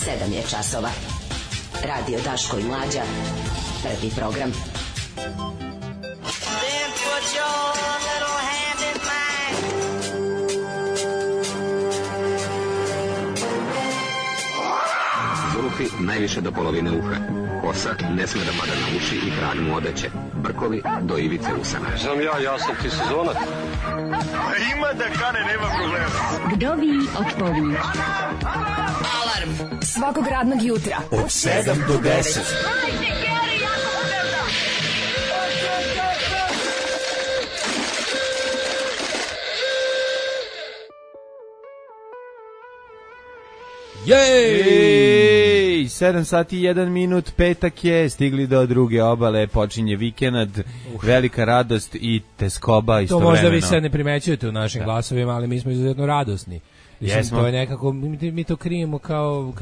7 je časova. Radio Daško i Mlađa. Prvi program. Then put your little hand in mine. Zulufi najviše do polovine uha. Kosa ne sme da pada na uši i kralj mu odeće. Brkovi do ivice usana. Znam ja sam ti sezonac. Ima da kane, nema problema. Vdovi otpovi. Alarm svakog radnog jutra od 7 do 10. Jej! 7 sati 1 minut, petak je, stigli do druge obale, počinje vikend, velika radost i teskoba istovremeno. To možda vi sad ne primećujete u našim glasovima, ali mi smo izuzetno radosni. Jesmo. To je nekako, mi to krijemo kao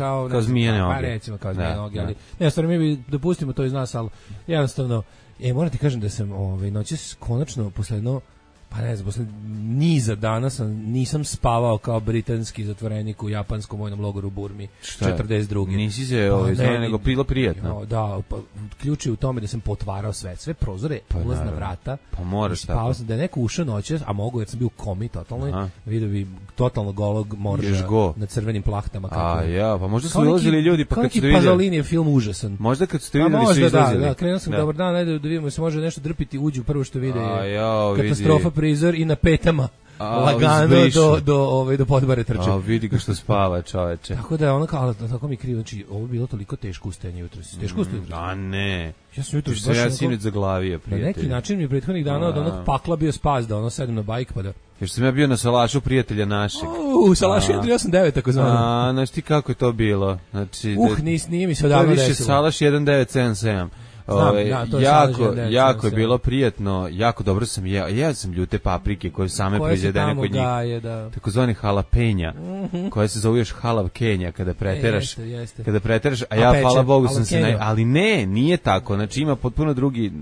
zmijene oge. Pa recimo kao zmijene oge, ali ne, stvarno mi dopustimo to iz nas, ali jednostavno, moram ti kažem da sam noćas konačno posle jedno, pa ne znam, posle niza dana nisam spavao kao britanski zatvorenik u japanskom vojnom logoru u Burmi 42. Nisi se nego bilo prijatno. Da, pa, ključ je u tome da sam potvarao sve prozore, ulazna vrata. Pa moraš tako. Spavao sam da je neko ušao noćas, a mogu jer sam bio u komi totalno, vidio bi totalno golog morža na crvenim plahtama. Pa možda su ulazili ljudi pa kad su vidjeli. Pasolini je film užasan. Možda kad su vidjeli su izlazili. Da, krenuo sam dobar dan, ajde da vidimo se može nešto drpiti, uđu prvo što vide je katastrofa prizor i na petama lagano do podbare trče. Vidi ga što spava, čoveče. Tako da je ono kao, tako mi krivo, znači ovo je bilo toliko teško ustajanje jutros. Teško ustajanje jutros. A ne. Ja sam jutros baš sinoć zaglavio, prijatelj. Na neki način mi je prethodnih dana od onog pakla bio spas da sedem na bajk pa da... Jer sam ja bio na salašu prijatelja našeg. Salašu 189 tako zvano. Znaš ti kako je to bilo? Znači, nije mi se odavno desilo. To je više salaš 1977. Jako je bilo prijatno, jako dobro sam jeo. Jeo sam ljute paprike koje same proizvedene kod njih. Takozvani halapenja, koje se zove još halavkenja kada preteraš. Kada preteraš, a ja hvala Bogu sam se ali nije tako. Znači ima potpuno drugi,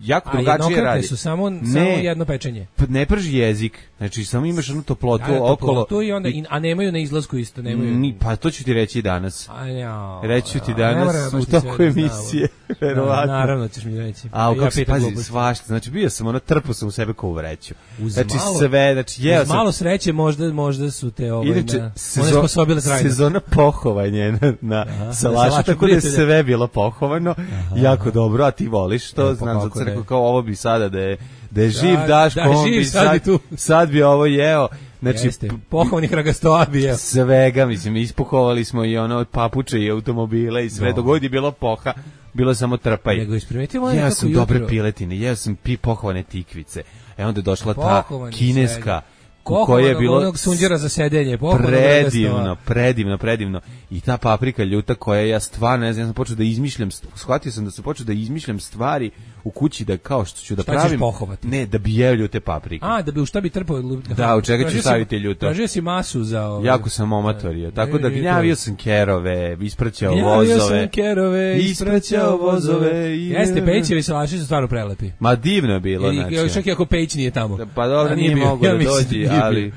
jako drugačije radi. Su samo jedno pečenje. Ne prži jezik. Znači samo imaš onu toplotu okolo. A nemaju na izlasku isto, nemaju. Pa to ću ti reći danas. Reći ću ti danas u toku emisije. Naravno ćeš mi reći. Pazi, svašta. Znači bio sam trpao sam u sebe kao u vreću. Znači sve, znači jeo sam. Malo sreće možda su te one sposobile trajno. Sezona pohovanja na salašu, tako da je sve bilo pohovano. Jako dobro, a ti voliš to, znam za crkvu kao ovo bi sada da je živ Daško, sad bi ovo jeo. Znači, pohovanih ragastoa bi jeo. Svega, mislim, ispohovali smo i papuče i automobile i sve, dogod je bilo poha. Bilo je samo trpaj. Ja sam dobre piletine, ja sam pohovane tikvice. Onda je došla ta kineska koja je bilo onog sunđera za sedenje, predivno. I ta paprika ljuta koja ja stvarno, ne znam, ja sam počeo da izmišljam, shvatio sam da sam počeo da izmišljam stvari u kući da kao što ću da pravim. Ne, da bi jeo ljute paprike. Da bi u šta bi trpao? Da, u čega ću staviti ljuto? Tražio si masu za ovo. Jako sam omatorio, tako da gnjavio sam kerove, ispraćao vozove. Jeste, Pećevi salaši su stvarno prelepi. Ma divno je bilo, znači. Čak i ako Peć nije tamo. Pa dobro, nije mogo da dođi, ali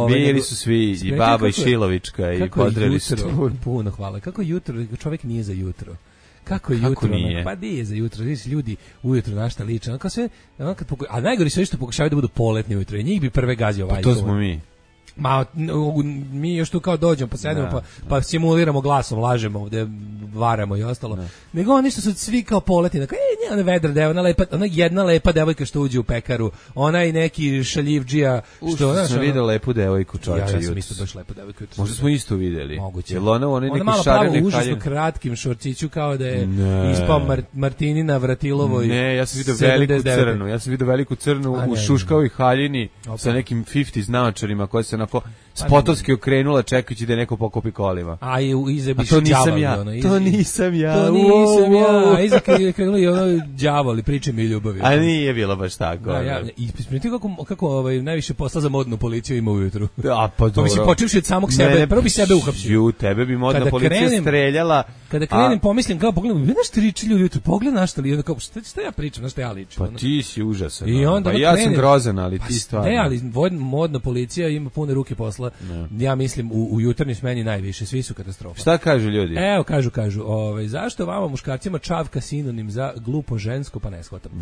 bili su svi, i baba i Šilovička, i podreli su. Puno hvala. Kako jutro, čovjek nije za jutro. Kako jutro? Nije? Pa nije za jutro. Ljudi ujutro našta liče. A najgori su što pokušavaju da budu poletni ujutro. I njih bi prve gazio vajko. To smo mi. Mi još tu kao dođemo pa sedemo pa simuliramo glasom, lažemo ovde, varamo i ostalo. Nego oni što su svi kao poletni, ona vedra deva, ona jedna lepa devojka što uđe u pekaru, ona i neki šaljivdžija što sam vidio lepu devojku čoveče. Ja sam isto baš lepu devojku. Možda smo isto videli. Moguće. Ona neki malo plavo u užasno kratkim šorciću kao da je ispao Martinina Vratilovoj. Ne, ja sam vidio veliku crnu u šuškavoj haljini sa nekim 50s naočarima koje se spotovski okrenula čekajući da je neko pokopi kolima. A i iza bi to nisam ja. To nisam ja. A iza krenuli đavoli, priče mi ljubavi. A nije bilo baš tako. Da, ja, isprimiti kako najviše posla za modnu policiju ima ujutru. A pa dobro. Mislim, počevši od samog sebe, prvo bi sebe uhapsio. Tebe bi modna policija streljala. Kada krenem, pomislim, kao pogledam, vidiš tri čilju ujutru, pogledaj na šta li, kao, šta ja pričam, na šta ja ličim. Pa ti si užasan. I onda pa ja sam grozan, ali ti stvarno. Ne, ali modna policija ima pune ruke posla. Ne. Ja mislim, u jutarnjoj smeni najviše, svi su katastrofa. Šta kažu ljudi? Evo, kažu, zašto vama muškarcima čavka sinonim za glupo žensko, pa ne shvatam.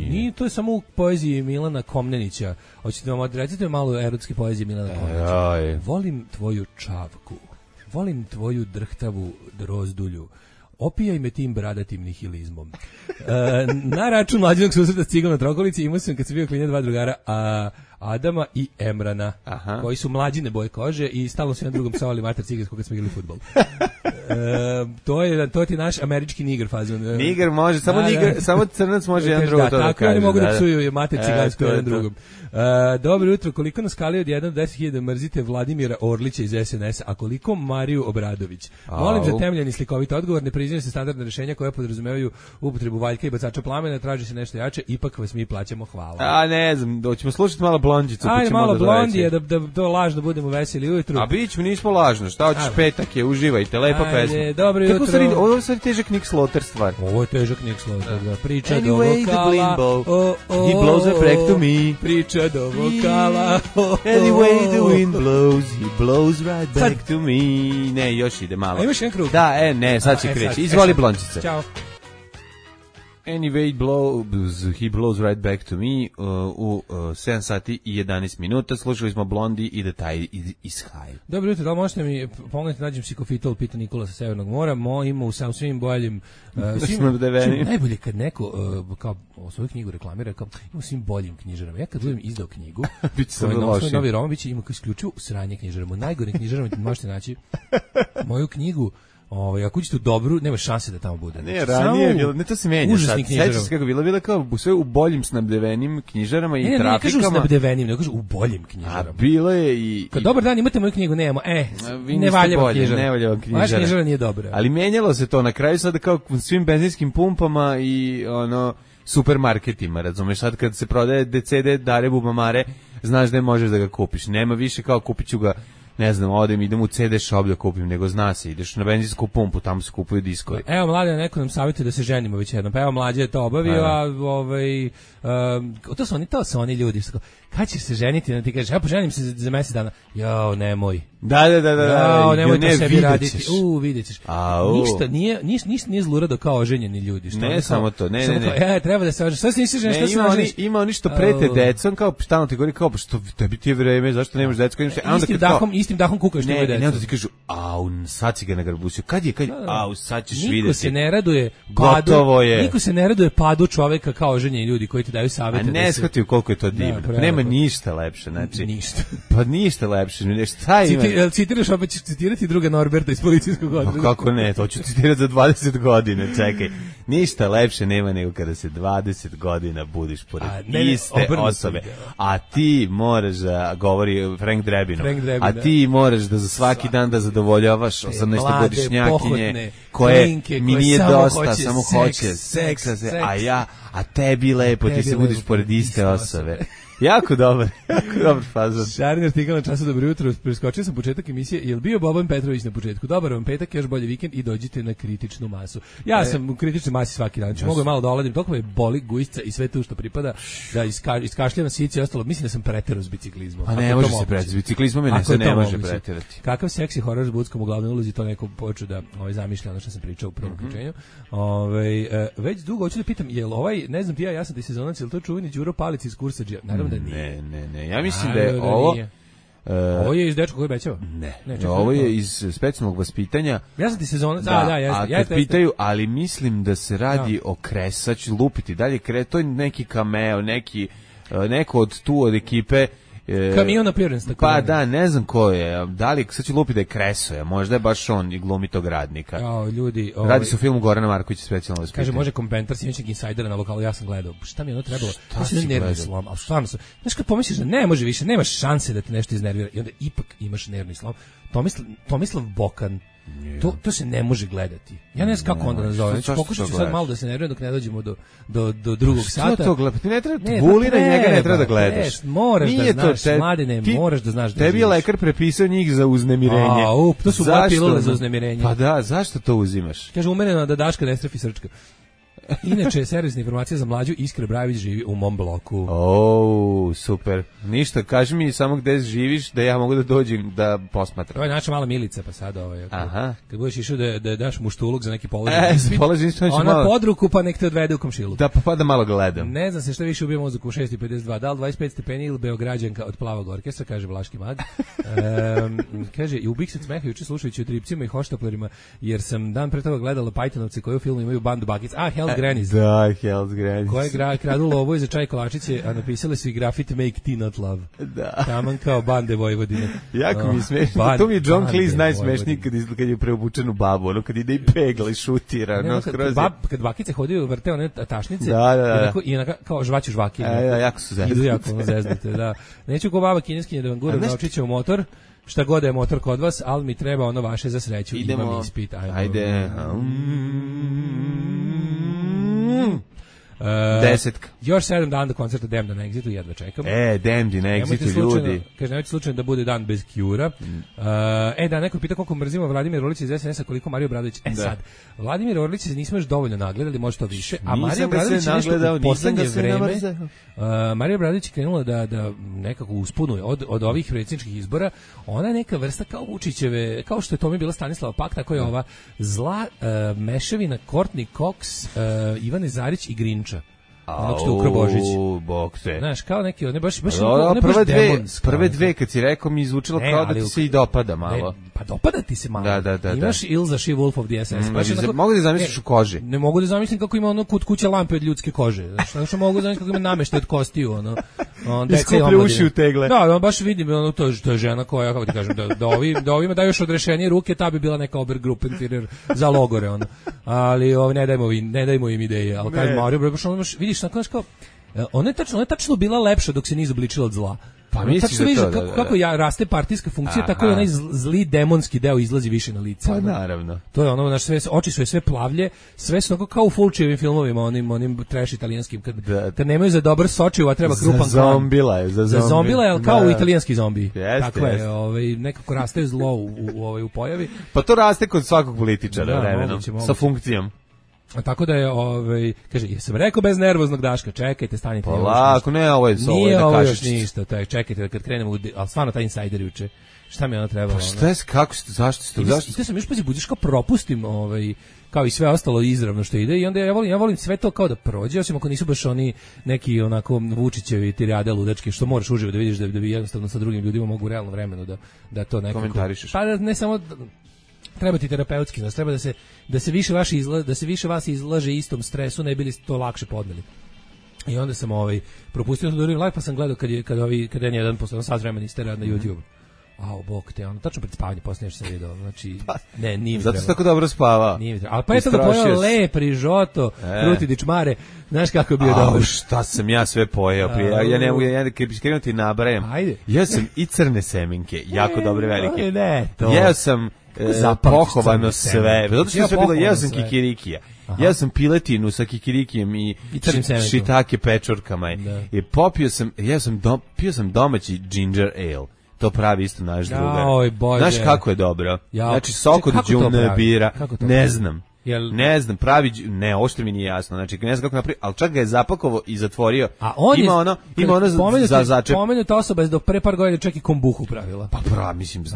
Nije, to je samo u poeziji Milana Komnenića. Hoćete vam odrecite malo erotske poezije Milana Komnenića. Volim tvoju čavku, volim tvoju drhtavu drozdulju, opijaj me tim bradatim nihilizmom. Na račun mlađenog susreta s cigom na Trokolici imao sam kad sam bio klinac 2 drugara, Adama i Emrana, koji su mlađine boje kože i stalno su jedan drugom psovali mater cigansko kad smo igrali fudbal. To ti naš američki niger fazon. Niger može, samo crnac može jedan drugom to da kaže. Tako oni mogu da psuju mater cigansko jedan drugom. Dobro jutro, koliko na skali od 1 do 10.000 mrzite Vladimira Orlića iz SNS-a, a koliko Mariju Obradović? Molim za temeljan i slikovit odgovor, ne priznaju se standardne rešenja koja podrazumevaju upotrebu valjka i bacača plamena, traži se nešto jače, ipak vas mi plaćamo, hvala. Ne znam, hoćemo slušati malo Blondžicu. Ajde malo Blondije, da to lažno budemo veseli ujutru. A bićemo, nismo lažno, šta hoćeš, petak je, uživajte, lepa pesma. Dobro jutro. Ovo je sad težak Nick Slaughter stvar. Ovo je težak Nick Slaughter, da. Priča anyway, do vokala. He blows it back to me. Priča do vokala. Anyway, the wind blows, he blows right back to me. Ne, još ide malo. A imaš jedan krug? Da, ne, sad će kreći. Izvoli Blondžice. Ćao. Anyway, he blows right back to me u 7 sati i 11 minuta. Slušali smo Blondi i detalji iz Haj. Dobro jutro, da li možete mi pomoći nađem psikofitol, pita Nikola sa Severnog mora. Ima u svim boljim... najbolje kad neko kao svoju knjigu reklamira, kao ima u svim boljim knjižarama. Ja kad budem izdao knjigu, svoj novi roman, biće ima isključivo sranje knjižarama. U najgore knjižarama možete naći moju knjigu. Ako uđete u dobru, nema šanse da tamo bude. Ne, ranije je bilo, ne to se menja sad. Sećaš se kako bilo kao sve u boljim snabdevenim knjižarama i trafikama. Ne kažu snabdevenim, ne kažu u boljim knjižarama. A bilo je i... Kad dobar dan, imate moju knjigu, nemamo. Ne valja vam knjižara. Ne valja vam knjižara. Vaša knjižara nije dobra. Ali menjalo se to na kraju sada kao u svim benzinskim pumpama i supermarketima, razumeš, sad kad se prodaje DCD, Dare Bubamare, znaš da ne možeš da ga kupiš. Nema više kao kupit ću ga, ne znam, idem u CD shop da kupim, nego zna se, ideš na benzinsku pumpu, tamo se kupuju diskovi. Evo, Mlađe, neko nam savjetuje da se ženimo već jednom, pa evo, Mlađe je to obavio, to su oni ljudi, kad ćeš se ženiti, da ti kažeš, ja poženim se za mesec dana, jao, nemoj. Da. Jao, nemoj to sebi raditi. Vidjet ćeš. Ništa, nije zlurado kao oženjeni ljudi. Ne, samo to, ne. Treba da se oženiš, šta se nisi ženio, šta se oženiš? Ima oni što prete decom, kao stalno ti govori, kao, što tebi ti je vreme, zašto nemaš deco? Istim dahom kukaš tebe decu. Ne, onda ti kažu, sad si ga nagrabusio, kad je, sad ćeš vidjeti. Niko se ne raduje gotovo je. Niko se ne raduje padu čoveka kao oženjeni ljudi koji ti daju savete. A ne shvatio koliko je to divno. Nema ništa lepše, znači. Ništa. Pa ništa lepše, šta ima? Citiraš, opet ćeš citirati druga Norberta iz policijskog odreda. Kako ne, to ću citirati za 20 godina, čekaj. Ništa lepše nema nego kada se 20 godina budiš pored iste osobe. A ti moraš da, govori Frank Drebin, a ti moraš da za svaki dan da zadovoljavaš 18-godišnjakinje koje mi nije dosta, samo hoće seksa, a tebi lepo, ti se budiš pored iste osobe. Jako dobar fazon. Šarin artikal na Času, dobro jutro. Preskočio sam početak emisije. Je li bio Boban Petrović na početku? Dobar vam petak, još bolji vikend i dođite na kritičnu masu. Ja sam u kritičnoj masi svaki dan. Mogu malo da oladim. Toliko me boli gujsca i sve tu što pripada da iskašljavam sice i ostalo. Mislim da sam preterao s biciklizmom. A ne može se preterati. S biciklizmom se ne može preterati. Kakav seksi horor s Buckom u glavnoj ulozi, to neko počeo da zamišlja ono što sam pričao u prvom uključenju. Već dugo hoću da pitam, jel ne znam ti ja sam ti sezonac, jel to čuveni Đuro Palic iz Kursadžija? Naravno da nije. Ne. Ja mislim da je ovo... Ovo je iz Dečko koji bećava? Ne, ovo je iz specijalnog vaspitanja. Ja sam ti sezonac, a kad pitaju, ali mislim da se radi o Kresaću, lupiti dalje, to je neki cameo, neko od ekipe. Kamion appearance, tako. Pa da, ne znam ko je. Da li sad ću lupiti da je Kresoja, možda je baš on i glumi tog radnika. Ljudi, radi se o filmu Gorana Markovića specijalno vaspitanje. Kaže, može komentar sinoćnog insajdera na lokalu, ja sam gledao. Šta mi je ono trebalo? Šta si nervni slom, ali stvarno sam. Znaš kad pomisliš da ne može više, nemaš šanse da te nešto iznervira i onda ipak imaš nervni slom. Tomislav Bokan To se ne može gledati. Ja ne znam kako onda nazovem. Pokušat ću sad malo da se nerviram dok ne dođemo do drugog sata. Što to gledati? Ti ne treba, Vulina i njega ne treba da gledaš. Moraš da znaš, mladine, moraš da znaš da tebi je lekar prepisao njih za uznemirenje. To su moje pilule za uznemirenje. Pa da, zašto to uzimaš? Kaže, umereno da Daška ne strefi srčka. Inače, servisna informacija za mlađu, Iskra Brajević živi u mom bloku. Super. Ništa, kaži mi samo gde živiš, da ja mogu da dođem da posmatram. To je naša mala Milica, pa sad kad budeš išao da daš muštuluk za neki položaj. Ona pod ruku, pa nek te odvede u komšilu. Pa da malo gledam. Ne znam se šta više ubije mozak u 6:52, da li 25 stepeni ili Beograđanka od Plavog orkestra, kaže Vlaški mag. Kaže, i ubih se smeha juče slušajući o Tripcima i hoštaplerima, jer sam dan pre toga gledala Pajtonovci koji u filmu imaju bandu bakic. Hell's Grannies. Da, Hell's Grannies. Koje kradu lovu i za čaj kolačiće, a napisali su i grafit Make Tea Not Love. Da. Taman kao bande Vojvodine. Jako mi je smešno. To mi je John Cleese najsmešniji kad je preobučen u babu, ono kad ide i pegla i šutira. Kad bakice hodaju vrte one tašnice i onako kao žvaću žvaki. Jako su zeznute. Idu jako zeznute, da. Neću ko baba kineskinje da vam guram naučiće u motor. Šta god je motor kod vas, ali mi treba ono vaše za sreću. Imam ispit. Ajde. Desetka. Još 7 dana do koncerta Damned na Exitu, jedva čekam. Damned na Exitu, ljudi. Kaže, nemojte slučajno da bude dan bez Cure-a. Da, neko pita koliko mrzimo Vladimir Orlić iz SNS-a, koliko Mario Obradović. Sad, Vladimir Orlić nismo još dovoljno nagledali, može to više, a Mario Obradović je nešto u poslednje vreme. Mario Obradović je krenula da nekako uspunuje od ovih predsjedničkih izbora. Ona je neka vrsta kao Vučićeve, kao što je to mi bila Stanislava Pak, tako je ova zla mešavina Courtney Cox, Ivane Zarić i Grinča. Ono što ukro Božić. Znaš, kao neki, one baš prve dve, kad si rekao, mi izvučilo kao da ti se i dopada malo. Pa dopada ti se malo. Da. Imaš Ilza She-Wolf of the SS. Mogu da zamisliš u koži? Ne mogu da zamislim kako ima ono kod kuće lampe od ljudske kože. Znaš, mogu da zamislim kako ima nameštaj od kostiju, ono. Iskuplje uši u tegle. Da, baš vidim, ono, to je žena koja, kako ti kažem, da ovima daju još odrešenje ruke, ta bi bila neka Obergruppenführer za logore, ono. Ali ne dajmo im ideje. Ali kažem, Mario, baš ono, vidiš, kao, ona je tačno bila lepša dok se nije izobličila od zla. Pa misliš da to, kako raste partijska funkcija, tako i onaj zli demonski deo izlazi više na lice. Pa naravno. To je ono, oči su sve plavlje, sve su kao u Fulčijevim filmovima, onim trash italijanskim, kad nemaju za dobar sočiv, a treba krupan klan. Za zombila je, kao u italijanski zombi. Tako je, nekako raste zlo u pojavi. Pa to raste kod svakog političara vremenom, sa funkcijom. Tako da je, kaže, jesam rekao bez nervoznog Daška, čekajte, stanite. Polako, ne, ovo je da kažeš. Nije ovo još ništa, čekajte, kad krenemo, ali stvarno taj insajder juče, šta mi je ono trebalo? Pa šta je, kako ste, zašto? I sam još budiš kao propustim, kao i sve ostalo izravno što ide i onda ja volim sve to kao da prođe, osim ako nisu baš oni neki onako Vučićevi tirade ludački, što moraš uživo da vidiš da bi jednostavno sa drugim ljudima mogu u realnom vremenu da to nekako komentarišeš. Pa ne samo treba ti terapeutski, znači treba da se više vas izlaže istom stresu, ne bili to lakše podneli. I onda sam propustio da urim live, pa sam gledao kad je jedan posle sat vremena istera na YouTube. Bog te, tačno pred spavanje posle nešto sam video, znači nije mi zato se tako dobro spava. Nije mi trebalo. Ali pa eto ga pojeo le, prižoto, kruti dičmare, znaš kako je bio dobro. Šta sam ja sve pojeo prije, ja ne mogu, krenuo ti nabrajam. Ja sam i crne semenke, jako dobre velike. Jeo sam pohovano sve, zato što je sve bilo, jeo sam kikirikija. Ja sam piletinu sa kikirikijem i šitake pečurkama. I pio sam domaći ginger ale. To pravi isto naš drugar. Znaš kako je dobro? Znači, sok od đubre bira, ne znam. Ne znam, ovo što mi nije jasno. Znači, ne znam kako napravi, ali čak ga je zapakovao i zatvorio. A on ima ono za začep. Pomenuta osoba je do pre par godina čak i kombuhu pravila. Pa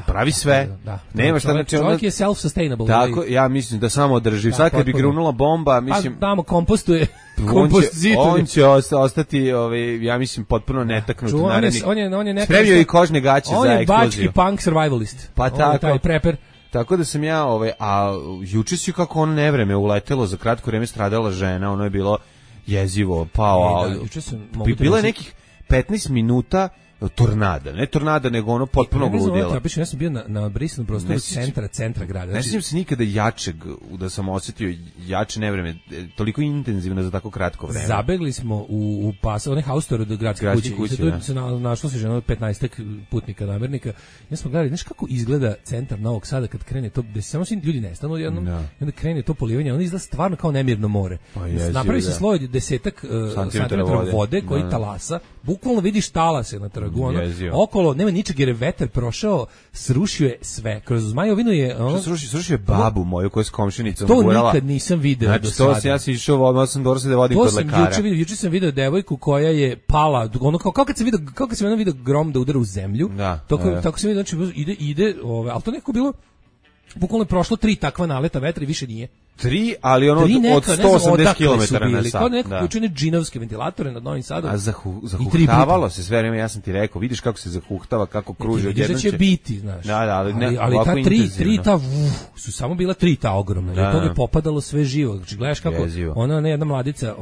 pravi sve. Nema šta, znači čovjek je self-sustainable. Tako, ja mislim da samo održi. Sad kad bi grunula bomba, mislim... Pa tamo kompostuje. On će ostati, ja mislim, potpuno netaknut. Spremio i kožne gaće za eksploziju. On je bački punk survivalist. Pa tako. Taj preper. Tako da sam ja, a juče si kako ono nevreme uletelo, za kratko vreme stradala žena, ono je bilo jezivo, bilo je nekih 15 minuta tornada, ne tornada, nego ono potpuno gludjelo. Ja sam bio na brisanom prostoru centra grada. Ne sjećam se nikada jačeg, da sam osjetio jače nevreme, toliko intenzivno za tako kratko vreme. Zabegli smo u pas, onaj haustor do gradske kuće. I se našlo se ženo 15 putnika namernika. Ja smo gledali, znaš kako izgleda centar Novog Sada kad krene to, da se samo svi ljudi nestanu jednom, i onda krene to polivanje, ono izgleda stvarno kao nemirno more. Napravi se sloj 10 santimetara vode koji talasa, bukvalno vidiš talase na trgu, okolo nema ničeg jer je vetar prošao, srušio je sve. Kroz Zmajovinu je srušio je babu moju koja je s komšinicom gurala. To nikad nisam video. Znači to ja sam išao, odmah sam dorasao da vodim kod lekara. Juče sam video devojku koja je pala, ono kao kad sam vidio grom da udara u zemlju. Tako sam vidio, znači ide, ali to nekako bilo bukvalno je prošlo 3 takva naleta vetra i više nije. 3, ali ono od 180 km na sat. Kao nekako učine džinovske ventilatore nad Novim Sadom. A zahuhtavalo se sve vreme, ja sam ti rekao, vidiš kako se zahuhtava, kako kruži od jednog. Će biti, znaš. Ali ta 3 su samo bila 3 ta ogromna. Od toga je popadalo sve živo. Znači gledaš kako ona jedna mladica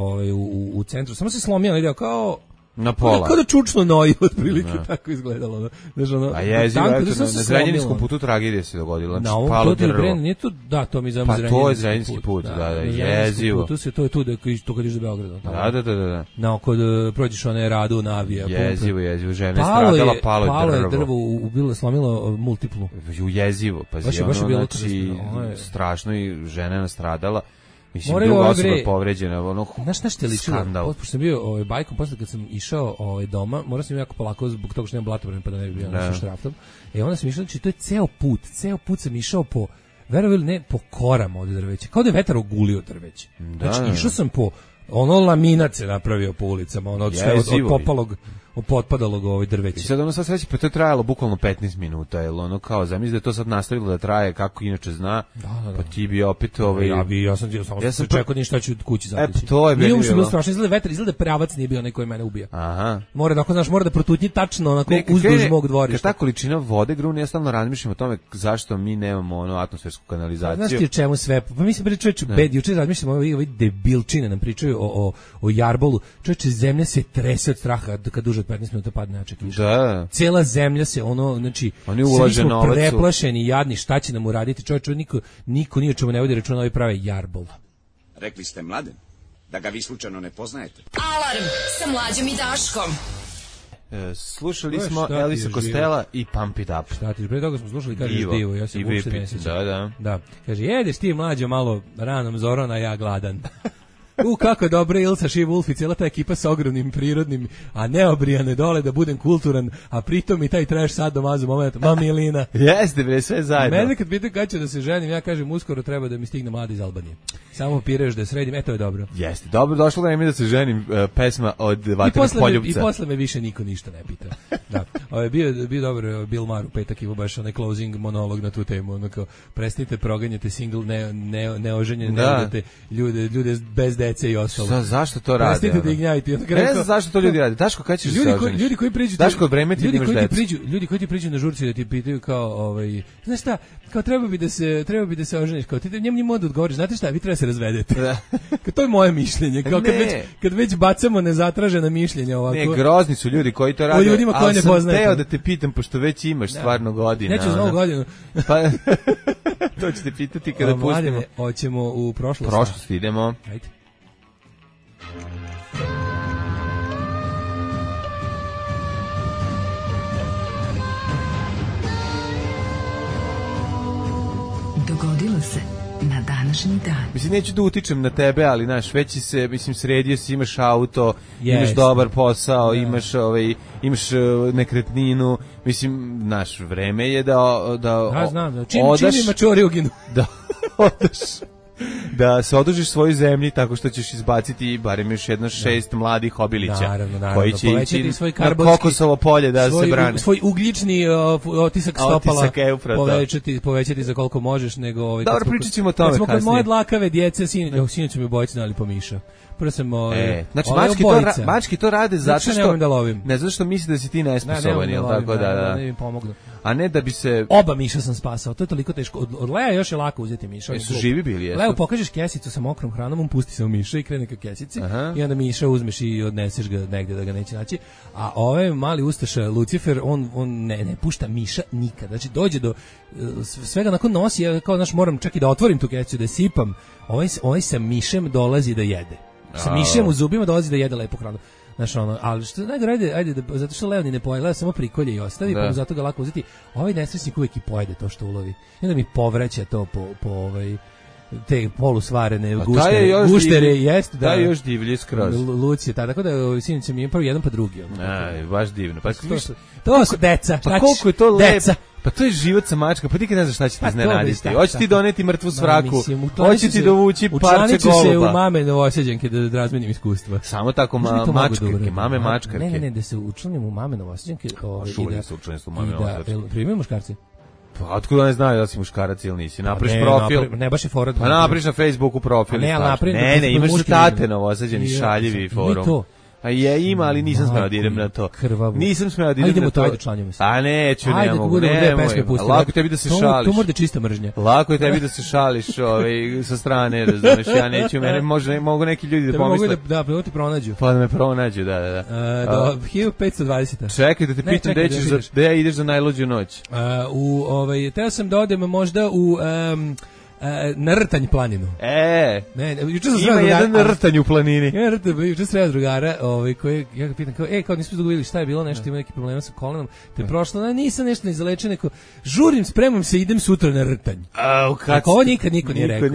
u centru, samo se slomila, ide kao na pola. Kao da čučno noji, otprilike tako izgledalo. Znači, a jezivo, na Zrenjaninskom putu tragedija se dogodila. Na ovom to nije to, da, to mi znamo Zrenjaninski put. Pa to je Zrenjaninski put, da, jezivo. To je tu da kad ideš do Beograda. Da. No, kod prođeš one radu na avija. Jezivo, žena je stradala, palo je drvo. Bilo slomilo multiplu. Jezivo, pazi, ono, znači, strašno i žena je nastradala. Mislim, druga osoba povređena, ono, znaš što je ličilo? Pošto sam bio bajkom, posle kad sam išao doma, morao sam jako polako zbog toga što nemam blatobrane pa da ne bi bio našim štraftom. Onda sam išao, znači to je ceo put sam išao po, verovali ne, po korama od drveća, kao da je vetar ogulio drveće. Znači išao sam po, laminat se napravio po ulicama, od popalog, potpadalog drveća. I sad sva sreća, pa to je trajalo bukvalno 15 minuta, jer ono kao, zamisli da je to sad nastavilo da traje kako inače zna, pa ti bi opet Ja sam čekao ništa ću kući zateći. To je bilo. Nije bilo strašno, izgleda vetar, izgleda pravac nije bio onaj koji mene ubija. Aha. Mora da protutnji tačno onako uzduž mog dvorišta. Kad ta količina vode grune, ja stalno razmišljam o tome zašto mi nemamo atmosfersku kanalizaciju. Znaš ti čemu sve? Pa mislim pričajući juče razmišljam ovi debilčine nam pričaju o jarbolu. Čoveče, zemlja se trese od straha kad duže od 15 minuta padne jača kiša. Da. Cijela zemlja se znači svi smo preplašeni, jadni, šta će nam uraditi? Čovječe, niko ni o čemu ne vodi računa, ovi prave jarbol. Rekli ste Mladen, da ga vi slučajno ne poznajete. Alarm sa Mlađom i Daškom. Slušali smo Elisa Costello i Pump It Up. Šta ti, pre toga smo slušali, kaže Divo, ja se uopšte ne sjećam. Da. Kaže, jedeš ti Mlađo malo ranom zorom, a ja gladan. Kako je dobro Ilsa She Wolf i cijela ta ekipa sa ogromnim prirodnim, a neobrijane dole da budem kulturan, a pritom i taj trash sad domazu moment, Milina. Jeste bre, sve zajedno. Mene kad pitaju kad ću da se ženim, ja kažem uskoro treba da mi stigne mladi iz Albanije. Samo pireš da sredim, to je dobro. Jeste, dobro, došlo da mi da se ženim, pesma od Vatrenog poljupca. I posle me više niko ništa ne pita. Da. Bio dobro Bill Maher u petak imao baš onaj closing monolog na tu temu, onako prestanite proganjate single neoženjene, ne ljude bez dece i ostalo. Zašto to rade? Prestanite da ih gnjavite. Ne znam zašto to ljudi rade. Daško, kad ćeš se oženiti? Ljudi koji priđu, Daško, bremeti ljudi koji ti priđu na žurci da ti pitaju kao znaš šta, kao treba bi da se oženiš, kao ti njemu modu odgovoriš, znate šta, vi treba se razvedete. Kao to je moje mišljenje, kao kad već bacamo nezatražena mišljenja ovako. Ne, grozni su ljudi koji to rade. O ljudima koje ne poznajete. Ali sam teo da te pitam, pošto već imaš stvarno godina. Neću za novu godinu. Pa to ćete pitati kada pustimo. Hoćemo u prošlost. Prošlost idemo. Ajde. Dogodilo se na današnji dan. Mislim, neću da utičem na tebe, ali znaš, već se, sredio si, imaš auto, imaš dobar posao, imaš nekretninu, mislim, naš vreme je da znam, čim ima čoriuginu. Da odeš. Da se odužiš svojoj zemlji tako što ćeš izbaciti barem još 6 mladih obilića. Naravno. Koji će ići na kokosovo polje da se brane. Svoj ugljični otisak stopala povećati za koliko možeš. Dobro, pričat ćemo o tome kasnije. Kod moje dlakave djece, sinoć mi obojice nali po miša. otpora sam znači mački to rade zato što ne zato što misli da si ti nesposoban, jel tako da ne mi pomognu. A ne da bi se oba miša sam spasao, to je toliko teško. Od Lea još je lako uzeti miša. Su živi bili, jesu. Leo pokažeš kesicu sa mokrom hranom, on pusti se u miša i krene ka kesici. I onda miša uzmeš i odneseš ga negde da ga neće naći. A ovaj mali ustaša Lucifer, on ne pušta miša nikad. Znači dođe do svega nakon nosi, ja kao moram čak i da otvorim tu kesicu, da sipam. Ovaj sa mišem dolazi da jede. Sa mišem u zubima dolazi da jede lepo hranu. Znaš, ali što najgore, ajde, zato što Leo ni ne pojede, Leo samo prikolje i ostavi, pa mu zato ga lako uzeti. Ovaj nesrećnik uvijek i pojede to što ulovi. I onda mi povraća to po te polusvarene guštere, jeste da. Da je još divlji skroz. Lucije, tako da sinoć mi je prvo jedan pa drugi. Baš divno. Pa to su deca. Pa koliko je to lepo. Pa to je život sa mačka, pa ti kad ne znaš šta će ti iznenaditi. Hoće ti doneti mrtvu svraku, hoće ti dovući parče goluba. Učlanit ću se u mame Novosađanke da razmenim iskustva. Samo tako mačke, mame mačkarke. Ne, da se učlanim u mame Novosađanke. Šulje se učlanit u mame Novosađanke. Primaju muškarci? Pa otkud ne znaju da si muškarac ili nisi? Napriš profil. Ne baš je forum. Pa napriš na Facebooku profil. Ne, imaš su tate Novosađani, šaljivi forum. A ima, ali nisam smeo da idem na to. Nisam smeo da idem na to. A neću, ne mogu. Lako tebi da se šališ. Tu mora čista mržnja. Lako je tebi da se šališ sa strane, razumeš, ja neću, mene mogu neki ljudi da pomisle. Da ti pronađu. Pa da me pronađu, da. Do 1520. Čekaj da te pitam gde ideš za najluđu noć. Teo sam da odem možda u... na Rtanj planinu. Ima jedan Rtanj u planini. Juče sreo drugara, koji ja ga pitam kao nismo dugo videli šta je bilo, nešto ima neki problema sa kolenom. Te prošlo, nisam nešto ne izalečio, neko žurim, spremam se, idem sutra na Rtanj. Ako ovo nikad niko nije rekao.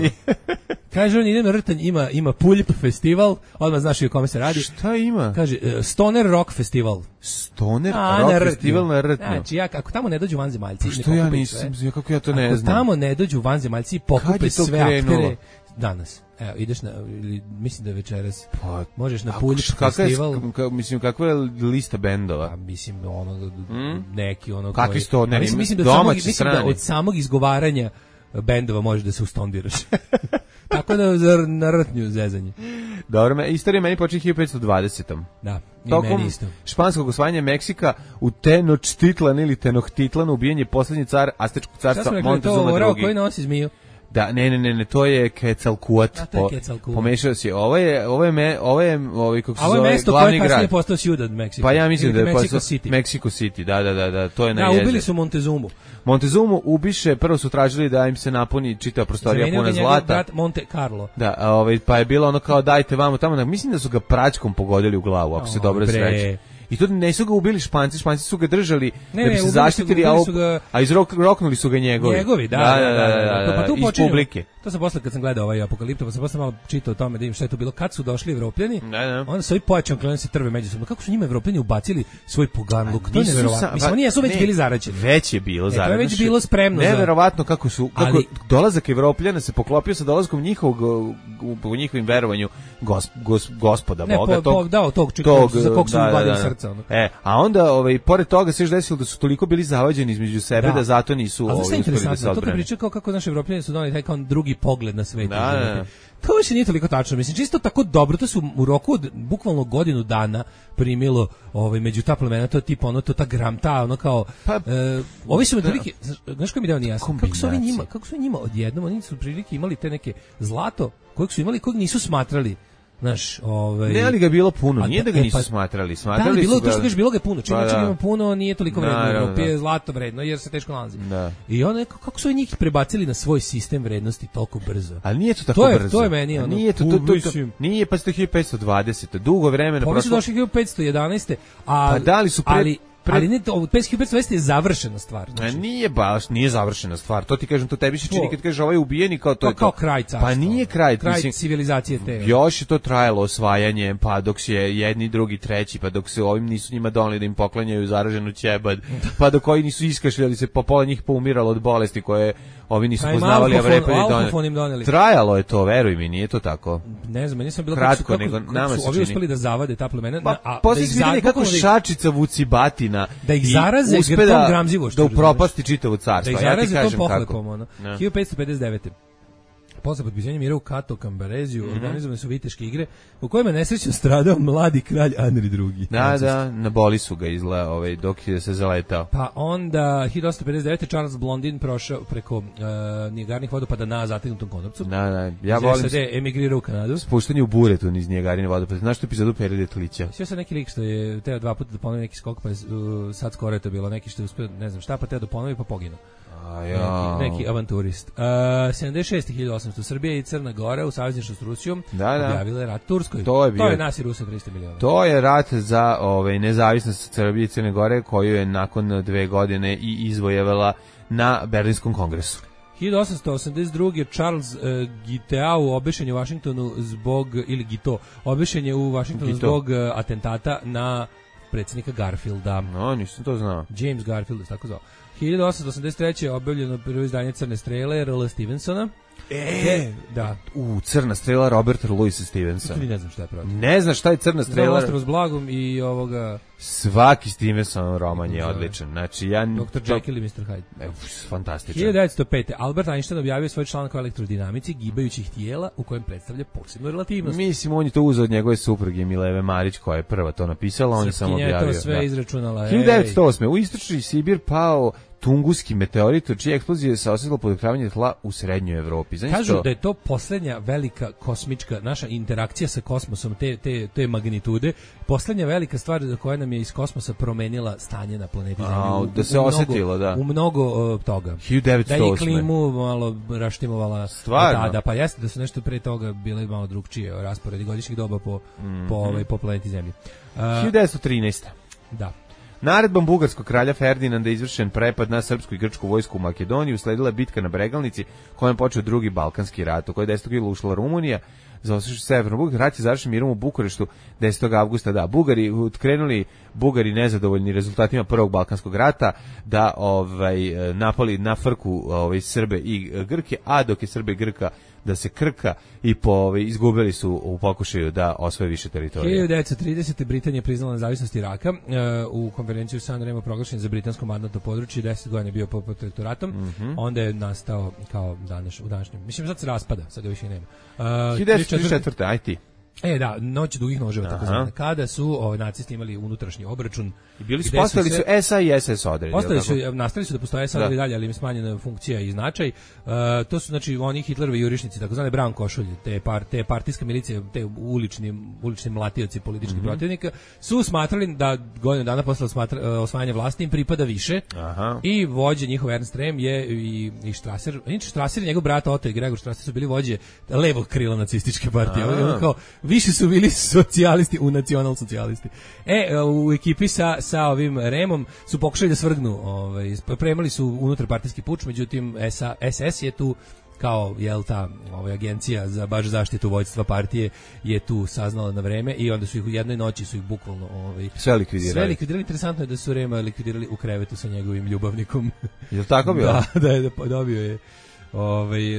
Kaže on, idem na Rtanj, ima Puljp festival, odmah znaš i o kome se radi. Šta ima? Kaže, Stoner Rock festival. Stoner Rock festival na Rtnju. Znači, ako tamo ne dođu vanzemaljci... Što ja nisam, kako ja to ne znam. Ako tamo ne dođu vanzemaljci, pokupe sve aktere danas. Evo, ideš na, mislim da je večeras, možeš na Puljp festival. Mislim, kakva je lista bendova? Mislim, neki kakvi stoneri? Mislim da od samog izgovaranja bendova možeš da se ustondiraš. Tako da na Rtnju zezanje. Dobro, istorija meni počinje 1520. Da, i tokom meni isto. španskog osvajanja Meksika u Tenochtitlan ili Tenochtitlan ubijen je poslednji car Aztečkog carstva Montezuma II. Šta smo rekli, koji nosi zmiju? Da, ne, to je Quetzalcoatl. Pomešao si. Ovo je kako se zove, glavni grad. Kasnije postao Ciudad Mexico. Pa ja mislim da je postao Mexico City. Da, to je na jezer. Ubili su Montezumu ubiše, prvo su tražili da im se napuni čitava prostorija puna zlata. Brat Monte Carlo. Da, pa je bilo ono kao dajte vamo tamo, mislim da su ga praćkom pogodili u glavu, ako se dobro sreće. I tu ne su ga ubili Španci su ga držali da bi se zaštitili, a izroknuli su ga njegovi. Da, iz publike. To sam posle kad sam gledao ovaj Apokaliptu, pa sam posle malo čitao o tome da im šta je to bilo. Kad su došli Evropljani, onda su ovi pojačano krenuli se trve međusobno. Kako su njima Evropljani ubacili svoj poganluk? To je neverovatno. Mislim, oni jesu već bili zaraćeni. Već je bilo zaraćeno. To je već bilo spremno. Neverovatno kako dolazak Evropljana se poklopio sa dolaskom u njihovim verovanju Gospoda Boga. Tog za kog su ubadili srca. A onda, pored toga se još desilo da su toliko bili zavađeni između sebe da zato nisu uspeli da se odbrane. To kad priča kako naši Evropljani su doneli taj kao drugi pogled na svet. To više nije toliko tačno. Mislim, čisto tako dobro, to su u roku od bukvalno godinu dana primilo među ta plemena, to je tipa to ta gramta, kao ovi su otprilike, znaš koji mi deo nije jasno, kako su njima odjednom, oni su prilike imali te neke zlato, kojeg su imali, kojeg nisu smatrali. Znaš, ne, ali ga bilo puno, nije da ga nisu smatrali su ga... To što bilo ga puno, čim ima puno, nije toliko vredno, Evropi je zlato vredno, jer se teško nalazi. I onda, kako su njih prebacili na svoj sistem vrednosti toliko brzo? Ali nije to tako brzo. To je meni, nije, pa ste 1520, dugo vremena prošlo. Pa došli 1511, ali ne, 1520 je završena stvar. Znači. Nije završena stvar. To ti kažem, to tebi se čini kad kažeš ovaj ubijeni kao to je to. Kao kraj carstva. Pa nije kraj civilizacije te. Još je to trajalo osvajanje, pa dok se jedni, drugi, treći, pa dok se ovim nisu njima doneli da im poklanjaju zaraženu ćebad, pa dok koji nisu iskašljali se, pa pola njih poumiralo od bolesti koje ovi nisu poznavali, a vrepali doneli. Trajalo je to, veruj mi, nije to tako. Ne znam, nisam bilo kratko, nego nama se čini. Ovi uspeli da zavade ta plemena, a posle se vidi kako šačica vuci batina da ih zaraze tom gramzivošću, da upropasti čitavo carstvo. Da ih zaraze tom pohlepom, 1559. posle potpisanja mira u Kato Kambareziju organizovane su viteške igre u kojima je nesrećno stradao mladi kralj Anri II. Da, na boli su ga dok je se zaletao. Pa onda 1859. Charles Blondin prošao preko Nijagarnih vodopada na zategnutom konopcu. Da, ja volim SAD emigrirao u Kanadu. Spuštanje u buretu niz Nijagarine vodopada. Znaš tu epizodu Pere Detlića? Sve sad neki lik što je teo 2 puta da ponovi neki skok, pa je sad skoro je to bilo neki što je uspio, ne znam šta, pa teo da ponovi pa poginuo. Neki avanturist. 76.800 Srbija i Crna Gora u savezništvu s Rusijom objavile rat Turskoj. To je nas i Rusa 300 miliona. To je rat za nezavisnost Srbije i Crne Gore koju je nakon 2 godine i izvojevala na Berlinskom kongresu. 1882. Charles Guiteau obešen je u Vašingtonu obešen je u Vašingtonu zbog atentata na predsjednika Garfielda. No, nisam to znao. James Garfield, tako zvao. 1883. objavljeno prvo izdanje Crne strele R.L. Stevensona. Da. Crna strela Roberta Louisa Stevensa. Ne znam šta je pravo. Ne znaš šta je Crna strela? Znam Ostrvo s blagom i ovoga... Svaki Stevenson roman je odličan. Znači, Dr. Jekyll i Mr. Hyde. Fantastičan. 1905. Albert Einstein objavio svoj članak o elektrodinamici gibajućih tijela u kojem predstavlja posebnu relativnost. Mislim, on je to uzeo od njegove supruge Mileve Marić, koja je prva to napisala, on je samo objavio. Srpkinja je to sve izračunala. 1908. U istočni Sibir pao Tunguski meteorit, čija eksplozija se osjetila podokravanje tla u srednjoj Evropi. Kažu da je to posljednja velika kosmička naša interakcija sa kosmosom, te magnitude, posljednja velika stvar za koja nam je iz kosmosa promenila stanje na planeti Zemlji. Da se osjetilo, da. U mnogo toga. 1908. Da je klimu malo raštimovala tada, pa jeste da su nešto pre toga bile malo drugčije rasporedi godišnjih doba po planeti Zemlji. 1913. Da. Naredbom bugarskog kralja Ferdinanda izvršen prepad na srpsku i grčku vojsku u Makedoniju, usledila bitka na Bregalnici, kojom počeo drugi Balkanski rat, u kojoj 10. jula ušla Rumunija, zaostaši severno Bugarska. Rat je završen mirom u Bukureštu 10. avgusta. Da, Bugari nezadovoljni rezultatima prvog Balkanskog rata, da napali na frku Srbe i Grke, a dok je Srbe i Grka da se krka i izgubili su u pokušaju da osvoje više teritorije. 1930. Britanija priznala nezavisnost Iraka. U konferenciju San Remo proglašen za britansko mandatno područje, 10 godina je bio pod protektoratom. Onda je nastao kao u današnjem. Mislim, sad se raspada, sad ga više nema. 1934. Aj ti. Da, noć dugih noževa, tako zvane. Kada su nacisti imali unutrašnji obračun. I postavili su SA i SS odredi. Nastavili su da postoje sad i dalje, ali im smanjena funkcija i značaj. To su, znači, oni Hitlerovi jurišnici, tako zvane brown košulje, te partijska milicija, te ulični mlatioci političkih protivnika, su smatrali da godinu dana posle osvajanja vlasti im pripada više. I vođe njihov Ernst Rehm je i Strasser. Strasser i njegov brat Otto i Gregor Strasser su bili vođe levog krila nacističke partije. Kao više su bili socijalisti u nacionalsocijalisti. U ekipi sa ovim Remom su pokušali da svrgnu, pripremali su unutarpartijski puč, međutim SS je tu kao ta agencija za baš zaštitu vođstva partije je tu saznala na vreme i onda su ih u jednoj noći su ih bukvalno sve likvidirali. Interesantno je da su Rema likvidirali u krevetu sa njegovim ljubavnikom. Je li tako bilo? Da,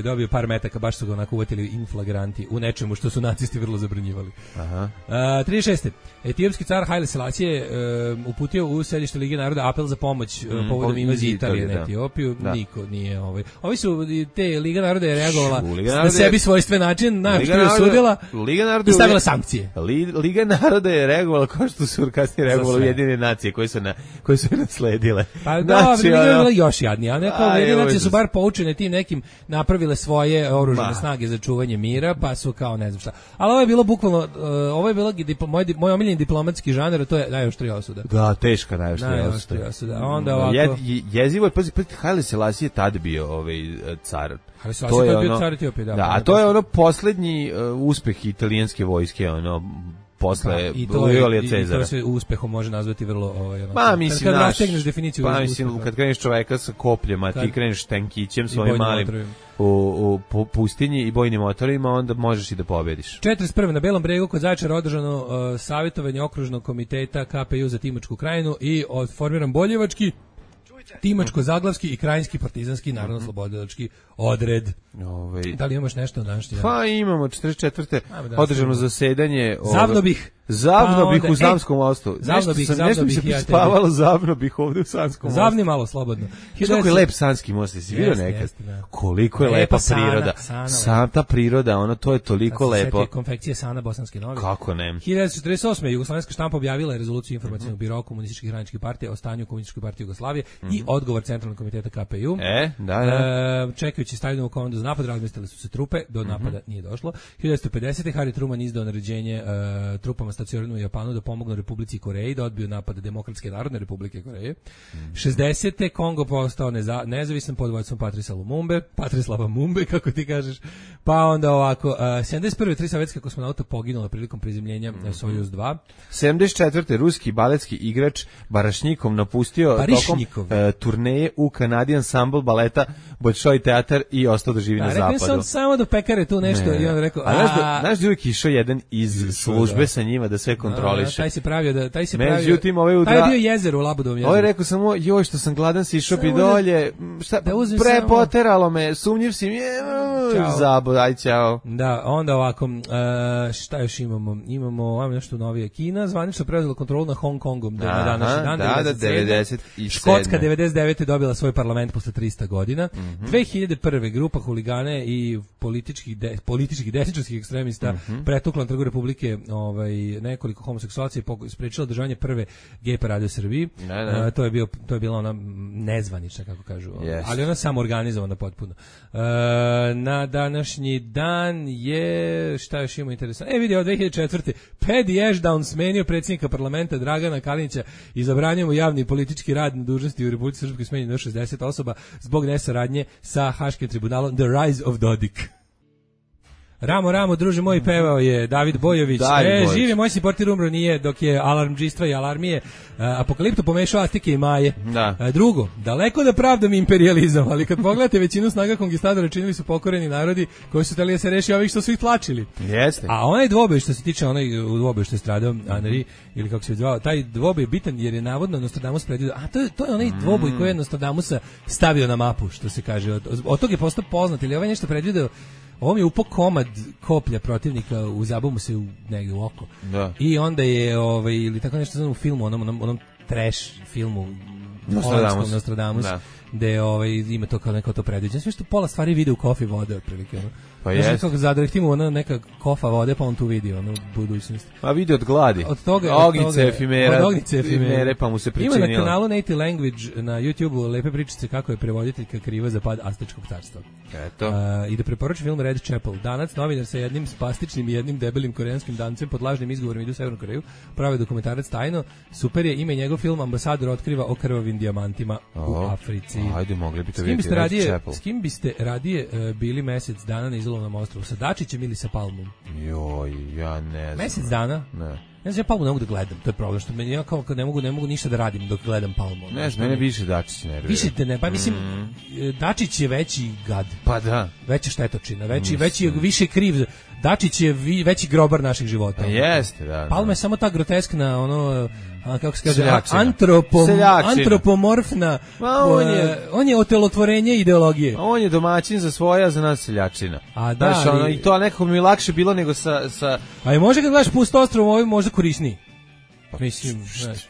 dobio par metaka, baš su ga onako uvatili in flagranti u nečemu što su nacisti vrlo zabranjivali. 36. Etiopski car Haile Selassie uputio u sedište Lige naroda apel za pomoć povodom invazije Italije na Etiopiju. Niko nije Ovi su, te Liga naroda je reagovala na sebi svojstven način, što je osudila i stavila sankcije. Liga naroda je reagovala kao što su kasnije reagovale Ujedinjene nacije koje su nasledile. Pa da, Liga je bila još jadnija, a neka Ujedinjene nacije su bar poučene tim nekim napravile svoje oružane snage za čuvanje mira, pa su kao ne znam šta. Ali ovo je bilo bukvalno, ovo je bilo moj omiljeni diplomatski žanr, to je najoštrija osuda. Da, teška najoštrija osuda. Onda ovako... Jezivo je, pazi, Haile Selassie je tad bio car. Haile Selassie je bio car Etiopije, da. Da, a to je posljednji uspeh italijanske vojske, posle Julija Cezara. I to se uspehom može nazvati vrlo mislim, kad rastegneš definiciju uspeha. Kad kreneš čoveka sa kopljama, ti kreneš tankićem svojim malim u pustinji i bojnim motorima, onda možeš i da pobediš. 41. na Belom bregu kod Zaječara održano savjetovanje okružnog komiteta KPU za Timočku krajinu i formiran Boljevački, Timačko-Zaglavski i Krajinski partizanski narodno-slobodilački odred. Da li imaš nešto na današnji dan? Pa imamo 44. održano zasedanje. Zavno bih Zavno bih u Sanskom mostu. Nešto mi se prispavalo, zavno bih ovde u Sanskom mostu. Zavni malo, slobodno. Kako je lep Sanski most, jesi vidio nekad? Koliko je lepa priroda. Sam ta priroda, ono, to je toliko lepo. Sad se konfekcije Sana Bosanske Novi. Kako ne? 1948. Jugoslovenska štampa objavila je rezoluciju informacionog biroa komunističkih radničkih partija o stanju komunističke partije Jugoslavije i odgovor Centralnog komiteta KPU. Čekajući Stalinovu komandu za napad, razmestile su se trupe, do napada nije došlo. 1950. Harry Truman izdao naređenje trupama stacioniranim u Japanu da pomognu Republici Koreji da odbiju napad Demokratske narodne Republike Koreje. 60. Kongo postao nezavisan pod vodstvom Patrislava Mumbe, kako ti kažeš. Pa onda ovako, 71. 3 sovjetska kosmonauta poginula prilikom prizemljenja Sojuz 2. 74. ruski baletski igrač Barašnikov napustio tokom turneje u kanadi ansambl baleta Bolšoj teatar i ostao da živi na zapadu. Rekao sam samo do pekare tu nešto i on rekao... Znaš da uvijek išao jedan iz službe sa njima da sve kontroliše. Taj se pravio... Taj je bio jezer u Labudovom jezeru. Ovo je rekao samo, joj što sam gladan, si išao bi dolje, prepoteralo me, sumnjiv si mi, zabud, aj ćao. Da, onda ovako, šta još imamo? Imamo nešto novije. Kina zvanično preuzela kontrolu na Hong Kongom na današnji dan, 97. Škotska 99. dobila svoj parlament posle 300 godina. 2001. grupa huligane i političkih desničarskih ekstremista pretukla na Trgu Republike nekoliko homoseksualaca i sprečila održavanje prve gej parade u Srbiji. To je bila ona nezvanična, kako kažu, ali ona samo organizovana potpuno. Na današnji dan je, šta još imamo interesantno? Vidi, od 2004. Paddy Ashdown smenio predsjednika parlamenta Dragana Kalinića i zabranio mu javni politički rad na dužnosti u Republici Srpskoj, smenjeno 60 osoba zbog nesaradnje sa Haškim tribunalom. The Rise of Dodik. Ramo, druže moj, pevao je David Bojović. Živi, moj si portir umro nije, dok je alarmdžistva i alarmije Apokaliptu pomešao Astike i Maje. Drugo, daleko da pravdam imperializam, ali kad pogledate većinu snaga konkistadora činili su pokoreni narodi koji su hteli da se reši ovih što su ih tlačili. Jeste. A onaj dvoboj što se tiče, onaj dvoboj što je stradao Anri, ili kako se zvao, taj dvoboj je bitan jer je navodno Nostradamus predvidio, to je onaj dvoboj koji je Nostradamusa stavio na mapu, što se kaže. Od tog je postao poznat, ili ovaj nešto predvidio. Ovo mi je upao komad koplja protivnika, zabu mu se negdje u oko. Da. I onda je, ili tako nešto znam u filmu, onom trash filmu Nostradamus, gde ima to kao neko to predviđeno. Sve što pola stvari vide u kofi vode, otprilike. Pa je. Kako zadrhtimo ona neka kofa vode, pa on tu vidi u budućnost. Pa vidi od gladi. Od toga, Ognice efimere, pa mu se pričinilo. Ima na kanalu Native Language na YouTubeu lepe pričice kako je prevoditeljka kriva za pad Aztečkog carstva. Eto. I da preporučim film Red Chapel. Danac novinar sa jednim spastičnim i jednim debelim koreanskim dancem pod lažnim izgovorom ide u Severnu Koreju. Pravi dokumentarac tajno. Super je, ime njegov film Ambasador otkriva o krvavim dijamantima u Africi. Ajde, mogli bi to vidjeti Red Chapel. S kim biste radije bili mesec dana na izolovnom ostrvu? Sa Dačićem ili sa Palmom? Joj, ja ne znam. Mesec dana? Ne. Ja znam, ja Palmu ne mogu da gledam, to je problem, što ja kao ne mogu ništa da radim dok gledam Palmu. Ne znam, mene više Dačić nervira. Više te ne, pa mislim, Dačić je veći gad. Pa da. Veća štetočina, više kriv. Dačić je veći grobar naših života. Jeste, da. Palma je samo ta groteskna, kako se kaže, antropomorfna, on je otelotvorenje ideologije. On je domaćin za svoja, za nas seljačina. A da, i to nekako mi je lakše bilo nego sa... A i može kad gledaš Pusto ostrvo, ovo možda korisniji. Mislim,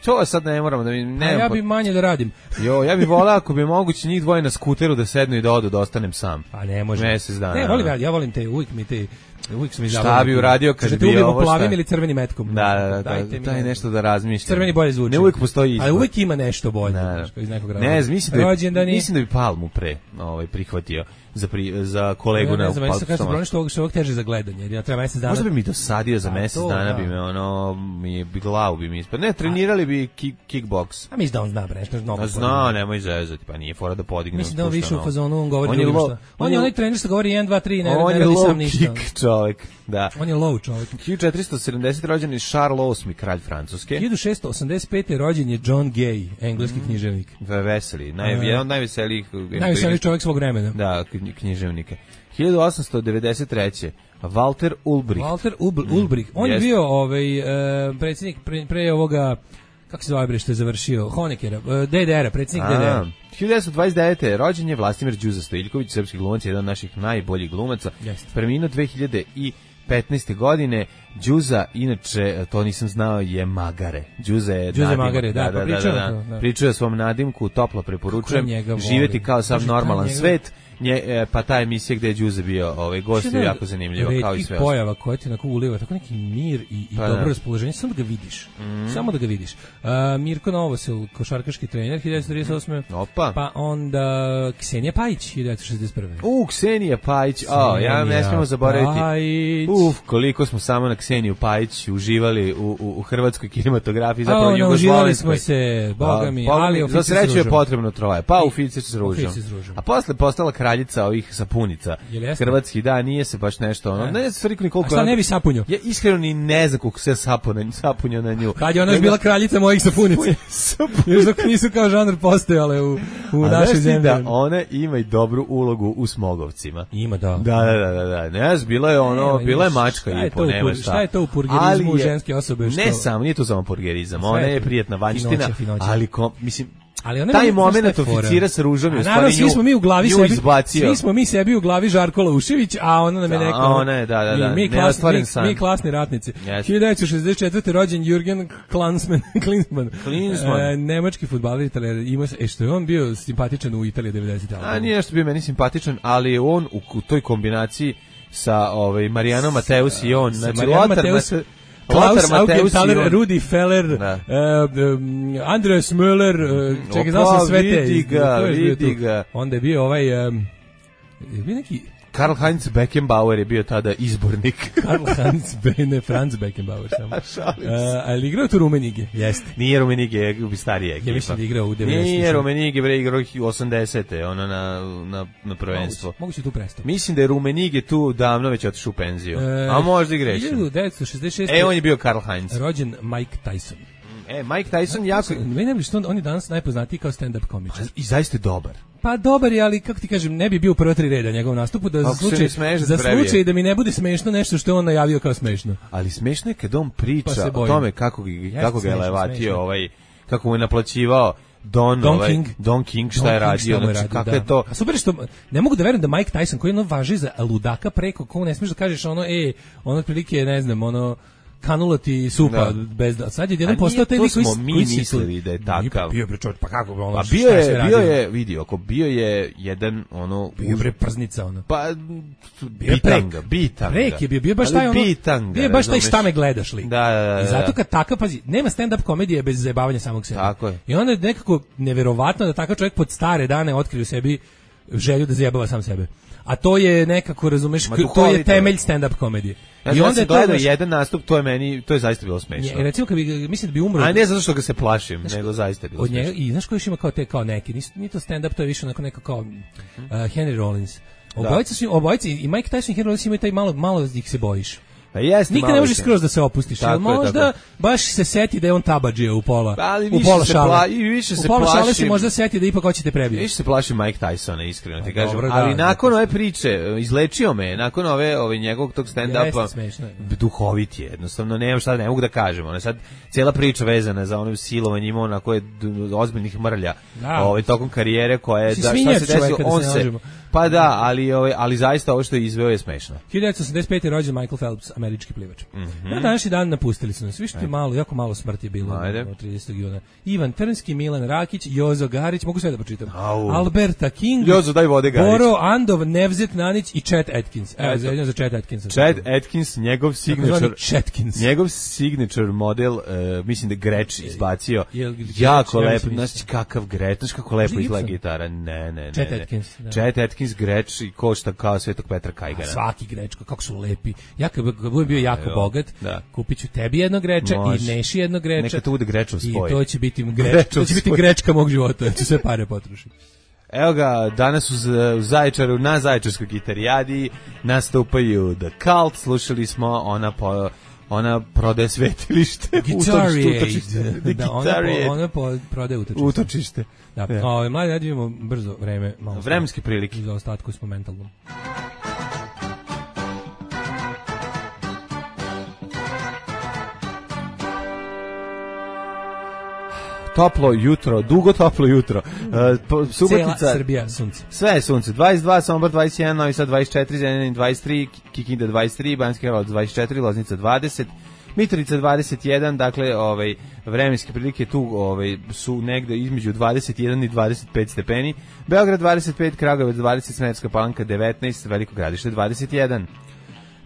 to sad ne moramo da ja bi manje da radim. Ja bih volao ako bi moguće njih dvoje na skuteru da sednu i da odu, da ostanem sam. A ne može. Mesec dana. Ne, ja volim te, uvijek su mi šta bi uradio kad bi bio ovo plavim ili crvenim metkom. Da, daj nešto da razmišljam. Crveni bolje zvuči. Ne uvijek postoji izbor. Ali uvijek ima nešto bolje. Iz nekog razloga. Ne, mislim da bi Palmu prihvatio za kolegu na Palmu. Ne znam, što je ovog teže za gledanje. Jer ja treba mesec dana. Možda bi mi dosadio za mesec dana, bi glavu bi mi ispad. Ne, trenirali bi kickboks. A mislim da on zna nešto mnogo. Zna, nemoj zezati, pa nije fora da podigne. Mislim da on više u fazonu, on govori drugim šta. On je onaj trener što govori 1, 2, 3, ne radi sam ništa. Čovjek, da. On je low čovjek. 1470. rođen je Charles VIII, kralj Francuske. 1685. rođen je John Gay, engleski književnik. Veseli, jedan od najveselijih čovjek svog vremena. Da, književnike. 1893. Walter Ulbricht. On je bio predsjednik pre ovoga, kako se zove što je završio, Honeckera, DDR-a, predsjednik DDR-a. 1929. rođen je Vlastimir Đuza Stojiljković, srpski glumac, jedan od naših najboljih glumaca. Preminuo 2001. 15. godine. Đuza, inače, to nisam znao, je Magare. Đuza je Magare, da. Pričao o svom nadimku, toplo preporučujem. Živjeti kao sam normalan svet. Pa ta emisija gde je Đuze bio gost je jako zanimljivo, kao i sve. Pojava koja ti onako uliva, tako neki mir i dobro raspoloženje, samo da ga vidiš. Samo da ga vidiš. Mirko Novosel, košarkaški trener, 1938. Opa. Pa onda Ksenija Pajić, 1961. Ksenija Pajić, ja ne smemo zaboraviti. Koliko smo samo na Kseniju Pajić uživali u hrvatskoj kinematografiji, zapravo jugoslovenskoj. Uživali smo se, boga mi, ali za sreću je potrebno troje. Pa Oficir s ružom. A posle postala kraljica ovih sapunica. Hrvatski, da, nije se baš nešto ne se rikni koliko. A šta ne bi sapunio? Ja iskreno ni ne znam koliko se sapunio na nju. Kad je ona bila kraljica mojih sapunica. Još dok nisu kao žanr postojale u našoj zemlji. Da, ona ima i dobru ulogu u Smogovcima. Ima, da. Da. Ne znam, bila je mačka i po nema šta. Šta je to u purgerizmu ženske osobe? Ne samo, nije to samo purgerizam. Ona je prijatna vanjština, ali mislim ali taj moment oficira sa ružom je u stvari svi smo mi u glavi sebi izbacio. Svi smo mi sebi u glavi Žarko Laušević, a ona nam je rekla ona je da mi klasni ratnici. 1964. rođen Jürgen Klinsmann. Nemački fudbaler Italijan, ima što je on bio simpatičan u Italiji 90. A nije što bio meni simpatičan, ali je on u toj kombinaciji sa Marijanom Mateus i on, znači Klaus Augenthaler, Rudi Feller, Andreas Müller, čekaj, znao sam sve te. Vidi ga. Onda je bio bio neki... Karl-Heinz Beckenbauer je bio tada izbornik. Franz Beckenbauer samo. Ali igrao tu Rumenige? Jeste. Nije Rumenige, je starija ekipa. Ja mislim da igrao u 90. Nije Rumenige, igrao 80. ono na prvenstvo. Moguće tu prestao. Mislim da je Rumenige tu davno već otišao u penziju. A možda i grešim. 1966. On je bio Karl-Heinz. Rođen Mike Tyson. Mike Tyson jako... Meni što on je danas najpoznatiji kao stand-up komičar. I zaista je dobar. Pa dobar je, ali kako ti kažem, ne bi bio prvo 3 reda njegov nastupu za slučaj da mi ne bude smešno nešto što je on najavio kao smešno. Ali smešno je kad on priča o tome kako ga je levatio, kako mu je naplaćivao Don King šta je radio, znači kako je to. A super što ne mogu da verujem da Mike Tyson koji važi za ludaka preko koga ne smiješ da kažeš ono otprilike ne znam kanula ti supa bez da sad je jedan postao taj lik koji mi mislili da je takav. Bio bre čovjek, pa kako ono. Bio je vidio, ako bio je jedan bio bre prznica Pa bitanga. Prek je bio baš taj bio baš taj šta me gledaš lik. Da. I zato kad takav pazi, nema stand up komedije bez zajebavanja samog sebe. Tako je. I onda je nekako neverovatno da takav čovjek pod stare dane otkrio sebi želju da zajebava sam sebe. A to je nekako, razumeš, to je temelj stand-up komedije. I onda je gledao jedan nastup, to je zaista bilo smešno. Recimo, mislim da bi umro... A ne zato što ga se plašim, nego zaista je bilo smešno. I znaš ko još ima kao neki, nije to stand-up, to je više onako kao Henry Rollins. Obojica i Mike Tyson i Henry Rollins imaju taj malo ih se bojiš. Nikad ne možeš skroz da se opustiš, ali možda baš se seti da je on tabadžija u pola šale. U pola šale se možda seti da ipak hoćete prebiti. Više se plaši Mike Tysona, iskreno ti kažem. Ali nakon ove priče, izlečio me, nakon ove njegovog tog stand-upa, duhovit je, jednostavno, ne mogu da kažem. Sad, cijela priča vezana za ono silovanje ima onako je ozbiljnih mrlja tokom karijere koja je, šta se desilo, on se... Pa da, ali zaista ovo što je izveo je smešno. 1985. rođen Michael Phelps, američki plivač. Na današnji dan napustili su nas. Vište jako malo smrti je bilo 30. juna. Ivan Trnski, Milan Rakić, Jozo Garić, mogu sve da pročitam. Alberta King, Jozo, daj vode, Garić. Boro Andov, Nevzet Nanić i Chet Atkins. Evo, za Chet Atkinsa. Chet Atkins, njegov signature model, mislim da Greč izbacio. Jako lepo, znaš kakav Greč, znaš kako lepo izgleda gitara. Ne. Chet Atkins, Greč i košta kao Svetog Petra Kajgana. Svaki Grečko, kako su lepi. Ja kad budem bio jako bogat, kupit ću tebi jedno Greča i Neši jedno Greča. Neka to bude Grečov spoj. I to će biti Grečka mog života, ja ću sve pare potrošiti. Evo ga, danas u Zaječaru, na Zaječarskoj gitarijadi nastupaju The Cult, slušali smo ona prodaje svetilište. Guitar-Aid. Da, ona prodaje utočište. Da, mladi, da vidimo brzo vreme. Vremenske prilike. Za ostatku smo mentalnom. toplo jutro, dugo toplo jutro. Subotica, cela Srbija sunce. Sve je sunce. 22, Sombor 21, Novi Sad 24, Zrenjanin 23, Kikinda 23, Banjski Karlovac 24, Loznica 20, Mitrovica 21, dakle, vremenske prilike tu su negde između 21 i 25 stepeni. Beograd 25, Kragujevac 20, Smederevska Palanka 19, Veliko Gradište 21.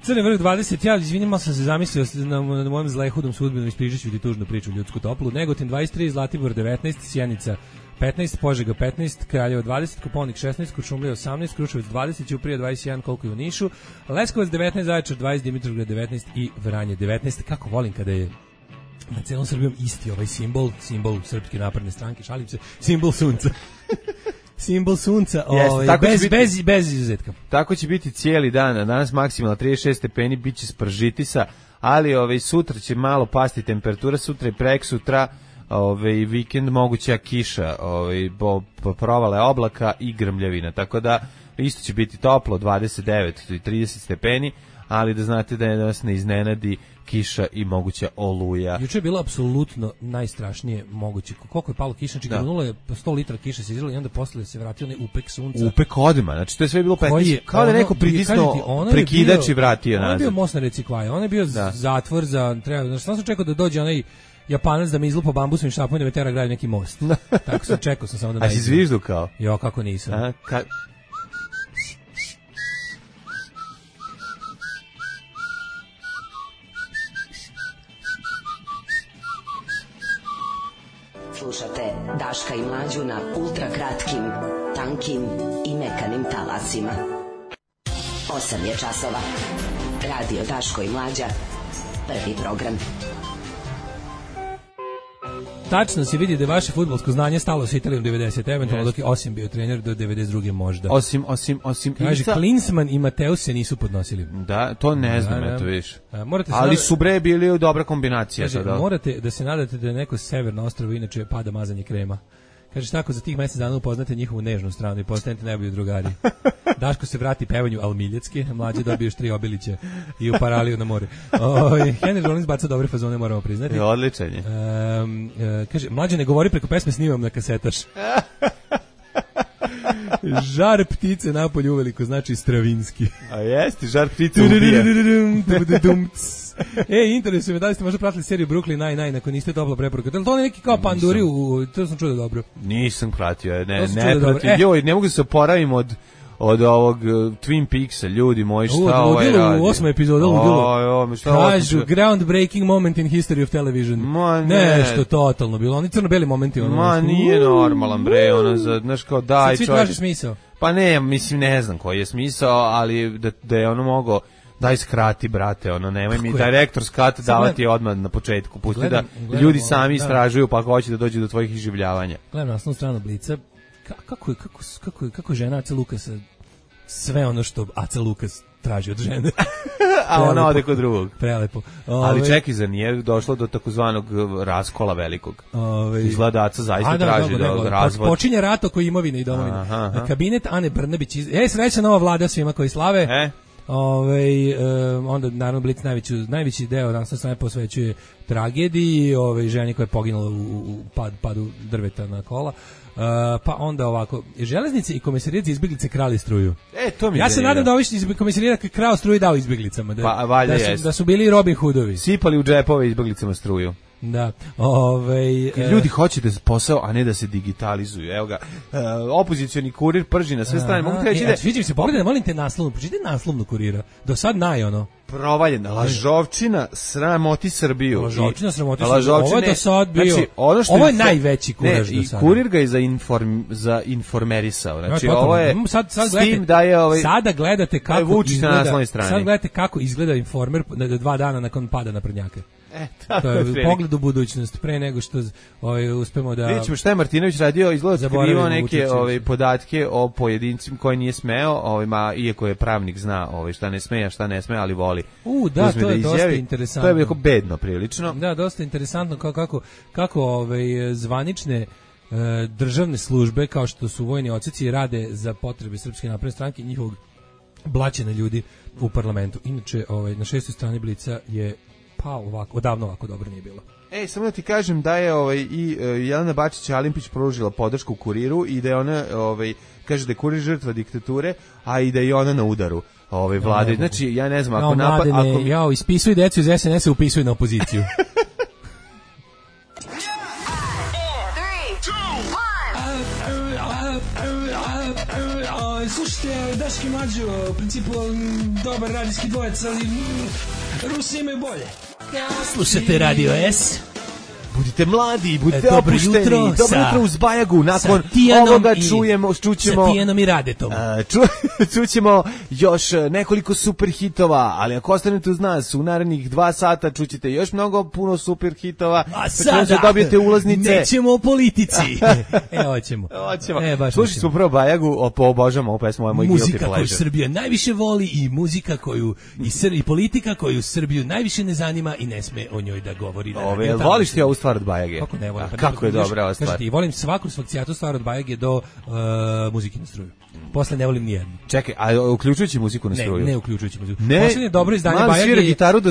Crni vrh 20, ja izvinjamo sam se zamislio na mojem zlehudom sudbinom ispričat ću ti tužnu priču ljudsku toplu. Negotin 23, Zlatibor 19, Sjenica 15, Požega 15, Kraljevo 20, Koponik 16, Kuršumlija 18, Kruševac 20, Ćuprija 21, koliko je u Nišu, Leskovac 19, Zaječar 20, Dimitrovgrad 19 i Vranje 19. Kako volim kada je na celom Srbijom isti ovaj simbol Srpske napredne stranke, šalim se, simbol sunca. Simbol sunca, bez izuzetka. Tako će biti cijeli dan, danas maksimalno 36 stepeni, bit će spržitisa, ali sutra će malo pasti temperatura, sutra i preksutra, vikend moguća kiša, provale oblaka i grmljavina, tako da isto će biti toplo, 29 i 30 stepeni, ali da znate da nas ne iznenadi kiša i moguća oluja. Juče je bilo apsolutno najstrašnije moguće. Koliko je palo kiša, znači granulo je 100 litra kiše se izlilo i onda posle se vratio onaj upek sunca. Upek odma, znači to je sve bilo 15. Kao da neko pritisnuo prekidač i vratio nazad. On je bio most na reci Kvaja, on je bio zatvor za treba, znači sam čekao da dođe onaj Japanac da mi izlupa bambusovim štapom i da me tera gradi neki most. Tako sam čekao samo da najde. A si zviždu kao? Jo, kako nisam. Slušate Daška i Mlađu na ultra kratkim, tankim i mekanim talasima. 8 je časova. Radio Daško i Mlađa. Prvi program. Tačno se vidi da je vaše fudbalsko znanje stalo sa Italijom 90, eventualno dok je Osim bio trener do 92. možda. Osim. Kaže, Klinsmann i Mateus se nisu podnosili. Da, to ne znam, eto viš. Ali su bre bili dobra kombinacija. Kaže, morate da se nadate da je neko severno ostrvo, inače pada mazanje krema. Kaže, tako za tih mjesec dana upoznate njihovu nežnu stranu i postanete najbolji drugari. Daško se vrati pevanju almiljecki, Mlađe dobiješ 3 obilića i u paraliju na more. Henry Rollins baca dobre fazone, moramo priznati. Odličan je. Kaže, Mlađe ne govori preko pesme, snimam na kasetaš. Žar ptice napolju uveliko znači Stravinski. A jesti, žar ptice ubija. Interesuje me da li ste možda pratili seriju Brooklyn Nine-Nine ako niste topla preporuka. To je neki kao panduri, to sam čuo dobro. Nisam pratio, ne pratio. Joj, ne mogu se oporavim od ovog Twin Peaksa, ljudi moji, šta ovaj radi? U 8. epizodu kažu groundbreaking moment in history of television. Nešto totalno bilo, oni crno-beli momenti. Nije normalan bre, znaš kao daj čovjek. Svi traži smisao. Pa ne znam koji je smisao, ali da je ono mogo daj skrati, brate, nemoj mi direktor skat davati odmah na početku, pusti da ljudi sami istražuju pa ako hoće da dođu do tvojih iživljavanja. Gledam naslovnu stranu Blica, kako žena Aca Lukasa sve ono što Aca Lukas traži od žene. A ona ode kod drugog. Prelepo. Ali čekaj, za nije došlo do takozvanog raskola velikog. Izgleda Aca zaista traži da razvod. Počinje rat oko imovine i domovine. Kabinet Ane Brnabić. Srećna nova vlada svima koji slave. Onda naravno Blic najveći deo naslovne strane posvećuje tragediji ženi koja je poginula u padu drveta na kola. Pa onda ovako, železnice i komisarijet za izbjeglice krali struju. Ja se nadam da ovi iz komisarijeta krao struju dao izbjeglicama, da su bili Robin Hoodovi. Sipali u džepove izbjeglicama struju. Da. Ljudi hoće da posao, a ne da se digitalizuju. Evo ga, opozicioni kurir prži na sve strane. Mogu reći da sviđa mi se, pogledaj, molim te naslovnu, pročitaj naslovnu Kurira. Do sad provaljena lažovčina sramoti Srbiju. Lažovčina sramoti Srbiju. Ovo je do sad bio. Znači, ovo je najveći kuraž do sada. I kurir ga je za informerisao. Znači, ovo je s tim da je sada gledate kako izgleda Informer 2 dana nakon pada naprednjaka. To je pogled u budućnost pre nego što uspemo da vidimo šta je Martinović radio, izgleda otkrivao neke podatke o pojedincima koji nije smeo, iako je pravnik zna šta ne sme, a šta ne sme, ali voli. Da, to je dosta interesantno. To je jako bedno prilično. Da, dosta interesantno kako zvanične državne službe kao što su vojni odseci rade za potrebe Srpske napredne stranke i njihovog blaćenja ljudi u parlamentu. Inače, na 6. strani Blica je Pa ovako, odavno ovako dobro nije bilo. Samo da ti kažem da je i Jelena Bačić-Alimpić pružila podršku Kuriru i da je ona kaže da je Kurir žrtva diktature, a i da je ona na udaru vlade. Znači ja ne znam ako ispisuj decu iz SNS-a, upisuj na opoziciju. Slušajte, Daški Mlađo, u principu dobar radijski dvojec, ali Rusi imaju bolje. Slušajte Radio S. Budite mladi, budite opušteni. Dobro jutro uz Bajagu. Nakon ovoga čućemo sa Tijanom i Radetom. Čućemo još nekoliko super hitova, ali ako ostanete uz nas u narednih 2 sata čućete još puno super hitova. A sada dobijete ulaznice. Nećemo o politici. Hoćemo. Slušali smo prvo Bajagu, obožavamo ovu pesmu, moj guilty pleasure. Muzika koju Srbija najviše voli i muzika koju i politika koju Srbiju najviše ne zanima i ne sme o njoj da govori. Voliš ti ovu stvar od Bajage? Kako ne volim? Kako je dobra ova stvar? Kažete, volim svaku svakcijatu stvar od Bajage do muzike na struju. Posle ne volim nijednu. Čekaj, a uključujući muziku na struju? Ne uključujući muziku. Poslednje dobro izdanje Bajage. Man svira gitaru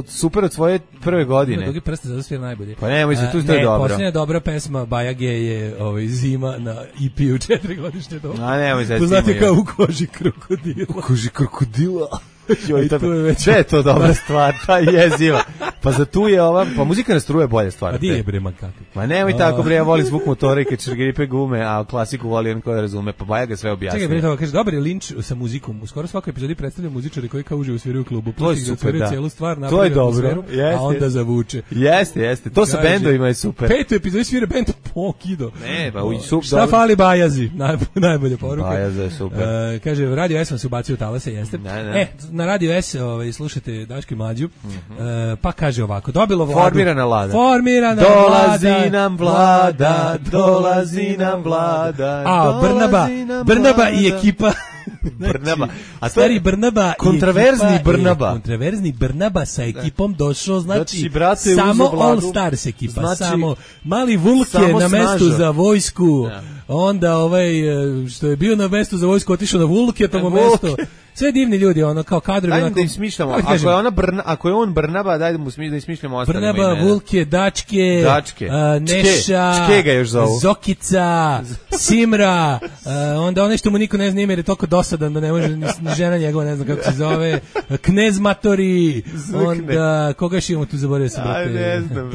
super od svoje prve godine. Dugi prste zato svira najbolje. Pa nemoj se, tu to je dobro. Poslednja dobra pesma Bajage je Zima na EP-u 4-godišnje doba. A nemoj se. Poznate kao U koži krokodila. U koži krokodila. Sve je to dobra stvar, ta jeziva. Pa za tu je pa muzika na struju je bolja stvar. A di je bre, man kakvi? Ma nemoj tako bre, ja volim zvuk motora i kad čergripe gume, a klasiku voli on ko razume, pa Bajaga sve objasni. Čekaj bre, kaže, dobar je linč sa muzikom. U skoro svakoj epizodi predstavljaju muzičari koji kao uživo sviraju u klubu. To je super, da. Celu stvar, to je dobro, a onda zavuče. Jeste. To sa bendovima je super. 5. epizodi svira bend Pokido. Ne, pa super. Šta fali Bajazi? Najbolje poruke. Bajaza je super. Kaže, Radio S vam se ubacio u talase, jeste. Na Radio S slušate Daški Mlađu, pa kaže ovako, dobilo vladu. Formirana vlada. Dolazi nam vlada. A, Brnaba i ekipa. Brnaba. A stari Brnaba kontraverzni Brnaba sa ekipom došao, znači samo All Stars ekipa, samo mali Vulke na mestu za vojsku, onda što je bio na mestu za vojsku otišao na Vulke, tamo mesto. Sve divni ljudi, kao kadrovi. Ajde da im smišljamo. Ako je on Brnaba, dajde mu da im smišljamo ostale imena. Brnaba, Vulke, Dačke, Neša, Zokica, Simra, onda ono što mu niko ne zna ime jer je toliko dosadan da ne može ni žena njegova, ne znam kako se zove, Knez Matori, onda koga još imamo tu, zaboravio sam. Ne znam,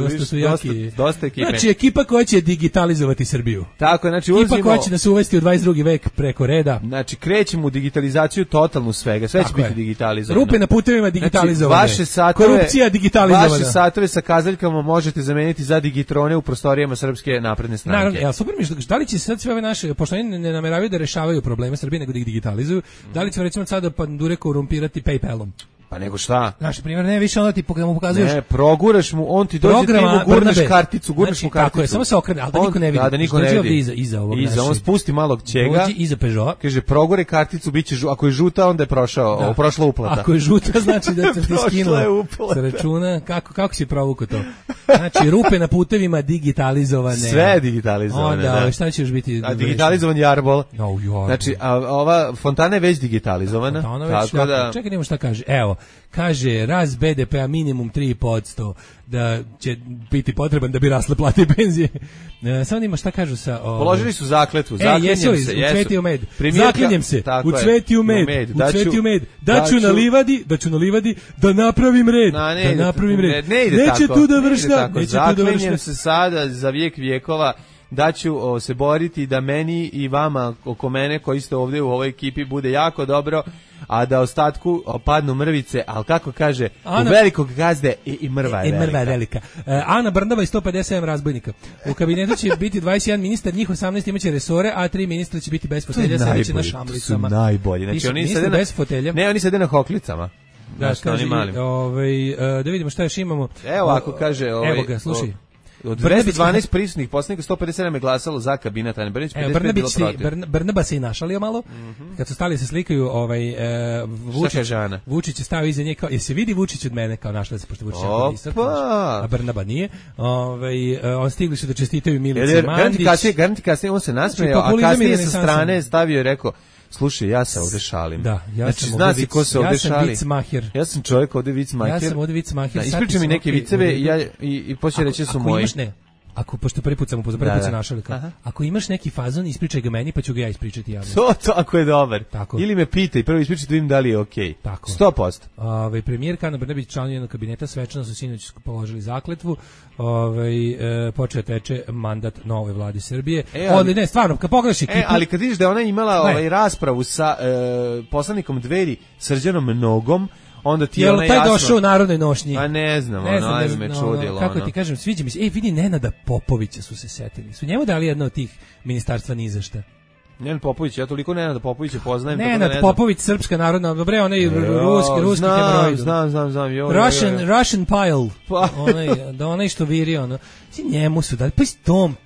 dosta ekipe. Znači ekipa koja će digitalizovati Srbiju. Tako, znači ekipa koja će nas uvesti u 22. vek preko reda. Znači krećemo u digitalizaciju totalnu svega, sve će biti digitalizovano. Rupe na putevima digitalizovane. Znači, korupcija digitalizovana. Vaše satove sa kazaljkama možete zameniti za digitrone u prostorijama Srpske napredne stranke. Naravno, super mi da li će sad sve ove naše, pošto oni ne nameravaju da rešavaju probleme Srbije, nego da ih digitalizuju, da li će recimo sada pandure korumpirati PayPalom? Pa nego šta? Naš primjer, ne više onda ti mu pokazuješ. Ne, proguraš mu, on ti dođe, ti mu gurneš karticu, gurneš mu karticu. Tako je, samo se okrene, ali da niko ne vidi. Da niko ne vidi. Iza ovog našeg. On spusti malog čega. Dođi iza Peugeot. Kaže, progore karticu, biće ako je žuta, onda je prošla uplata. Ako je žuta, znači da se ti skinula sa računa. Kako si provukao to? Znači, rupe na putevima digitalizovane. Sve je digitalizovane. Onda, šta će još biti? A digitalizovan jarbol. Znači, ova fontana je već digitalizovana. Tako da... Čekaj, nemo šta kaže. Evo, kaže, rast BDP-a minimum 3%, da će biti potreban da bi rasle plate i penzije. Samo nima šta kažu sa... Položili su zakletvu, zaklinjem se. U cveti u med. Zaklinjem se, u cveti u med. Da ću na livadi, da napravim red. Da napravim red. Neće tu da vršna. Zaklinjem se sada za vijek vijekova da ću se boriti da meni i vama oko mene koji ste ovdje u ovoj ekipi bude jako dobro, a da ostatku padnu mrvice, ali kako kaže, u velikog gazde i mrva je velika. Mrva je velika. Ana Brnaba i 157 razbojnika. U kabinetu će biti 21 ministar, njih 18 imaće resore, a 3 ministra će biti bez fotelja, sedeći na šamlicama. To su najbolji. Znači, oni sede bez fotelja. Ne, oni sede na hoklicama. Da, kaže, da vidimo šta još imamo. Evo, ako kaže... Evo ga, slušaj. Od 212 prisutnih poslanika 157 je glasalo za kabinet Ane Brnabić, 55 bilo protiv. Brnaba se i našalio malo. Kad su stali se slikaju, Vučić je stao iza nje kao, se vidi Vučić od mene, kao našla se, pošto Vučić je visok, a Brnaba nije. On stigli su da čestitaju Milici Mandić. Garanti kasnije on se nasmejao, a kasnije sa strane stavio i rekao, Slušaj, ja se ovde šalim. Da, ja sam ovde vic, ko se ovde šali. Vicmaher. Ja sam čovjek ovde vicmaher. Ja sam ovde vicmaher. Ispričaj mi neke viceve i počne reći su moji. Ako pošto prvi put sam našao ako imaš neki fazon, ispričaj ga meni, pa ću ga ja ispričati javno. To ako je dobar. Tako. Ili me pitaj, prvo ispričaj da im da li je okej. Tako. 100%. Premijerka Ana Brnabić, članovi njenog kabineta, svečano su sinoć položili zakletvu. Počeo teče mandat novoj vladi Srbije. Ne, stvarno, kad pogledaš ekipu. Ali kad vidiš da ona imala raspravu sa poslanikom Dveri Srđanom Nogom, onda ti ona jasno. Jel taj došao u narodnoj nošnji? A ne znam, ajme me čudilo. Kako ti kažem, sviđa mi se. Vidi, Nenada Popovića su se setili. Su njemu dali jedno od tih ministarstva ni za šta. Nenad Popović, ja toliko Nenada Popovića poznajem. Nenad Popović, srpska narodna, dobre, onaj ruski hemoroid. Znam. Russian pile. Onaj što viri, ono. Njemu su dali, pa s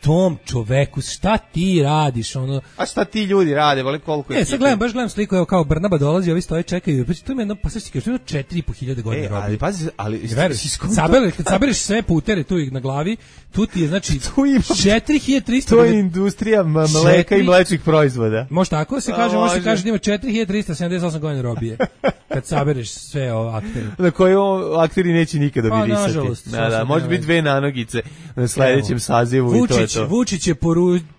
tom čoveku, šta ti radiš, ono. A šta ti ljudi rade, vole koliko je. Sad gledam sliku, evo kao Brnaba dolazi, ovi stoje čekaju, pa to ima jedno, pa sad ti kažeš, 4.500 godina robi. Ali pazi, kad sabereš sve putere tu na glavi, tu ti je, znači, 4.300. To je industrija mleka i mlečnih proizvoda. Može tako se kaže, može se kaže da ima 4.378 godina robije. Kad sabereš sve ovo akteri. Na koje akteri neće nikada mirisati. Pa, nažalost. Da, može biti 2 nanogice na sledećem sazivu i to je to. Vučić je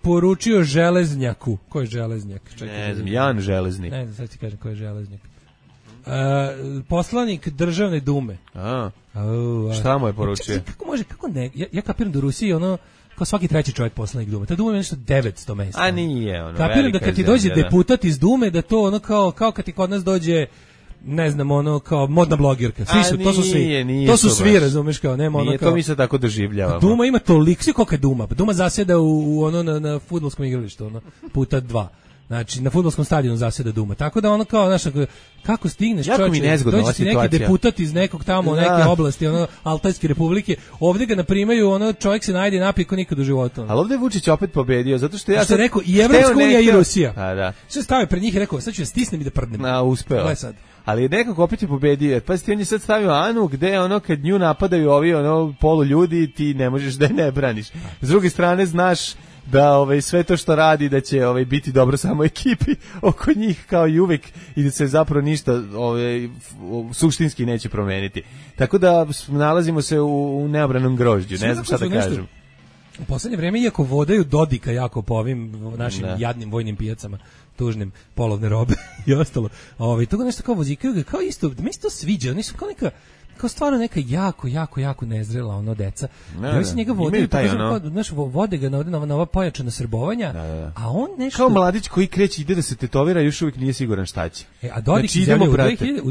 poručio Železnjaku. Ko je Železnjak? Ne znam, Jan Železnik. Ne znam, sad ti kažem ko je Železnjak. Poslanik Državne dume. Šta mu je poručio? Kako ne? Ja kapiram da u Rusiji ono kao svaki treći čovjek poslanik Dume. Ta Duma ima nešto 900 mesta. A nije ono. Kapiram da kad ti dođe deputat iz Dume, da to ono kao kad ti kod nas dođe ne znam, ono kao modna blogirka. To su svi. To su svi, razumeš, kao nema ono kao. Nije to mi se tako doživljavamo. Duma ima toliko, koliko je Duma. Duma zaseda u ono na fudbalskom igralištu, ono puta 2. Znači, na fudbalskom stadionu zaseda Duma. Tako da ono kao, znaš, kako stigneš, čovječe, dođe ti neki deputat iz nekog tamo, neke oblasti, ono, Altajske republike, ovdje ga naprimaju, ono, čovjek se najde i napije ko nikad u životu. Ali ovdje je Vučić opet pobedio, zato što ja sam rekao, i Evropska unija i Rusija. Da. Sve stavio pred njih i rekao, sad ću ja stisnem i da prdnem. Uspeo. Ali nekako opet je pobedio. Pa on je sad stavio Anu gde ono kad nju napadaju ovi ono polu ljudi, ti ne možeš da je ne braniš. S druge strane znaš da sve to što radi da će biti dobro samo ekipi oko njih kao i uvek i da se zapravo ništa suštinski neće promeniti. Tako da nalazimo se u neobranom grožđu, ne znam šta da kažem. U poslednje vreme, iako vodaju Dodika jako po ovim našim jadnim vojnim pijacama, tužnim, polovne robe i ostalo, toga nešto kao vozikaju ga, kao isto, da mi se to sviđa, oni su kao neka, kao stvarno neka jako nezrela ono deca. Ja se njega vode, vode ga na ova pojačana srbovanja, a on nešto... Kao mladić koji kreće, ide da se tetovira, još uvijek nije siguran šta će. A Dodik izjavio, u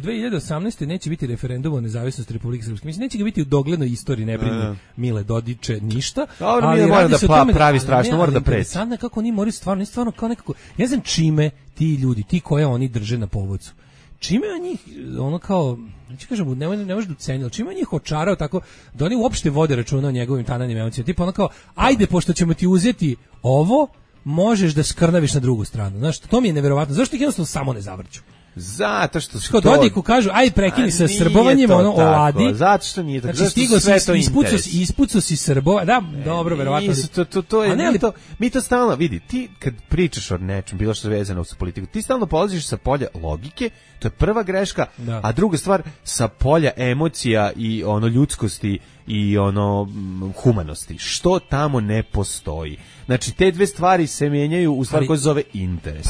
2018. neće biti referendum o nezavisnosti Republike Srpske. Mislim, neće ga biti u doglednoj istoriji, ne brini Mile Dodiče ništa. Ali mora da pravi strašno, mora da preći. Interesantno kako oni moraju stvarno kao nekako... Ja znam čime ti ljudi, ti koje oni drže na povodcu. Čime on njih, ono kao, neću kažem, ne može da ucenio, čime on njih očarao tako, da oni uopšte vode računa o njegovim tananim emocijama, tipa ono kao, ajde, pošto ćemo ti uzeti ovo, možeš da skrnaviš na drugu stranu, znaš, to mi je neverovatno, zašto ih jednostavno samo ne zavrću? Zato što su to... Dodiku kažu, aj prekini sa srbovanjem, ono, oladi. Zato što nije tako. Znači, ispucao si Srbova, da, dobro, verovatno. To je, mi to stalno, vidi, ti kad pričaš o nečem, bilo što je vezano sa politiku, ti stalno polaziš sa polja logike, to je prva greška, a druga stvar, sa polja emocija i ono ljudskosti i ono humanosti, što tamo ne postoji. Znači, te dve stvari se mijenjaju u stvari koja se zove interes.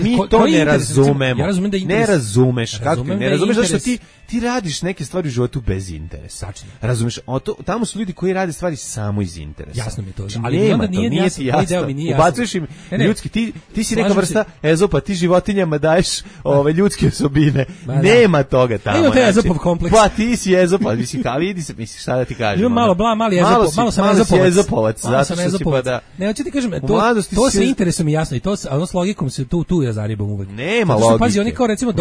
Mi to ne razumemo. Ja razumem da interes... Ne razumeš. Ne razumeš zašto ti radiš neke stvari u životu bez interesa. Razumeš? Tamo su ljudi koji rade stvari samo iz interesa. Jasno mi je to. Ali nema to, nije ti jasno. Ubacuješ im ljudski, ti si neka vrsta Ezopa, ti životinjama daješ ljudske osobine. Nema toga tamo. Ima taj Ezopov kompleks. Pa ti si Ezop, misliš šta da ti kažem. Ima mali Ezopov, malo sam Ezopovac. Zato što si pa da... Ne, hoću ti kažem, to sa interesom je jasno i to s logikom se tu ja zaribam uvek. Nema logike. Pazi, oni kao recimo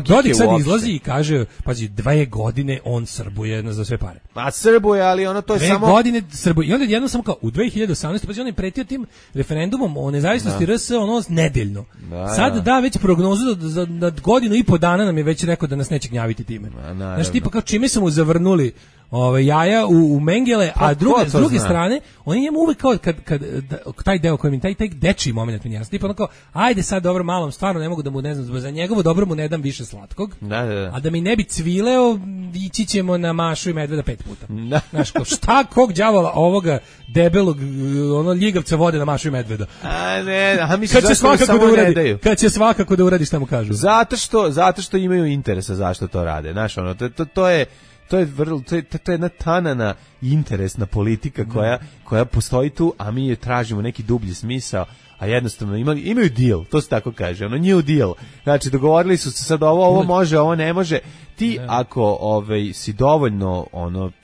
Dodik sad izlazi i kaže, pazi, 2 godine on srbuje za sve pare. Pa srbuje, ali ono to je 2 samo... 2 godine srbuje. I onda jedno samo kao, u 2018. pazi, on je pretio tim referendumom o nezavisnosti RS, ono nedeljno. Sad da već prognozu da godinu i po dana nam je već rekao da nas neće gnjaviti time. Znaš, tipa kao čime su mu zavrnuli jaja u mengele, a s druge strane, oni njemu uvek kao kad taj deo koji mi taj dečiji moment mi jasno, tipa onako, ajde sad dobro malom, stvarno ne mogu da mu ne znam, za njegovo dobro mu ne dam više slatkog. Da. A da mi ne bi cvileo, ići ćemo na Mašu i medveda 5 puta. Znaš, šta kog đavola ovoga debelog ono ljigavca vode na Mašu i medveda? Kad će svakako da uradi šta mu kažu. Zato što imaju interesa zašto to rade. Znaš, ono, to je jedna tanana interesna politika koja postoji tu, a mi je tražimo neki dublji smisao, a jednostavno imaju deal, to se tako kaže, ono new deal. Znači dogovorili su se sad ovo može, ovo ne može. Ti ako si dovoljno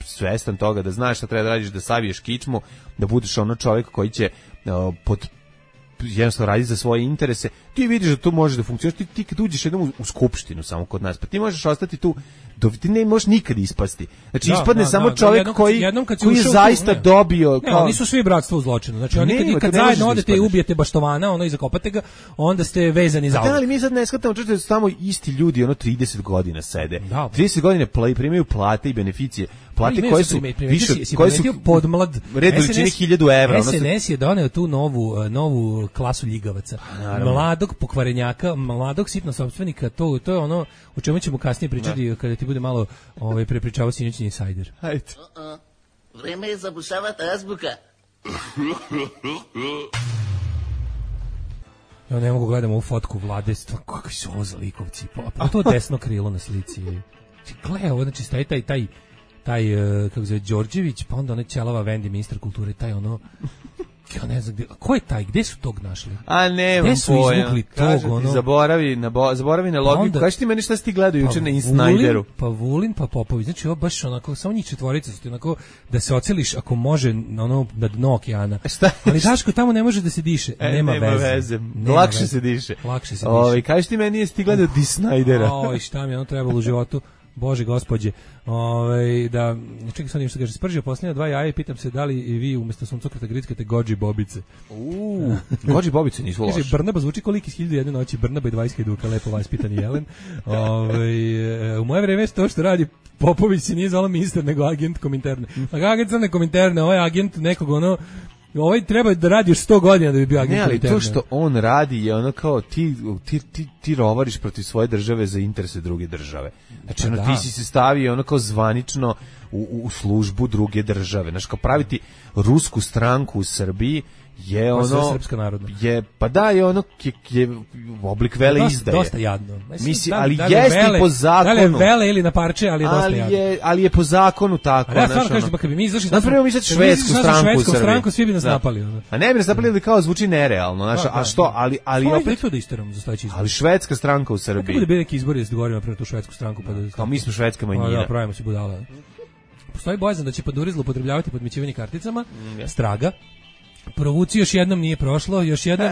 svestan toga da znaš šta treba da radiš, da saviješ kičmu, da budeš ono čovjek koji će jednostavno raditi za svoje interese, ti vidiš da to može da funkcionira. Ti kad uđeš jednom u skupštinu samo kod nas, pa ti možeš ostati tu, ti ne možeš nikad ispasti. Znači ispadne samo čovjek koji je zaista dobio... Ne, nisu svi bratstvo u zločinu. Znači oni kad zajedno odete i ubijete baštovana, i zakopate ga, onda ste vezani za ali mi sad ne shvatamo da su tamo isti ljudi, 30 godina sede. 30 godina primaju plate i beneficije. Plate koje su više, koje su podmlad. Red veličine 1000 evra. SNS je doneo tu novu klasu ljigavaca. Mladog pokvarenjaka, mladog sitnosopstvenika, to je ono o čemu ćemo kasnije pričati kada ti bude malo prepričavao sinoćni insajder. Hajde. Vreme je zabušavati azbuka. Ja ne mogu gledam ovu fotku Vlade, kakvi su ovo za likovci. Pa to desno krilo na slici. Gle, ovo znači staje taj kako zove Đorđević, pa onda onaj ćelava Vendi, ministar kulture, taj ono, ja ne znam, ko je taj, gde su tog našli? A ne, gde su izvukli tog, ono? Zaboravi na logiku, kaži ti meni šta si ti gledao juče na Insnajderu? Pa Vulin, pa Popović, znači ovo baš onako, samo njih četvorica su ti onako, da se oceliš ako može na dno okeana. Ali Daško, tamo ne može da se diše, nema veze. Lakše se diše. Kaži ti meni, jesi ti gledao di Snajdera? Oj, šta mi je ono trebalo u životu? Bože gospođe, da, čekaj sad nešto kaže, spržio posljednja 2 jaja i pitam se da li i vi umjesto suncokreta grickate gođi bobice. Gođi bobice nisu loše. Kaže, Brnaba zvuči koliko iz 1001 noći, Brnaba i 20 duka, lepo vaspitani jelen. U moje vreme to što radi Popović se nije zvala ministar, nego agent Kominterne. Agent crne Kominterne, ovaj agent nekog ovaj treba da radi još 100 godina da bi bio agent. Ne, ali to što on radi je ono kao ti rovariš protiv svoje države za interese druge države. Znači ti si se stavio ono kao zvanično u službu druge države. Znači kao praviti rusku stranku u Srbiji je ono srpska narodna. Je ono je oblik vele izdaje. Dosta jadno. Mislim, ali jeste po zakonu. Da li vele ili na parče, ali je dosta jadno. Ali je po zakonu tako. Ja stvarno kažem, kad bi mi izašli napravimo mi sad švedsku stranku, svi bi nas napali. A ne bi nas napali, kao zvuči nerealno, znaš, a što, ali opet to da isteram za sledeći izbor. Ali švedska stranka u Srbiji. Kako bude neki izbori da se dogovorimo pre tu švedsku stranku pa da kao mi smo švedska manjina. Da, pravimo se budala. Postoji bojazan da će Panduri zloupotrebljavati podmićivanje karticama. Straga. Provuci još jednom nije prošlo, još jednom,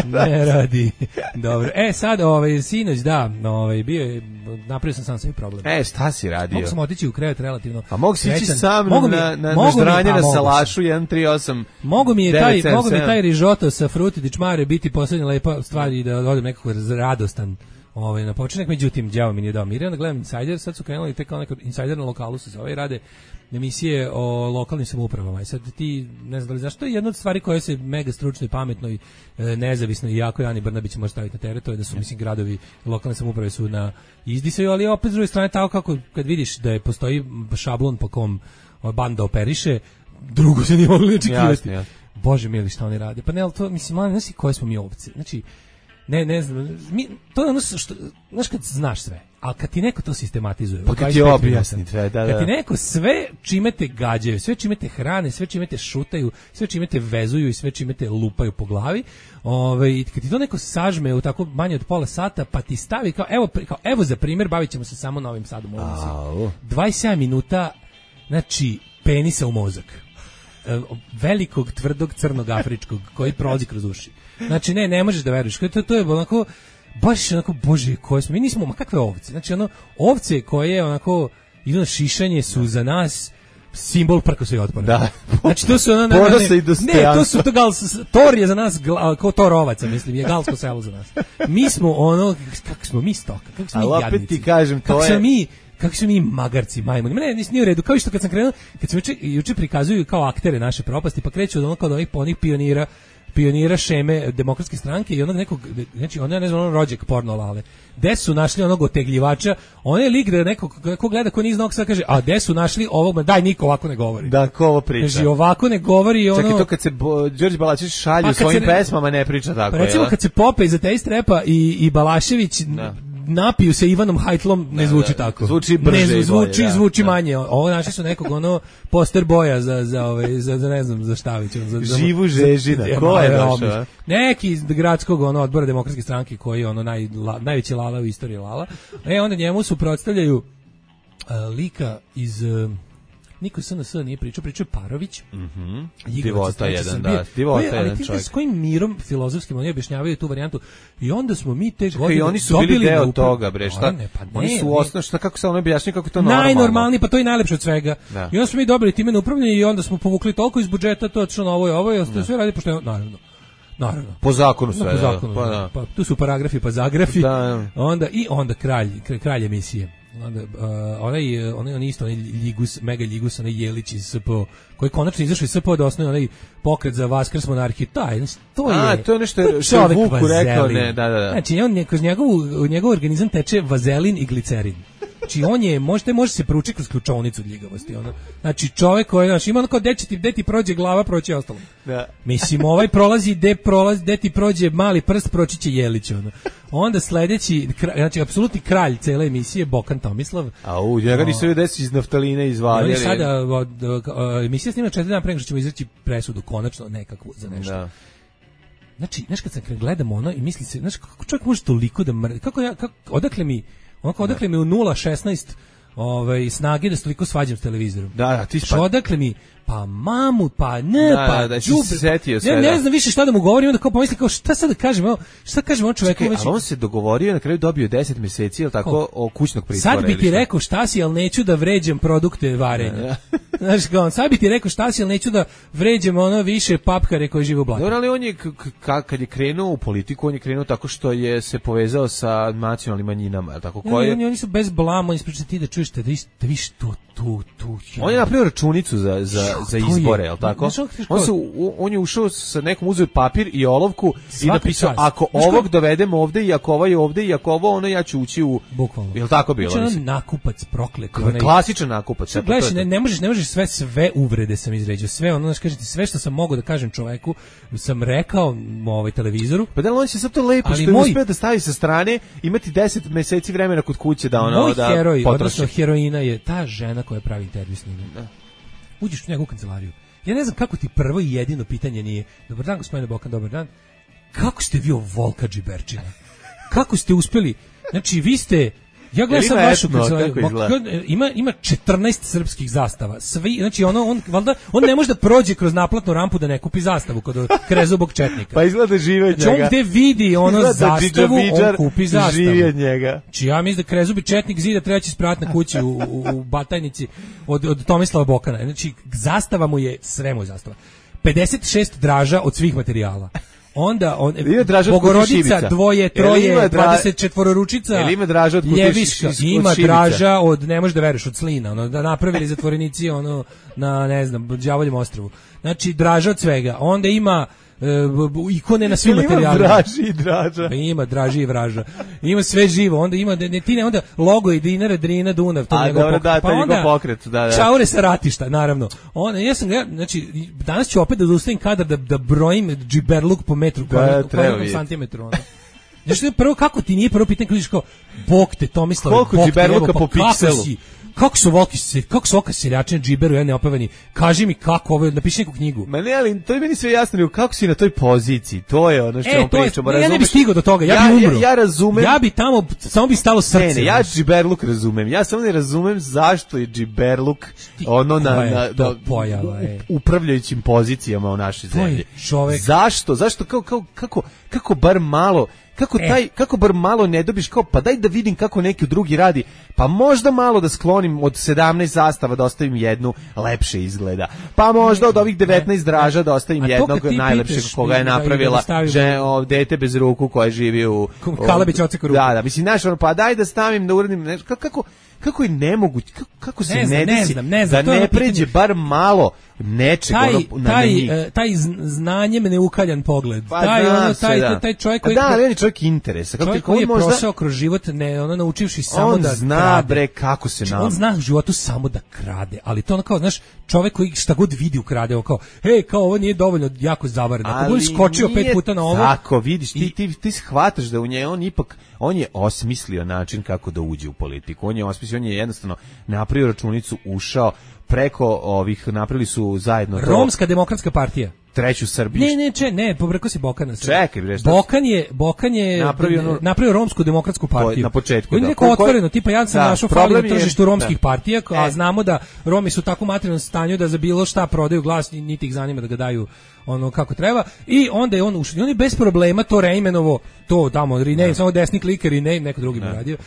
ne radi. Dobro. Sad, sinoć, bio je, napravio sam sebi problem. Šta si radio? Mogu sam otići u krevet relativno. A mogu si ići sam na ždranje na salašu 138. Mogu mi je taj rižoto sa fruti di čmare biti poslednja lepa stvar i da odem nekako radostan. Na početak, međutim, đavo mi nije dao mir. Onda gledam Insider, sad su krenuli tek kao neko Insider na lokalu se zove, rade emisije o lokalnim samoupravama. I sad ti, ne znam da li znaš, to je jedna od stvari koja se mega stručno i pametno i nezavisno i jako Ani Brnabić može staviti na teret, to je da su, mislim, gradovi, lokalne samouprave su na izdisaju, ali opet s druge strane tako kako kad vidiš da postoji šablon po kom banda operiše, drugo se nije mogli očekivati. Bože mili, šta oni rade? Pa ne, ali to, mislim, ne znam koje smo mi ovce. Znači, ne znam, to je ono što, znaš kad znaš sve, ali kad ti neko to sistematizuje, pa kad ti objasni sve, kad ti neko sve čime te gađaju, sve čime te hrane, sve čime te šutaju, sve čime te vezuju i sve čime te lupaju po glavi, kad ti to neko sažme u tako manje od pola sata, pa ti stavi kao evo za primjer, bavit ćemo se samo Novim Sadom, 27 minuta, znači penisa u mozak, velikog, tvrdog, crnog, afričkog, koji prolazi kroz uši. Znači, ne možeš da veruješ. To je onako, baš onako, bože, koje smo, mi nismo, ma kakve ovce? Znači, ovce koje onako idu na šišanje su za nas simbol prkosa i otpora. Da. Znači, to su Tor je za nas, kao Torovaca, mislim, je galsko selo za nas. Mi smo kako smo mi stoka, kako smo mi jadnici. Ali opet ti kažem, to je... Kako su mi magarci, majmuni. Ne, nije u redu. Kao što kad sam krenuo, kad sam juče prikazuju kao aktere naše propasti, pa kreću od onog kao onih pionira šeme demokratske stranke i onog nekog, znači on je ne znam, on rođak porno lale. Gde su našli onog otegljivača? On je lik da nekog ko gleda ko niz nog sad kaže, a gde su našli ovog, daj niko ovako ne govori. Da, ko ovo priča? Znači ovako ne govori ono. Čak i to kad se Đorđe Balašević šalje svojim pesmama ne priča tako. Pa recimo kad se Pope iz Ateist Repa i Balašević napiju se Ivanom Hajtlom, ne zvuči tako. Zvuči brže, ne zvuči, zvuči manje. Ovo našli su nekog ono poster boja za ne znam, za Štavić, za Živu Žežina. Ko je došao? Neki iz gradskog odbora demokratske stranke koji je ono najveći lala u istoriji lala. Onda njemu suprotstavljaju lika iz niko SNS nije pričao Parović. Divota jedan, da. Divota jedan čovjek. S kojim mirom filozofskim oni objašnjavaju tu varijantu i onda smo mi te godine oni su bili deo toga, bre, šta? Oni su osnovno, šta kako se ono objašnjava kako to normalno. Najnormalniji, pa to je najlepše od svega. I onda smo mi dobili time na upravljanje i onda smo povukli toliko iz budžeta, to odšlo na ovo i sve radi pošteno, naravno. Po zakonu sve. Po zakonu. Pa tu su paragrafi pa zagrafi. Onda kralj emisije. Onaj isto, onaj Ljigus, mega Ljigus, onaj Jelić iz SPO, koji konačno izašao iz SPO da osnovi onaj pokret za Vaskrs monarhiju, to je nešto što je Vuku rekao, ne, da. Znači, kroz njegov organizam teče vazelin i glicerin. Znači, može se pručiti kroz ključovnicu od ljigavosti. Znači, čovjek koji, znači, ima ono kao, gde ti prođe glava, proći ostalo. Da. Mislim, gde ti prođe mali prst, proći će Jelić, Onda sledeći, znači, apsolutni kralj cele emisije, Bokan Tomislav. Njega nisu joj desi iz naftaline izvaljali. Oni sada, emisija snima 4 dana pre nego što ćemo izaći presudu, konačno nekakvu za nešto. Da. Znači, znaš, kad gledamo ono i misli se, znaš, kako čovjek može toliko da odakle mi u 0,16 snage da se toliko svađam s televizorom. Da, ti odakle mi, pa mamu, pa ne, džubre. Ne znam više šta da mu govorim, onda kao pomisli kao šta sad da kažem, on čoveku već. A on se dogovorio, na kraju dobio 10 meseci, ili tako, o kućnog pritvora. Sad bi ti rekao šta si, ali neću da vređam produkte varenja. Znaš, kao, sad bi ti rekao šta si, ali neću da vređam više papkare koji žive u blatu. Ali on je, kad je krenuo u politiku, on je krenuo tako što je se povezao sa nacionalnim manjinama, tako koje. Oni su bez blama, oni ispričaju ti da čuješ da viš tu. On je napravio računicu za izbore, je li tako? On je ušao sa nekom, uzeo papir i olovku i napisao, ako ovog dovedem ovde i ako ovaj ovde i ako ovo, ja ću ući u... Bukvalno. Je li tako bilo? Znači, nakupac proklet. Klasičan nakupac. Gledaš, ne možeš sve uvrede sam izređao, sve kažete, sve što sam mogao da kažem čoveku, sam rekao televizoru. Pa da on se sad to lepo što je uspeo da stavi sa strane, imati 10 meseci vremena kod kuće da moj heroj, odnosno heroina je ta žena koja pravi intervju s njim. Uđeš u njegovu kancelariju. Ja ne znam kako ti prvo i jedino pitanje nije: dobar dan, gospodine Bokan, dobar dan. Kako ste vi Volka Džiberčina? Kako ste uspeli? Znači, vi ste... Ja gledam sad vašu kancelariju. Ima 14 srpskih zastava. Znači, on ne može da prođe kroz naplatnu rampu da ne kupi zastavu kod Krezubog četnika. Pa izgleda žive od njega. Znači, on gde vidi zastavu, on kupi zastavu. Živi od njega. Znači, ja mislim da Krezubi četnik zida treći sprat na kući u Batajnici od Tomislava Bokana. Znači, zastava mu je, sve mu je zastava. 56 draža od svih materijala. Onda Bogorodica, 2, 3, 24 ručica, Ljeviška, ima draža od, ne možeš da veruješ, od Slina, da napravili zatvorenici na, ne znam, Đavoljem ostrvu. Znači, draža od svega. Onda ima ikone na svim materijalima. Ima draži i draža. Ima draži i vraža. Ima sve živo. Onda ima onda logo i Dinara, Drina, Dunav, to njegov pokret. Pa onda pokret, da. Čaure sa ratišta, naravno. Znači, danas ću opet da ustavim kadar da brojim džiberluk po metru, po santimetru. Znači, prvo, kako ti nije prvo pitanje kada kao, Bog te, Tomislav, koliko džiberluka po pikselu? Kako su Voka seljačine džiberu, ja neopevani, kaži mi kako ovo, napiši neku knjigu. Ma ne, ali to je meni sve jasno, kako si na toj poziciji, to je ono što pričamo. Ja ne bih stigao do toga, ja bi umro. Ja razumem. Ja bi tamo, samo bi stalo srce. Ne, ja džiberluk razumem, ja samo ne razumem zašto je džiberluk na upravljajućim pozicijama u našoj zemlji. Zašto, kako bar malo... Kako bar malo ne dobiš kao, pa daj da vidim kako neki drugi radi, pa možda malo da sklonim od 17 zastava da ostavim jednu, lepše izgleda, pa možda od ovih 19 draža da ostavim jednog najlepšeg koga je napravila dete bez ruku koje živi u Kalabić oceku ruku. Da, mislim, znaš, pa daj da stavim, da uradim nešto, kako je nemoguće, kako se ne desi da ne pređe bar malo nečeg taj znanjem neukaljan pogled. Pa Taj čovjek koji on je čovjek interesa. Čovjek koji je prošao kroz život naučivši samo da zna krade. Bre kako se on zna u životu samo da krade, ali to ono kao, znaš, čovjek koji šta god vidi ukrade, on kao, kao ovo nije dovoljno jako zavareno. Ako bi skočio 5 puta na ovo. Tako, vidiš, ti shvataš da u nje on je osmislio način kako da uđe u politiku. On je jednostavno napravio računicu, ušao preko ovih, napravili su zajedno Romska demokratska partija. Treću Srbiju. Ne, pobrkao si Bokana. Čekaj, bre, Bokan je napravio Romsku demokratsku partiju. Na početku. On je neko otvoreno, tipa ja sam našao fali na tržištu romskih partija, a znamo da Romi su u tako materijalnom stanju da za bilo šta prodaju glas, niti ih zanima da ga daju ono kako treba, i onda je on ušao. On je bez problema to reimenovo, to tamo, rename, samo desni kliker i neko drugi bi radio.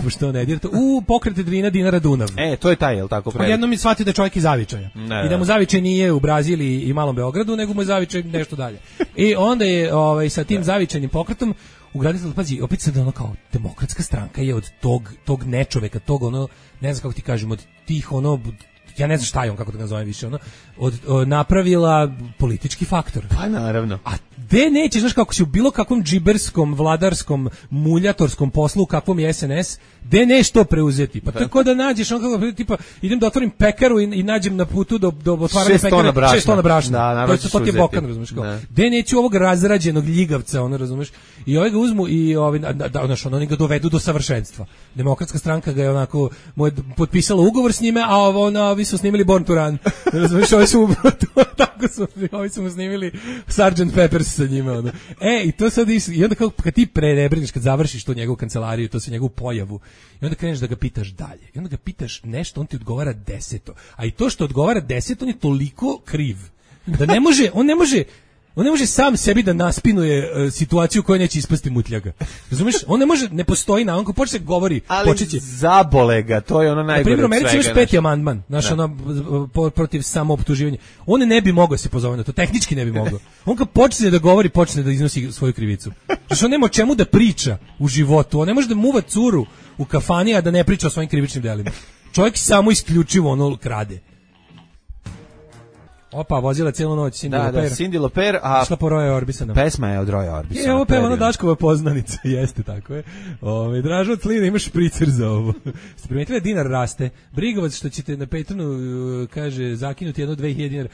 Što ne dirate? U Pokret Drina Dinara Dunav. To je taj, je li tako? Jednom je shvatio da je čovjek iz Zavičaja. I da mu Zavičaj nije u Braziliji i Malom Beogradu, nego mu je Zavičaj nešto dalje. I onda je sa tim zavičajnim pokretom ugradio, pazi, opet sad ono kao Demokratska stranka je od tog nečoveka, tog ono, ne znam kako ti kažem, od tih ono, ja ne znam šta je on, kako da ga zovem više, ono, napravila politički faktor. Pa naravno. A gde nećeš, znaš, kako si u bilo kakvom džiberskom, vladarskom, muljatorskom poslu, u kakvom je SNS, gde neš to preuzeti? Pa tako da nađeš, on kako, tipa, idem da otvorim pekaru i nađem na putu do otvaranja pekare 6 tona brašna. To ti je Bokan, razumiješ, kao. Gde neću ovog razrađenog ljigavca, ono, razumiješ, i ovaj ga uzmu i oni ga dovedu do savršenstva. Demokratska stranka ga je onako, potpisala ugovor s njime, a ovi su snimili Born to Run. Razumiješ, ovi su mu snimili Sgt. Peppers sa njima, ono. I to sad i onda kad ti prerebriniš, kad završiš to njegovu kancelariju, to se njegovu pojavu, i onda kreneš da ga pitaš dalje. I onda ga pitaš nešto, on ti odgovara 10. A i to što odgovara 10, on je toliko kriv da on ne može sam sebi da naspinuje situaciju koja neće ispasti mutljaga. Razumeš? On ne može, ne postoji on ko počne govori, počeće. Zabole ga, to je ono najgore od svega. Na primjer, Americi imaš 5. amandman, protiv samooptuživanja. On ne bi mogao se pozove na to, tehnički ne bi mogao. On kad počne da govori, počne da iznosi svoju krivicu. Znači on nema o čemu da priča u životu, on ne može da muva curu u kafani, a da ne priča o svojim krivičnim delima. Čovjek samo isključivo ono krade. Opa, vozila cijelu noć Cindy Lauper. Da, Cindy Lauper, a išla po Roya Orbisona. Pesma je od Roya Orbisona. Ovo peva ona Daškova poznanica, jeste, tako je. Dražo od Slina, imaš špricer za ovo. Ste primetili da dinar raste? Brigovac što ćete na Patronu, kaže, zakinuti 1-2 dinara.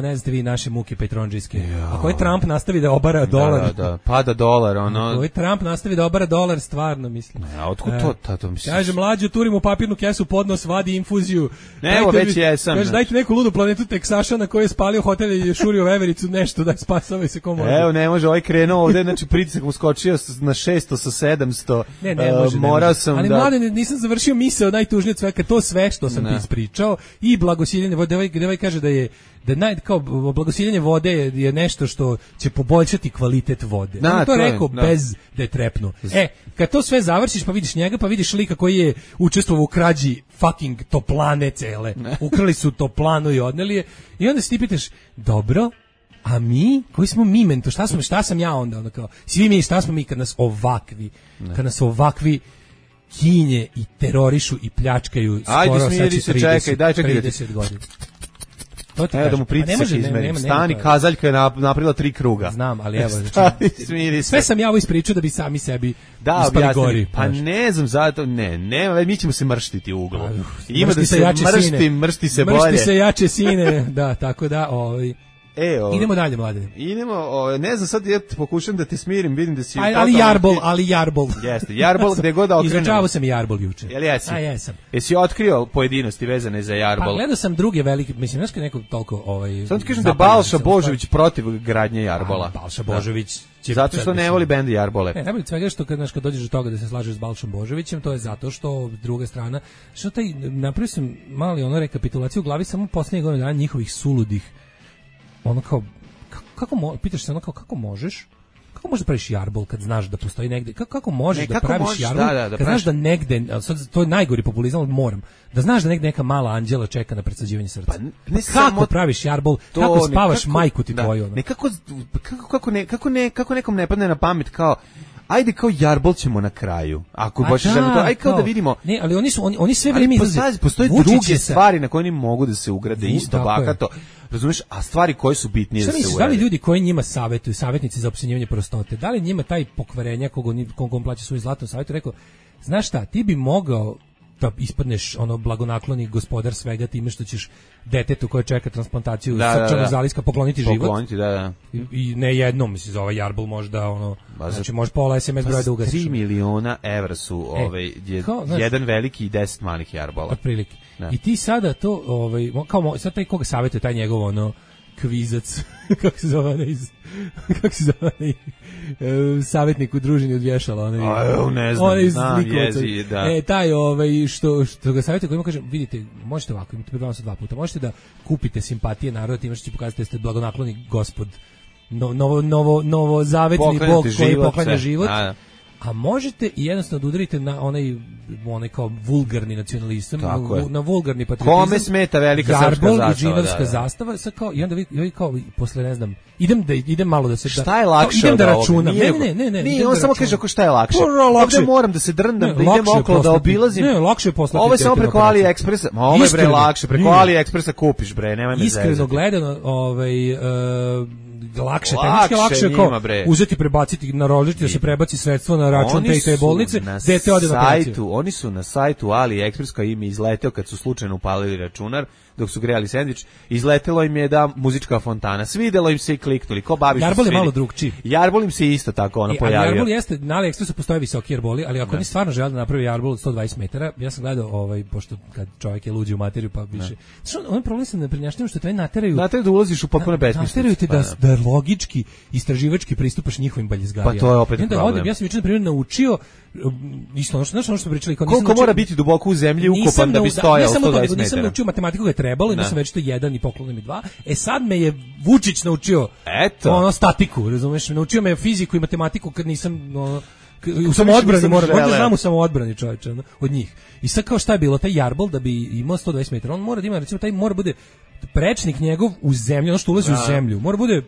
Ne znate vi naše muke petronđijske. Ako je Trump nastavi da obara dolar. Da, pada dolar, ono. Ako je Trump nastavi da obara dolar, stvarno, mislim. Otkud to mislim? Kaže, mlađu, turim u papirnu kesu podnos, vadi infuziju. Evo, već jesam. Kaže, dajte neku ludu planetu Teksaša na kojoj je spalio hotel i šurio vevericu, nešto da spasava se ko može. Evo, ne može, ovaj krenuo ovde, znači pritisak mu skočio na 600 sa 700. Ne može. Morao sam ali mladen, nisam završio misao najtužnije od svega, to sve što sam ti ispričao i blagosiljenje vode, gde ovaj kaže kao blagosiljenje vode je nešto što će poboljšati kvalitet vode. On to rekao bez da je trepnuo. Kad to sve završiš, pa vidiš njega, pa vidiš lika koji je učestvovao u krađi fucking toplane cele. Ukrali su toplanu i odneli je. I onda se ti pitaš, dobro, a mi, koji smo mi mento, šta sam ja onda kao, svi mi, šta smo mi kad nas ovakvi kinje i terorišu i pljačkaju skoro sad će 30 godina. Da mu pritisak izmerim. Stani, kazaljka je napravila 3 kruga. Znam, ali evo, sve sam ja ovo ispričao da bi sami sebi ispali gori. Pa ne znam, zato, mi ćemo se mrštiti u uglu. Ima da se mršti se bolje. Mršti se jače sine, da, tako da, idemo dalje, mladine. Ne znam, sad ja pokušam da te smirim, vidim da si... Ali jarbol. Jeste, jarbol gde god da okrenem. Izračavao sam i jarbol juče. Jel jesi? Jesam. Jesi otkrio pojedinosti vezane za jarbol? Pa gledao sam druge velike, mislim, znaš kad neko toliko... Sad ti kažem da je Balša Božović protiv gradnje jarbola. Balša Božović... Zato što ne voli bend Jarbole. Najbolje svega što kad dođeš do toga da se slažeš s Balšom Božovićem, to je zato što druga strana, napravio sam mali rekapitulaciju u glavi samo poslednjih godina dana njihovih suludih. Kao, pitaš se kako možeš da praviš jarbol kad znaš da postoji negde, kako možeš da praviš jarbol kad znaš da negde, to je najgori populizam, moram, da znaš da negde neka mala anđela čeka na presađivanje srca. Kako praviš jarbol, kako spavaš majku ti tvoju? Kako nekom ne padne na pamet kao, ajde kao Jarbol ćemo na kraju. Ako baš želimo to, aj kao da vidimo. Ne, ali oni sve vreme izlaze. Postoje druge stvari na koje oni mogu da se ugrade isto bakato. Razumeš, a stvari koje su bitnije da se ugrade. Da li ljudi koji njima savetuju, savjetnici za opsenjivanje prostote, da li njima taj pokvarenja kogom plaća svoj zlatno savjetu rekao, znaš šta, ti bi mogao da ispadneš ono blagonakloni gospodar svega time što ćeš detetu koje čeka transplantaciju srčanog zaliska pokloniti život. Pokloniti, da. I ne jednom, mislim, za ovaj Jarbol možda ono, znači može pola SMS broja da ugasiš. 3 miliona evra su jedan veliki i 10 malih Jarbola. Otprilike. I ti sada to, kao sad taj koga savjetuje, taj njegov ono kvizac, kako se zove savjetnik u družini od vješala, ne znam, jezi, da. Taj što ga savjetuje, kojima kažem, vidite, možete ovako, imate pred vama sa 2 puta, možete da kupite simpatije naroda time što će pokazati da ste blagonakloni gospod, novozavetni bog koji poklanja život. A možete i jednostavno da udarite na onaj kao vulgarni nacionalizam, na vulgarni patriotizam. Kome smeta velika srpska zastava? Jarbol i židovska zastava, sad kao, i onda vi kao, posle ne znam, idem malo da se... Šta je lakše idem od da računam. Ne. Nije, on samo kaže šta je lakše. Ovdje moram da se drndam, da idem okolo, da obilazim. Ne, lakše je poslati. Ovo je samo preko AliExpressa. Ovo je bre lakše, preko AliExpressa kupiš bre, nemoj me zezati. Iskreno gledano, lakše kao uzeti, prebaciti na rožički, da se prebaci sredstvo na račun te bolnice, dete ode na operaciju. Oni su na sajtu AliExpress koji im je izleteo kad su slučajno upalili računar dok su grejali sendvič, izletelo im je da muzička fontana, svidelo im se i kliknuli, ko babi što Jarbol je malo drugčiji. Jarbol im se isto tako pojavio. Jarbol jeste, na AliExpressu postoje visoki Jarboli, ali ako oni stvarno žele da napravi Jarbol od 120 metara, ja sam gledao, pošto kad čovjek je luđi u materiju, pa više. Znači, on problem sa neprinjašnjom što te nateraju da ulaziš u potpuno besmislicu. Nateraju te da logički, istraživački pristupaš njihovim baljezgarijama. Pa to je opet problem. Ja sam juče na primjer naučio isto ono što smo pričali, koliko mora biti duboko u zemlji ukopan da bi stojao 120 metara. Nisam naučio matematiku ga je trebalo, imao sam već to 1 i poklonim i 2. Sad me je Vučić naučio statiku, razumeš? Naučio me fiziku i matematiku kad nisam u samoodbrani, možda znam u samoodbrani, čovječe, od njih. I sad kao šta je bilo, taj Jarbol da bi imao 120 metara, on mora da ima, recimo, taj mora bude prečnik njegov u zemlju, ono što ulazi u zemlju, mora bude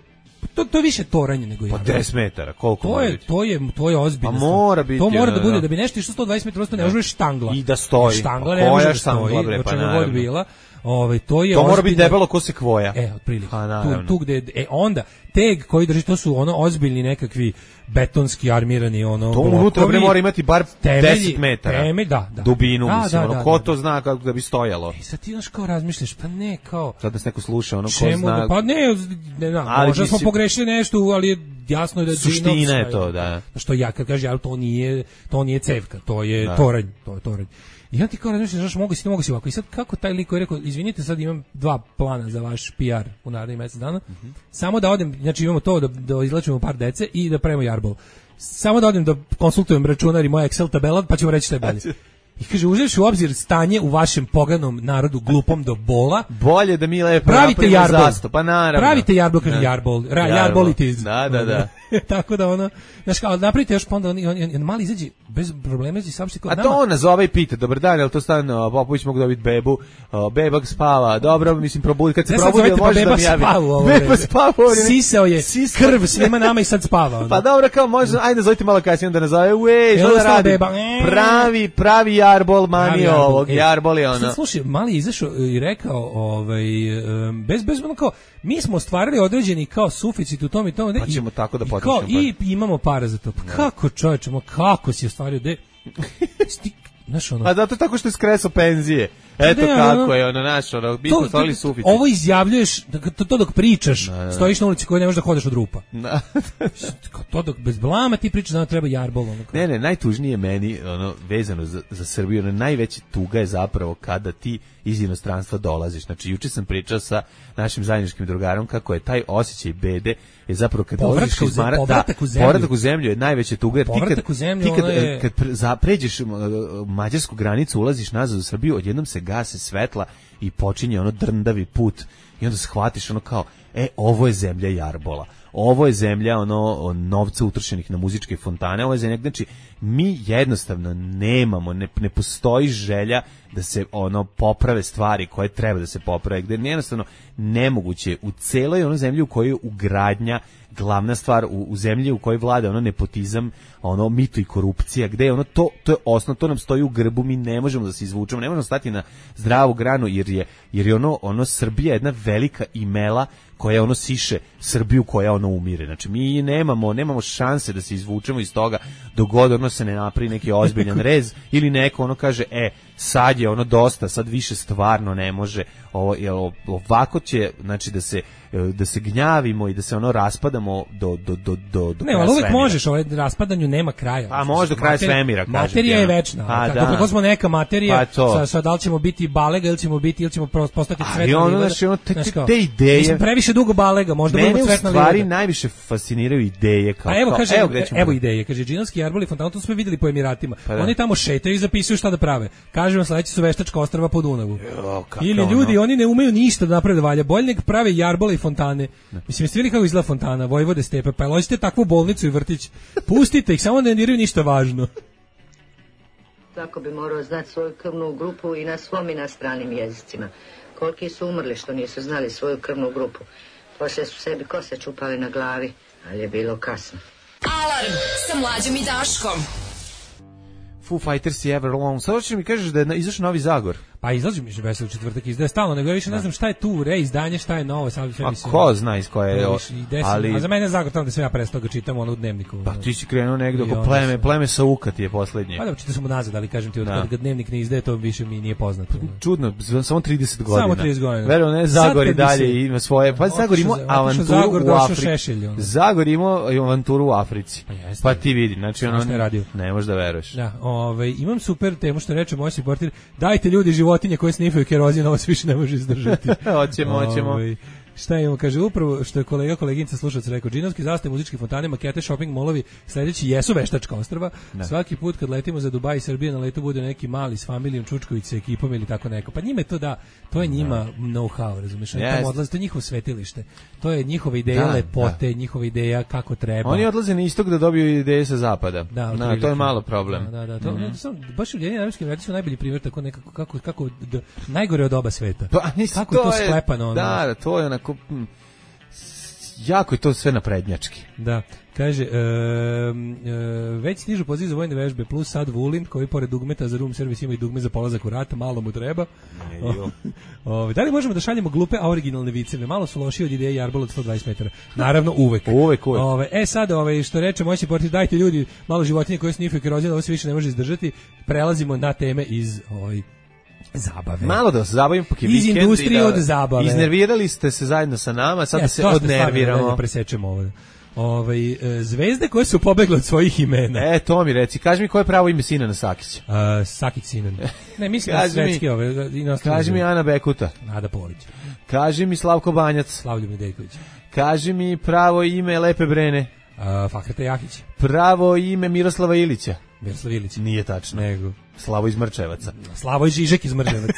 to je više toranje nego Jarbol. Pa 10 metara, koliko mora biti? To je ozbiljno. Pa mora biti. To mora da bude, da bi nešto išlo 120 metara, ne može štangla. I da stoji. Štangla ne može da stoji, o čemu god bila. To mora biti debelo ko se kvoja. Otprilike. Tu gde onda teg koji drži, to su ozbiljni nekakvi betonski armirani to unutra mora imati bar 10 metara. Da. Dubinu, mislim, ko to zna kako da bi stojalo. Sad ti znaš kao razmišljaš, pa ne kao... Sad nas neko sluša, ko zna... Pa ne, možda smo pogrešili nešto, ali jasno je da... Suština je to, da. Što ja kad kažem, to nije cevka, to je toranj, I ja ti kao razmišljaš, mogu si ovako. I sad kako taj lik koji je rekao, izvinite, sad imam 2 plana za vaš PR u narednih mjesec dana. Samo da odem, znači imamo to da izlečimo par dece i da pravimo Jarbol. Samo da odem da konsultujem računar i moja Excel tabela, pa ćemo reći šta je bolje. I kaže, uzevši u obzir stanje u vašem poganom narodu glupom do bola, bolje da mi lepo pravite Jarbol. Pa naravno. Pravite Jarbol, kaže Jarbol. Jarbol it is. Da. Tako da znaš kao, napravite još, pa onda on mali izađe bez problema, izađe saopšti kao nama. A to on nazove i pita, dobar dan, jel to stan Popović mogu dobiti bebu, bebak spava, dobro, mislim, probudi, kad se probudi, može da mi javi. Beba spava. Sisao je krv svima nama i sad spava. Pa dobro, kao može, ajde nazovite malo kasnije, onda nazove, što da radi? Pravi Jarbol, mani ovog, Jarbol je ono. Slušaj, mali izašao i rekao, bez ono kao, mi smo ostvarili određeni kao suficit u tom i tom. Pa ćemo tako da potičemo. I imamo para za to. Pa kako čovječe, kako si ostvario? Pa zato tako što je skresao penzije. Eto kako je mi smo stvarili suficit. Ovo izjavljuješ, to dok pričaš, stojiš na ulici koji ne možeš da hodeš od rupa. To dok bez blama ti pričaš da treba Jarbol. Ne, najtužnije meni vezano za Srbiju, najveća tuga je zapravo kada ti iz inostranstva dolaziš. Znači, juče sam pričao sa našim zajedničkim drugarom kako je taj osjećaj bede je zapravo kad dolaziš iz povratak u zemlju je najveća tuga, jer ti kad pređeš mađarsku granicu, ulaziš nazad u Srbiju, odjednom se gase svetla i počinje drndavi put i onda shvatiš kao, ovo je zemlja Jarbola. ovo je zemlja ono novca utrošenih na muzičke fontane, ovo je zemlja, znači mi jednostavno nemamo, ne postoji želja da se ono poprave stvari koje treba da se poprave, gde je jednostavno nemoguće u celoj ono zemlji u kojoj je ugradnja glavna stvar, u zemlji u kojoj vlada ono nepotizam, ono mito i korupcija, gde je ono to je osnov, to nam stoji u grbu, mi ne možemo da se izvučemo, ne možemo stati na zdravu granu jer je ono Srbija jedna velika imela koja ono siše Srbiju koja ono umire. Znači mi nemamo šanse da se izvučemo iz toga dok god ono se ne napravi neki ozbiljan rez ili neko ono kaže sad je ono dosta, sad više stvarno ne može, ovako će znači da se gnjavimo i da se ono raspadamo do ne, ali uvek možeš, raspadanju nema kraja. A može do kraja svemira, kažem. Materija je večna. Kako smo neka materija, sad da li ćemo biti balega ili ćemo postati svetna. Ono, te ideje. Previše dugo balega, možda budemo svetna livada. Mene u stvari najviše fasciniraju ideje. Evo ideje, kaže Džinovski jarbol i fontana, to smo videli po Emiratima. Oni tamo šetaju i zapisuju šta da prave. Kažemo sledeći su veštačka ostrva po Dunavu. Ili ljudi, oni ne umeju ništa da naprave da valja. Bolje nek prave jarbole i fontane. Mislim, jeste vidjeli kako izgleda fontana, Vojvode Stepe, pa ložite takvu bolnicu i vrtić. Pustite ih, samo ne diraju ništa važno. Svako bi morao znati svoju krvnu grupu i na svom i na stranim jezicima. Koliki su umrli što nisu znali svoju krvnu grupu. Poslije su sebi kose čupali na glavi, ali je bilo kasno. Alarm sa Mlađom i Daškom. Foo Fighters i Everlong. Sada ćeš mi kažeš da je izašao Novi Zagor. Pa izlazi mi Veseli četvrtak izdaje stalno, nego ja više ne znam šta je tu reizdanje, šta je novo. A ko zna iz koje je? A za mene je Zagor tamo da sam ja prestao ga čitam ono u dnevniku. Pa ti si krenuo negdje oko pleme sa Uka ti je poslednje. Pa da, čitao sam nazad, ali kažem ti, od kad dnevnik ne izdaje, to više mi nije poznato. Čudno, samo 30 godina. Samo 30 godina. Verujem, ne, Zagor i dalje ima svoje. Pa Zagor ima avanturu u Africi. Zagor ima avanturu u Africi. Pa ti vidi, znači ono ne možeš da veruješ. Da, imam super temu što reče moj supporter, dajte ljudi životinje koje snifaju kerozin, ovo se više ne može izdržati. Hoćemo. Šta imamo, kaže, upravo što je koleginica slušalac rekao, džinovski zastave, muzičke fontane, makete, shopping molovi, sledeći jesu veštačka ostrva. Svaki put kad letimo za Dubaj i Srbije, na letu bude neki mali s familijom, Čučković sa ekipom ili tako neko. Pa njima je to je njima know-how, razumiješ? Oni tamo odlaze, to je njihovo svetilište. To je njihova ideja lepote, njihova ideja kako treba. Oni odlaze na istok da dobiju ideje sa zapada. To je malo problem. Baš u Ujedinjenim Arapskim Emiratima su najbolji primjer tako nekako kako najgore od oba sveta. Kako je to sklepano? Da, to je onako jako je to sve naprednjački. Da, kaže, već stižu poziv za vojne vežbe, plus sad Vulin, koji pored dugmeta za room service ima i dugme za polazak u rat, malo mu treba. Da li možemo da šaljemo glupe, a originalne viceve? Malo su lošiji od ideje jarbol od 120 metara. Naravno, uvek. Sad, što reče moj supporter, dajte ljudi malo životinje koje snifaju kerozin, ovo se više ne može izdržati. Prelazimo na teme iz zabave. Malo da se zabavimo po iz industrije od zabave. Iznervirali ste se zajedno sa nama, sad da se odnerviramo. Da presečemo ovo. Zvezde koje su pobegle od svojih imena. To mi reci, kaži mi koje je pravo ime Sinana Sakića. Sakić Sinan. Ne, mislim da svetski kaži mi Ana Bekuta. Nada Polić. Kaži mi Slavko Banjac. Slavljo Nedeljković. Kaži mi pravo ime Lepe Brene. Fakreta Jahić. Pravo ime Miroslava Ilića. Miroslav Ilić. Nije tačno. Nego. Slavo iz Mrčevaca. Slavoj Žižek iz Mrčevaca.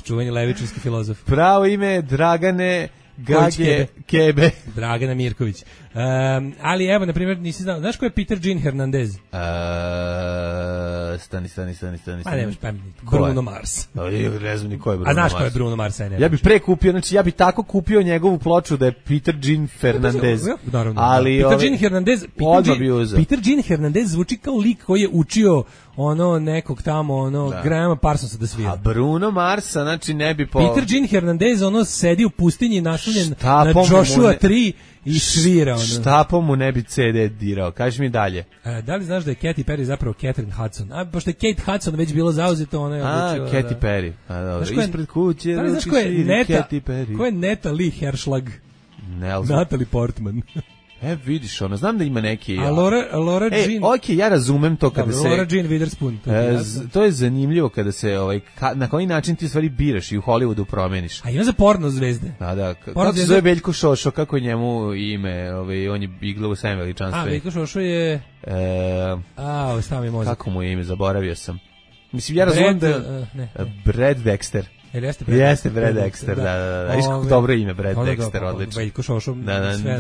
Čuveni levičarski filozof. Pravo ime Dragane Gage Kebe. Dragana Mirković. Ali evo, na primjer, nisi znao, znaš ko je Peter Jean Hernandez? Stani. Pa nemaš pameti. Bruno Mars. Ne znam ni ko je Bruno Mars. A znaš ko je Bruno Mars? Ja bi pre kupio, znači ja bi tako kupio njegovu ploču da je Peter Jean Fernandez. Ali Peter Jean Hernandez, Peter Jean Hernandez zvuči kao lik koji je učio nekog tamo, Grahama Parsonsa da svira. A Bruno Marsa, znači ne bi Peter Jean Hernandez, sedi u pustinji naslonjen na Joshua 3 i svira. Štapom mu ne bi CD dirao. Kaži mi dalje. Da li znaš da je Katy Perry zapravo Catherine Hudson? Pošto je Kate Hudson već bilo zauzeto, ona je odlučila. Katy Perry. Ispred kuće. Da li znaš ko je Natalie Herschlag? Natalie Portman. Vidiš, znam da ima neki... A Laura Jean... ja razumem to kada se... Laura Jean Witherspoon. To je zanimljivo kada se, na koji način ti u stvari biraš i u Hollywoodu promeniš. A ima za porno zvezde. Da. Kako se zove Veljko Šošo, kako je njemu ime, on je igrao u Svem veličanstve. Veljko Šošo je... Stavi mozak. Kako mu je ime, zaboravio sam. Mislim, ja razumem da... Brad Dexter. Jeste Brad Dexter, da. Dobro ime, Brad Dexter, odlično. Veljko Šošo.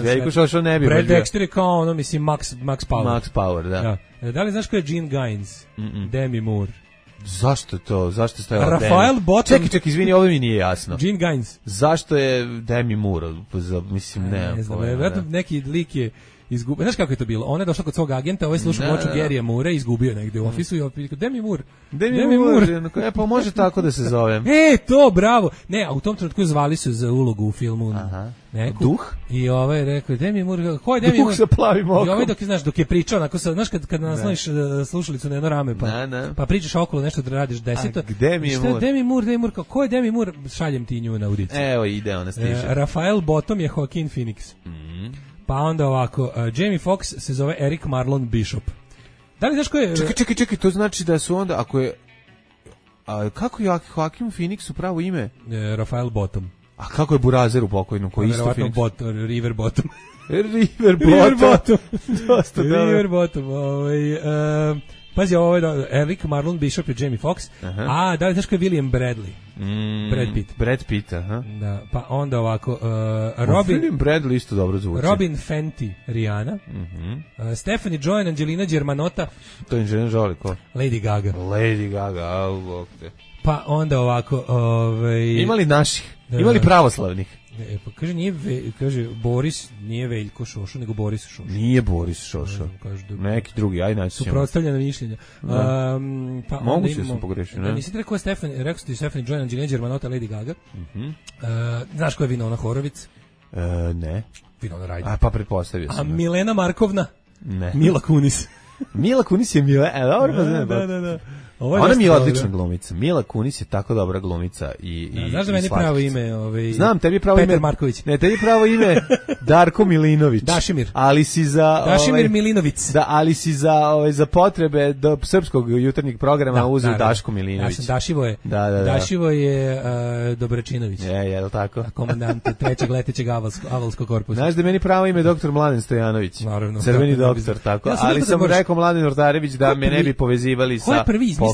Veljko Šošo ne bi. Brad Dexter je kao ono, mislim, Max Power. Max Power, da. Da li znaš ko je Gene Gaines? Demi Moore. Zašto to? Zašto je stajala Demi? Rafael Bottom. Čekaj, izvini, ovo mi nije jasno. Gene Gaines. Zašto je Demi Moore? Mislim, ne znam, vjerojatno neki lik je izgubio. Znaš kako je to bilo? On je došao kod svog agenta, ovaj slušao ploču Garyja Moore i izgubio negde u ofisu i opet Demi Moore. Demi Moore. Pa može tako da se zovem. To, bravo. Ne, a u tom trenutku zvali su za ulogu u filmu. Neku. Duh? I ovaj rekao, Demi Moore, ko je Demi Moore? Duh sa plavim okom. I ovaj dok je pričao, onako, znaš kad nasloniš slušalicu na jedno rame, pa pričaš okolo nešto da radiš deseto. Gde mi je Moore? Demi Moore, ko je Demi Moore? Šaljem ti nju na audiciju. Evo, ide, ona stiže. Rafael Bottom je Joaquin Phoenix. Pa onda ovako, Jamie Foxx se zove Eric Marlon Bishop. Da li znaš ko je... Čekaj, to znači da su onda, ako je... kako je Joaquin Phoenix u pravo ime? Rafael Bottom. A kako je Burazer u pokojnom, koji isto Phoenix? River Bottom. River Bottom. Dosta dobro. River Bottom. Pazi, ovo je Eric Marlon Bishop je Jamie Foxx. A, da li znaš ko je William Bradley? Brad Pitt, aha. Da, pa onda ovako William Bradley isto dobro zvuči. Robin Fenty, Rihanna. Stephanie Joy, Angelina Germanotta. To je Angelina Jolie, ko? Lady Gaga, au, te. Pa onda ovako, imali naših, imali pravoslavnih. Pa kaže Boris nije Veljko Šošo, nego Boris Šošo. Nije Boris Šošo. Neki drugi, aj naći ćemo. Suprotstavljena mišljenja. Pa moguće da sam pogrešio, ne? Nisi ti rekao rekao ti Stephanie Joy, Angelina Germanotta, Lady Gaga. Znaš ko je Winona Horowitz? Ne. Winona Ryder. A pa pretpostavio sam. A Milena Markovna? Ne. Mila Kunis. Mila Kunis je dobro, pa znam. Da. Ona mi je odlična glumica. Mila Kunis je tako dobra glumica i znaš da meni pravo ime, znam, tebi pravo ime Petar Marković. Ne, tebi pravo ime Darko Milinović. Dašimir. Ali si za Dašimir Milinović. Da, ali si za potrebe do srpskog jutarnjeg programa uzeo Daško Milinović. Ja sam Dašivoje. Da. Dašivo je Dobračinović. Je li tako? Komandant trećeg letećeg avalskog korpusa. Znaš da meni pravo ime doktor Mladen Stojanović. Naravno. Crveni doktor, tako. Ali sam rekao Mladen Ortarević da me ne bi povezivali sa. Ko je prvi izmislio?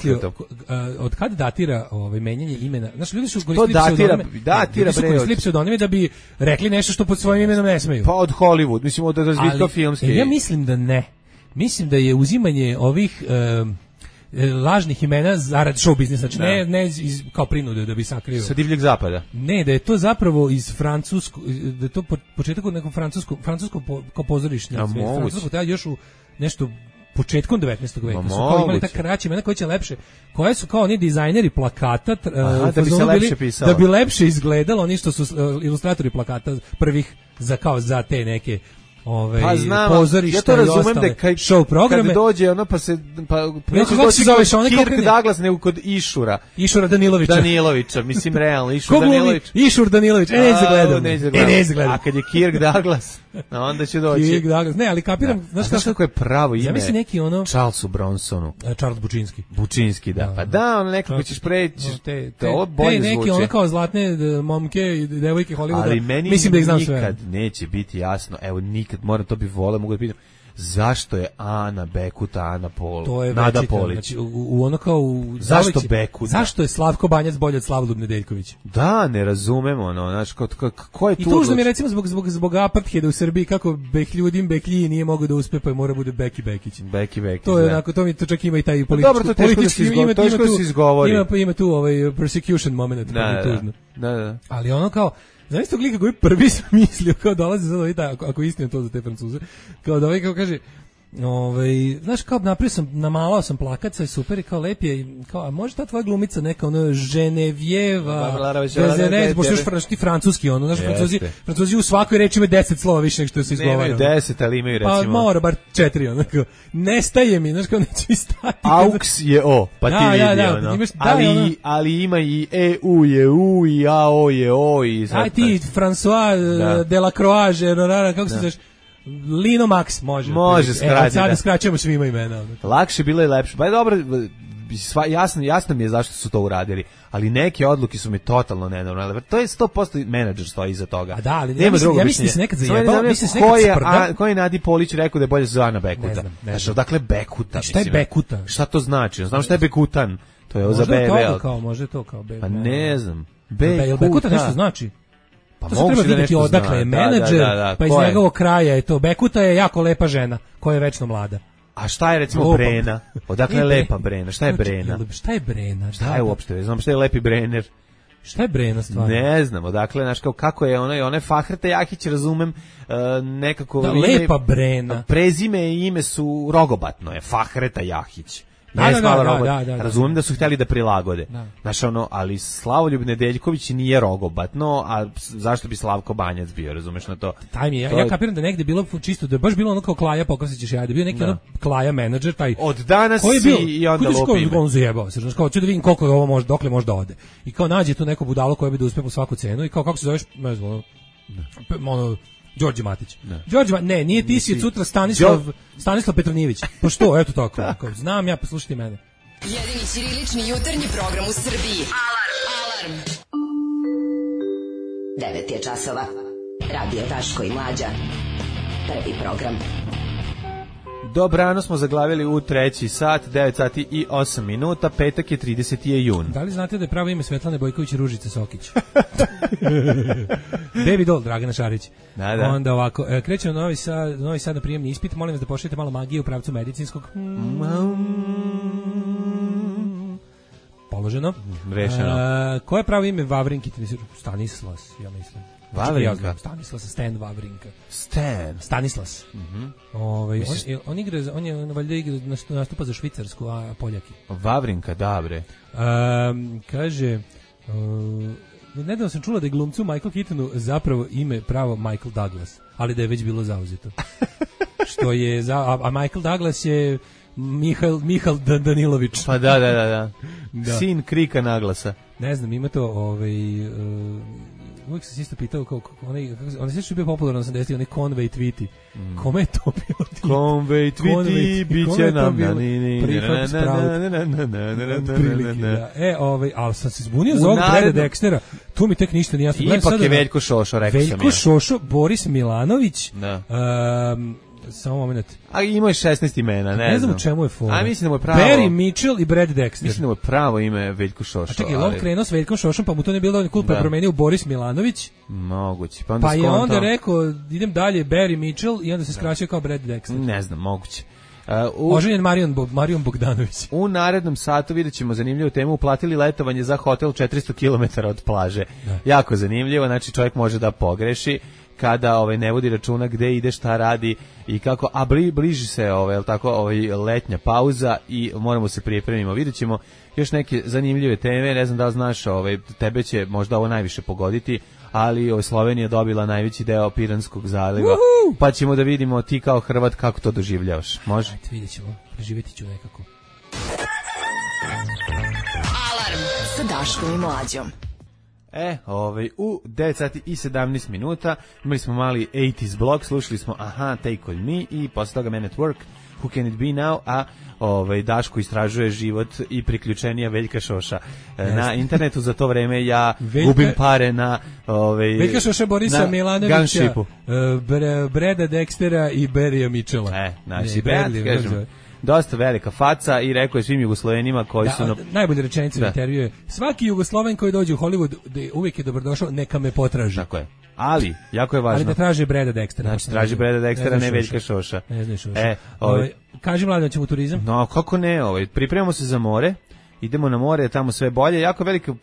Od kad datira menjanje imena? Znaš, ljudi su koristili pseudonime da bi rekli nešto što pod svojim imenom ne smeju. Pa od Hollywood, mislim od razvitka filmske. Ja mislim da ne. Mislim da je uzimanje ovih lažnih imena zarad show biznisa, znači ne kao prinude da bi sakrio. Sa divljeg zapada. Ne, da je to zapravo iz francuskog, da je to početak od nekog francusko kao pozorišnje. Francusko taj još u nešto početkom 19. veka su kao imali ta kraća imena koja će lepše, koje su kao oni dizajneri plakata da bi se lepše pisalo. Da bi lepše izgledalo, oni što su ilustratori plakata prvih za te neke pa znam, pozorišta ja to razumem da show programe. Kad dođe ono pa neće doći kod Kirk Douglas nego kod Išura Danilovića, mislim realno Išur Danilović. Išur Danilović, ne izgleda. A kad je Kirk Douglas, onda će doći. Kirk Douglas, ne, ali kapiram, znaš kako je pravo ime? Zamisli neki ono Charlesu Bronsonu. Charles Bučinski. Bučinski, da. Pa da, on nekako ćeš preći. To bolje zvuči. Neki ono kao zlatne momke i devojke Hollywooda. Ali meni mislim da ih znam sve. Nikad neće biti jasno. Evo nikad moram to bi voleo, mogu da pitam. Zašto je Ana Bekuta, Ana Pol, Nada Polić? Znači, u ono kao... Zašto Bekuta? Zašto je Slavko Banjac bolje od Slavljub Nedeljković? Da, ne razumemo, ono, znači, ko je tu... I tužno mi je, recimo, zbog apartheida u Srbiji, kako Beklji nije mogao da uspe, pa je mora bude Beki Bekić. Beki Bekić, to je onako, to čak ima i taj politički se izgovori. Ima tu persecution moment, pa je tužno. Da. Ali ono kao... Znaš tog lika koji prvi sam mislio kao dolazi sad ovaj, ako istina to za te Francuze, kao da ovaj kao kaže, znaš kao namalao sam plakat, sve super i kao lep je, kao, a može ta tvoja glumica neka ono Ženevjeva, Bezerez, pošto još ti francuski ono, znaš Francuzi u svakoj reči imaju 10 slova više nego što se izgovara. Ne imaju 10, ali imaju recimo. Pa mora bar 4, onako, nestaje mi, znaš kao neće mi stati. Aux je O, pa ti vidi ono, ali ima i EU je U i AO je O i... Aj ti, François Delacroix, kako se znaš, Lino Max može skratiti. Sada skraćujemo svima imena. Lakše bilo i lepše. Pa je dobro, jasno mi je zašto su to uradili, ali neke odluke su mi totalno nenormalne. To je 100% menadžer stoji iza toga. A da, ali ja mislim da se nekad zajebao, mislim se nekad sprda. Ko je Nadi Polić rekao da je bolje za Ana Bekuta? Ne znam. Dakle, Bekuta. Šta je Bekuta? Šta to znači? Znam šta je Bekutan. To je ovo za BB. Može to kao BB. Pa ne znam. Bekuta nešto znači? Pa to se treba vidjeti odakle je menadžer, pa iz njegovog kraja je to. Bekuta je jako lepa žena, koja je večno mlada. A šta je recimo Brena? Odakle je lepa Brena? Šta je Brena? Šta je Brena? Šta je uopšte? Znam šta je lepi Brener. Šta je Brena stvarno? Ne znam, odakle, znaš, kako je ona Fahreta Jahić, razumem, nekako... Da, lepa Brena. Prezime i ime su rogobatno, je Fahreta Jahić. Razumem da su htjeli da prilagode. Znaš, ali Slavoljub Nedeljković nije rogobatno, a zašto bi Slavko Banjac bio, razumeš na to? Taj mi je, ja kapiram da negde bilo čisto, da je baš bilo ono kao Klaja, Pokosićeš ja, da bio neki ono Klaja menadžer, taj... Od danas si i onda lupi ime. On zajebao se, znaš, kao ću da vidim koliko ovo može, dokle može da ode. I kao nađe tu neko budalo koje bi da uspe po svaku cenu i kao kako se zoveš, ne znam, ono... Đorđe Matić. Ne, nije ti si sutra Stanislav Petronijević. Pa što, eto tako. Znam ja, poslušajte mene. Jedini ćirilični jutarnji program u Srbiji. Alarm. 9 je časova. Radio Daško i Mlađa. Prvi program. Dobrano smo zaglavili u 3. sat, 9 sati i 8 minuta, petak je 30. jun. Da li znate da je pravo ime Svetlane Bojković Ružice Sokić? Baby doll, Dragana Šarić. Da. Onda ovako, krećemo Novi Sad na prijemni ispit, molim vas da pošaljete malo magije u pravcu medicinskog. Položeno. Rešeno. Koje je pravo ime Vavrinki? Stanislas, ja mislim. Vavrinka. Stanislas, Stan Vavrinka. Stanislas. On je valjda nastupa za Švicarsku, a Poljaki. Vavrinka, dobre. Kaže, nedavno sam čula da je glumcu Michael Keatonu zapravo ime pravo Michael Douglas, ali da je već bilo zauzeto. Što je, a Michael Douglas je Mihal Danilović. Pa da. Sin Krika Naglasa. Ne znam, ima to uvijek sam se isto pitao onaj sve što je bio popularno 80-ih, onaj Conway Twitty. Kome je to bilo? Conway Twitty, bit će nam prihvat sprout. Ali sam se zbunio za ovog Breda Dextera. Tu mi tek ništa nije jasno. Ipak je Veljko Šošo, rekao sam ja. Veljko Šošo, Boris Milanović, samo moment. A ima 16 imena, ne znam u čemu je fora. A mislim da mu je pravo Barry Mitchell i Brad Dexter. Mislim da mu je pravo ime Veljko Šošo. A čekaj, on krenuo s Veljkom Šošom, pa mu to ne bilo dovoljno cool, pa je promenio Boris Milanović. Moguće. Pa je onda rekao, idem dalje, Barry Mitchell i onda se skraćio kao Brad Dexter. Ne znam, moguće. Oženjen Marion Bogdanović. U narednom satu vidjet ćemo zanimljivu temu. Uplatili letovanje za hotel 400 km od plaže. Jako zanimljivo, znači čovjek može da pogreši kada ne vodi računa gde ide, šta radi i kako, a bliži se letnja pauza i moramo se pripremimo. Vidjet ćemo još neke zanimljive teme, ne znam da li znaš, tebe će možda ovo najviše pogoditi, ali Slovenija dobila najveći deo Piranskog zaliva, pa ćemo da vidimo ti kao Hrvat kako to doživljavaš. Može? Ajde, vidjet ćemo, preživjeti ću nekako. Alarm sa Daškom i Mlađom. U 9 sati i 17 minuta imali smo mali 80s blog, slušali smo Take On Me i posle toga Man at Work, Who Can It Be Now, a Daško istražuje život i priključenija Veljka Šoša. Na internetu za to vreme ja gubim pare na Veljka Šoša, Borisa Milanovića, Breda Dextera i Barrya Mitchella. Znači, kažem, dosta velika faca i rekao je svim Jugoslovenima koji su... Najbolje rečenice u intervju je: svaki Jugosloven koji dođe u Hollywood uvijek je dobrodošao, neka me potraži. Tako je. Ali, jako je važno. Ali da traže Breda Dextera. Znači, traži Breda Dextera, ne Veljka Šoša. Ne znaš Šoša. Kaži Mladen, ćemo u turizam? No, kako ne, pripremamo se za more. Idemo na more, tamo sve bolje. Jako veliko,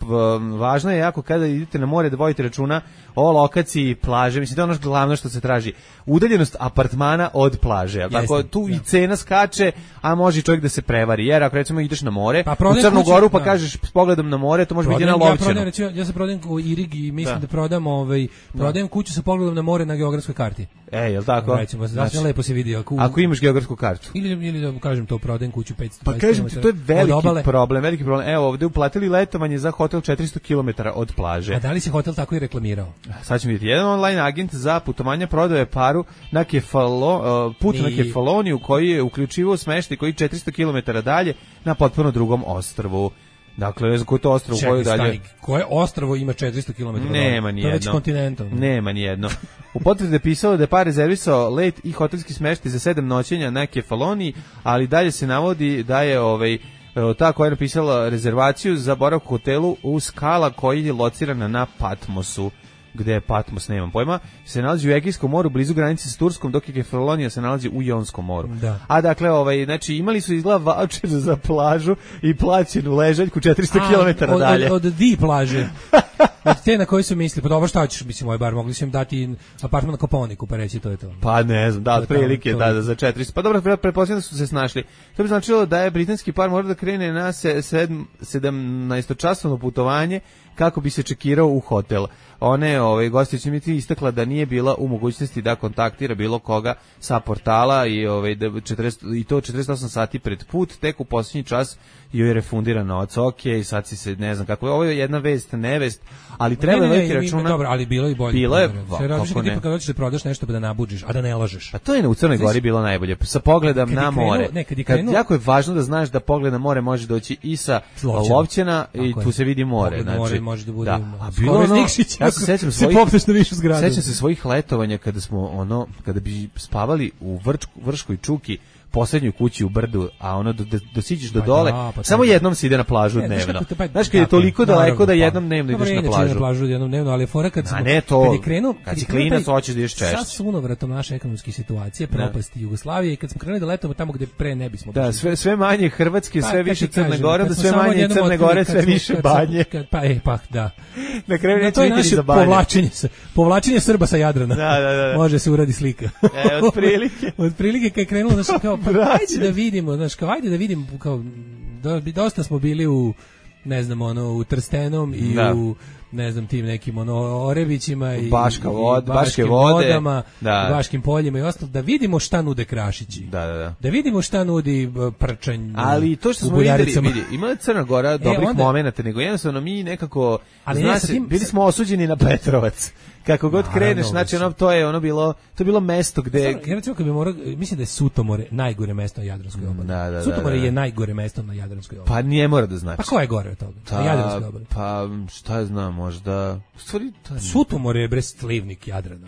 važno je jako kada idete na more da vodite računa o lokaciji plaže. Mislim da je ono glavno što se traži. Udaljenost apartmana od plaže. Tako tu i cena skače, a može čovjek da se prevari. Jer ako recimo ideš na more, u Crnu Goru pa kažeš s pogledom na more, to može biti na Lovćenu. Ja se prodajem u Irig i mislim da prodajem kuću sa pogledom na more na geografskoj karti. Jel tako? Recimo, znači lepo se vidi ako imaš geografsku kartu. Ili da kažem to, prodajem kuću 500 km. Pa kažem ti, to je veliki problem. Evo, ovdje uplatili letovanje za hotel 400 km od plaže. A da li se hotel tako i reklamirao? Sad ćemo vidjeti. Jedan online agent za putovanje prodaje paru na put na Kefaloniju koji je uključivao smeštaj koji 400 km dalje na potpuno drugom ostrvu. Dakle, ne znam koje to ostrvo, koje dalje... Koje ostrvo ima 400 km? Nema nijedno. To je već kontinentom. Nema nijedno. U potvrdi je pisalo da je par rezervisao let i hotelski smeštaj za 7 noćenja na Kefaloniji, ali dalje se navodi da je ta koja je napisala rezervaciju za boravak u hotelu u Skala koji je locirana na Patmosu, gde je Patmos, nemam pojma, se nalazi u Egejskom moru blizu granice s Turskom, dok je Kefalonija se nalazi u Jonskom moru. Da. A dakle, znači imali su izgleda vaučer za plažu i plaćenu ležaljku 400 km dalje. Od di plaže. Od te na koji su mislili, pa dobro, šta ćeš, mislim, ovaj bar mogli su im dati apartman na Koponiku, pa reći to je to. Pa ne znam, da, otprilike, da, za 400. Pa dobro, pretpostavljam da su se snašli. To bi značilo da je britanski par mora da krene na 17-časovno putovanje kako bi se čekirao u hotel. One gostić mi ti istakla da nije bila u mogućnosti da kontaktira bilo koga sa portala i i to 48 sati pred put, tek u posljednji čas joj je refundiran novac. Okej, sad si se, ne znam kako je, ovo je jedna vest, nevest, ali treba veliki računa. Dobro, ali bilo i bolje. Bilo je, kako ne. Kad hoćeš da prodaš nešto pa da nabuđiš, a da ne lažeš. A to je u Crnoj Gori bilo najbolje, sa pogledom na more. Jako je važno da znaš da pogled na more može doći i sa Lovćena i tu se vidi more. Znači, more može da bude. A bilo ja se sećam svojih letovanja kada bi spavali u Vrškoj čuki, poslednjoj kući u brdu, a dosiđeš do dole, samo jednom se ide na plažu dnevno. Znaš, kad je toliko daleko da jednom dnevno ideš na plažu. Na plažu jednom dnevno, ali fora kad je krenuo, kad si klinac, hoćeš da ideš češće. Sa sunovratom naše ekonomske situacije, propasti Jugoslavije, i kad smo krenuli da letamo tamo gde pre ne bismo bili. Da, sve manje Hrvatske, sve više Crne Gore, da sve manje Crne Gore, sve više banje. Da. Na kraju neće biti za banje. Povlačenje Srba sa Jadrana. Da. Može se uradi slika. Otprilike kad je krenulo, znači kao ajde da vidimo, znači kao ajde da vidimo, kao dosta smo bili u, ne znam, u Trstenom i u, ne znam, tim nekim Orebićima i Baške vodama, u Baškim poljima i ostalo, da vidimo šta nude Krašići. Da vidimo šta nudi Prčanj. Ali to što smo videli, ima je Crna Gora dobrih momenata, nego jednostavno mi nekako, bili smo osuđeni na Petrovac. Kako god kreneš, znači to je bilo mesto gde... Ja recimo kad bi morao, mislim da je Sutomore najgore mesto na Jadranskoj obali. Sutomore je najgore mesto na Jadranskoj obali. Pa nije mora da znači. Pa ko je gore od toga? Na Jadranskoj obali. Pa šta ja znam, možda... Sutomore je slivnik Jadrana.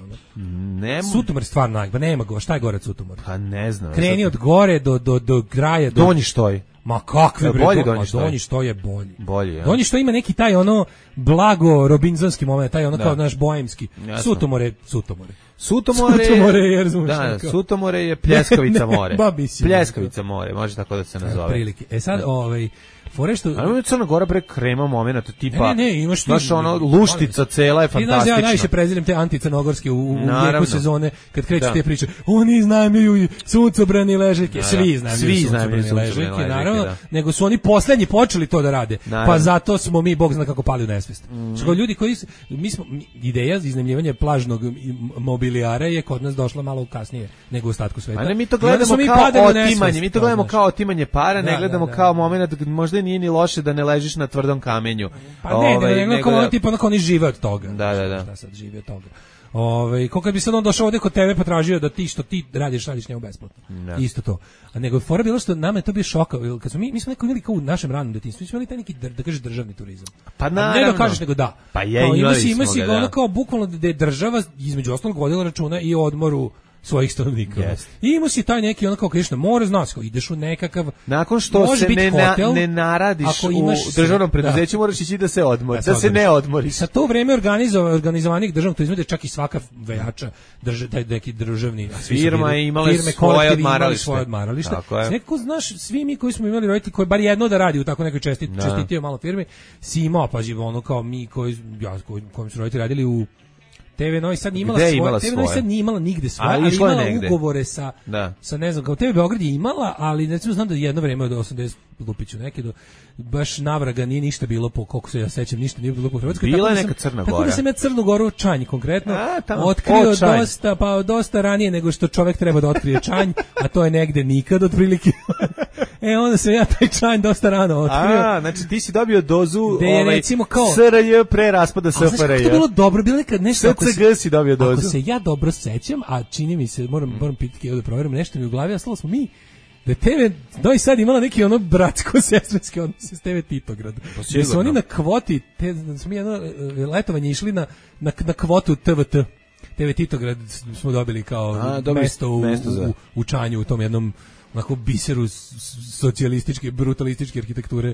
Sutomore je stvarno najgore, pa nema go, šta je gore od Sutomora? Pa ne znam. Kreni od gore do kraja. Donji Štoj. Ma kakve bre, Donji Štoj je bolji. Donji Štoj ima neki taj blago robinzonski moment, taj kao naš boemski. Sutomore. Sutomore je pljeskavica more. Pljeskavica more, može tako da se nazove. Prilike. Sad forešto. Ali Crna Gora bre krema momenata tipa. Imaš luštica cela je fantastična. Ja najviše prezirem te anticrnogorske u jeku sezone kad kreću te priče. Oni iznajmljuju suncobrani ležaljke, svi iznajmljuju ležaljke, naravno, nego su oni poslednji počeli to da rade. Pa zato smo mi bog zna kako pali u nesvest. Što ljudi koji ideja za iznajmljivanje plažnog mobilijara je kod nas došla malo kasnije nego u ostatku sveta. Ali mi to gledamo kao otimanje para, ne gledamo kao momenat možda nije ni loše da ne ležiš na tvrdom kamenju. Pa nego kao tipa oni žive od toga. Da. Šta sad žive od toga. Kako bi sad on došao ovde kod tebe pa tražio da ti što ti radiš njemu besplatno. Isto to. A nego fora bilo što nama je to bio šok, kad smo mi smo neko imali kao u našem ranom detinjstvu, mi smo imali taj neki da kažeš državni turizam. Pa naravno. Ne da kažeš nego da. Pa ima si ono kao bukvalno da je država između ostalog vodila računa i o odmoru svojih stanovnika. I imao si taj neki kao kažeš na more, znaš, ideš u nekakav, nakon što se ne naradiš u državnom preduzeću, moraš ići da se odmoriš, da se ne odmoriš. Sa to vreme organizovanih državnog turizma da čak i svaka vejača taj neki državni firma je imala svoje odmaralište. Nekako znaš, svi mi koji smo imali roditelji koji bar jedno da radi u tako nekoj čestitio malo firmi, si imao, pa kao mi koji su roditelji radili u TV Novi Sad nije imala svoje. TV Novi Sad nije imala nigde svoje, ali imala ugovore sa ne znam, kao TV Beograd je imala, ali recimo znam da jedno vreme od 80 Lupiću neke do baš navraga nije ništa bilo, po koliko se ja sećam, ništa nije bilo po Hrvatskoj. Bila je neka Crna Gora. Tako da sam ja Crnu Goru Čanj konkretno otkrio dosta ranije nego što čovjek treba da otkrije Čanj, a to je negde nikad otprilike. Onda sam ja taj Čanj dosta rano otkrio. Znači ti si dobio dozu recimo kao SRJ pre raspada SFRJ. Znači to bilo dobro, bilo nekad nešto SCG si dobio dozu. Ako se ja dobro sećam, a čini mi se, moram pitati da proverim, nešto mi u glavi, a slalo smo mi da TV Novi Sad imala neki bratsko-sestrinski odnos s TV Titograd. Da su oni na kvoti, da smo mi jedno letovanje išli na kvotu TVT. TV Titograd smo dobili kao mesto u Čanju, u tom jednom onako biseru socijalističke, brutalističke arhitekture,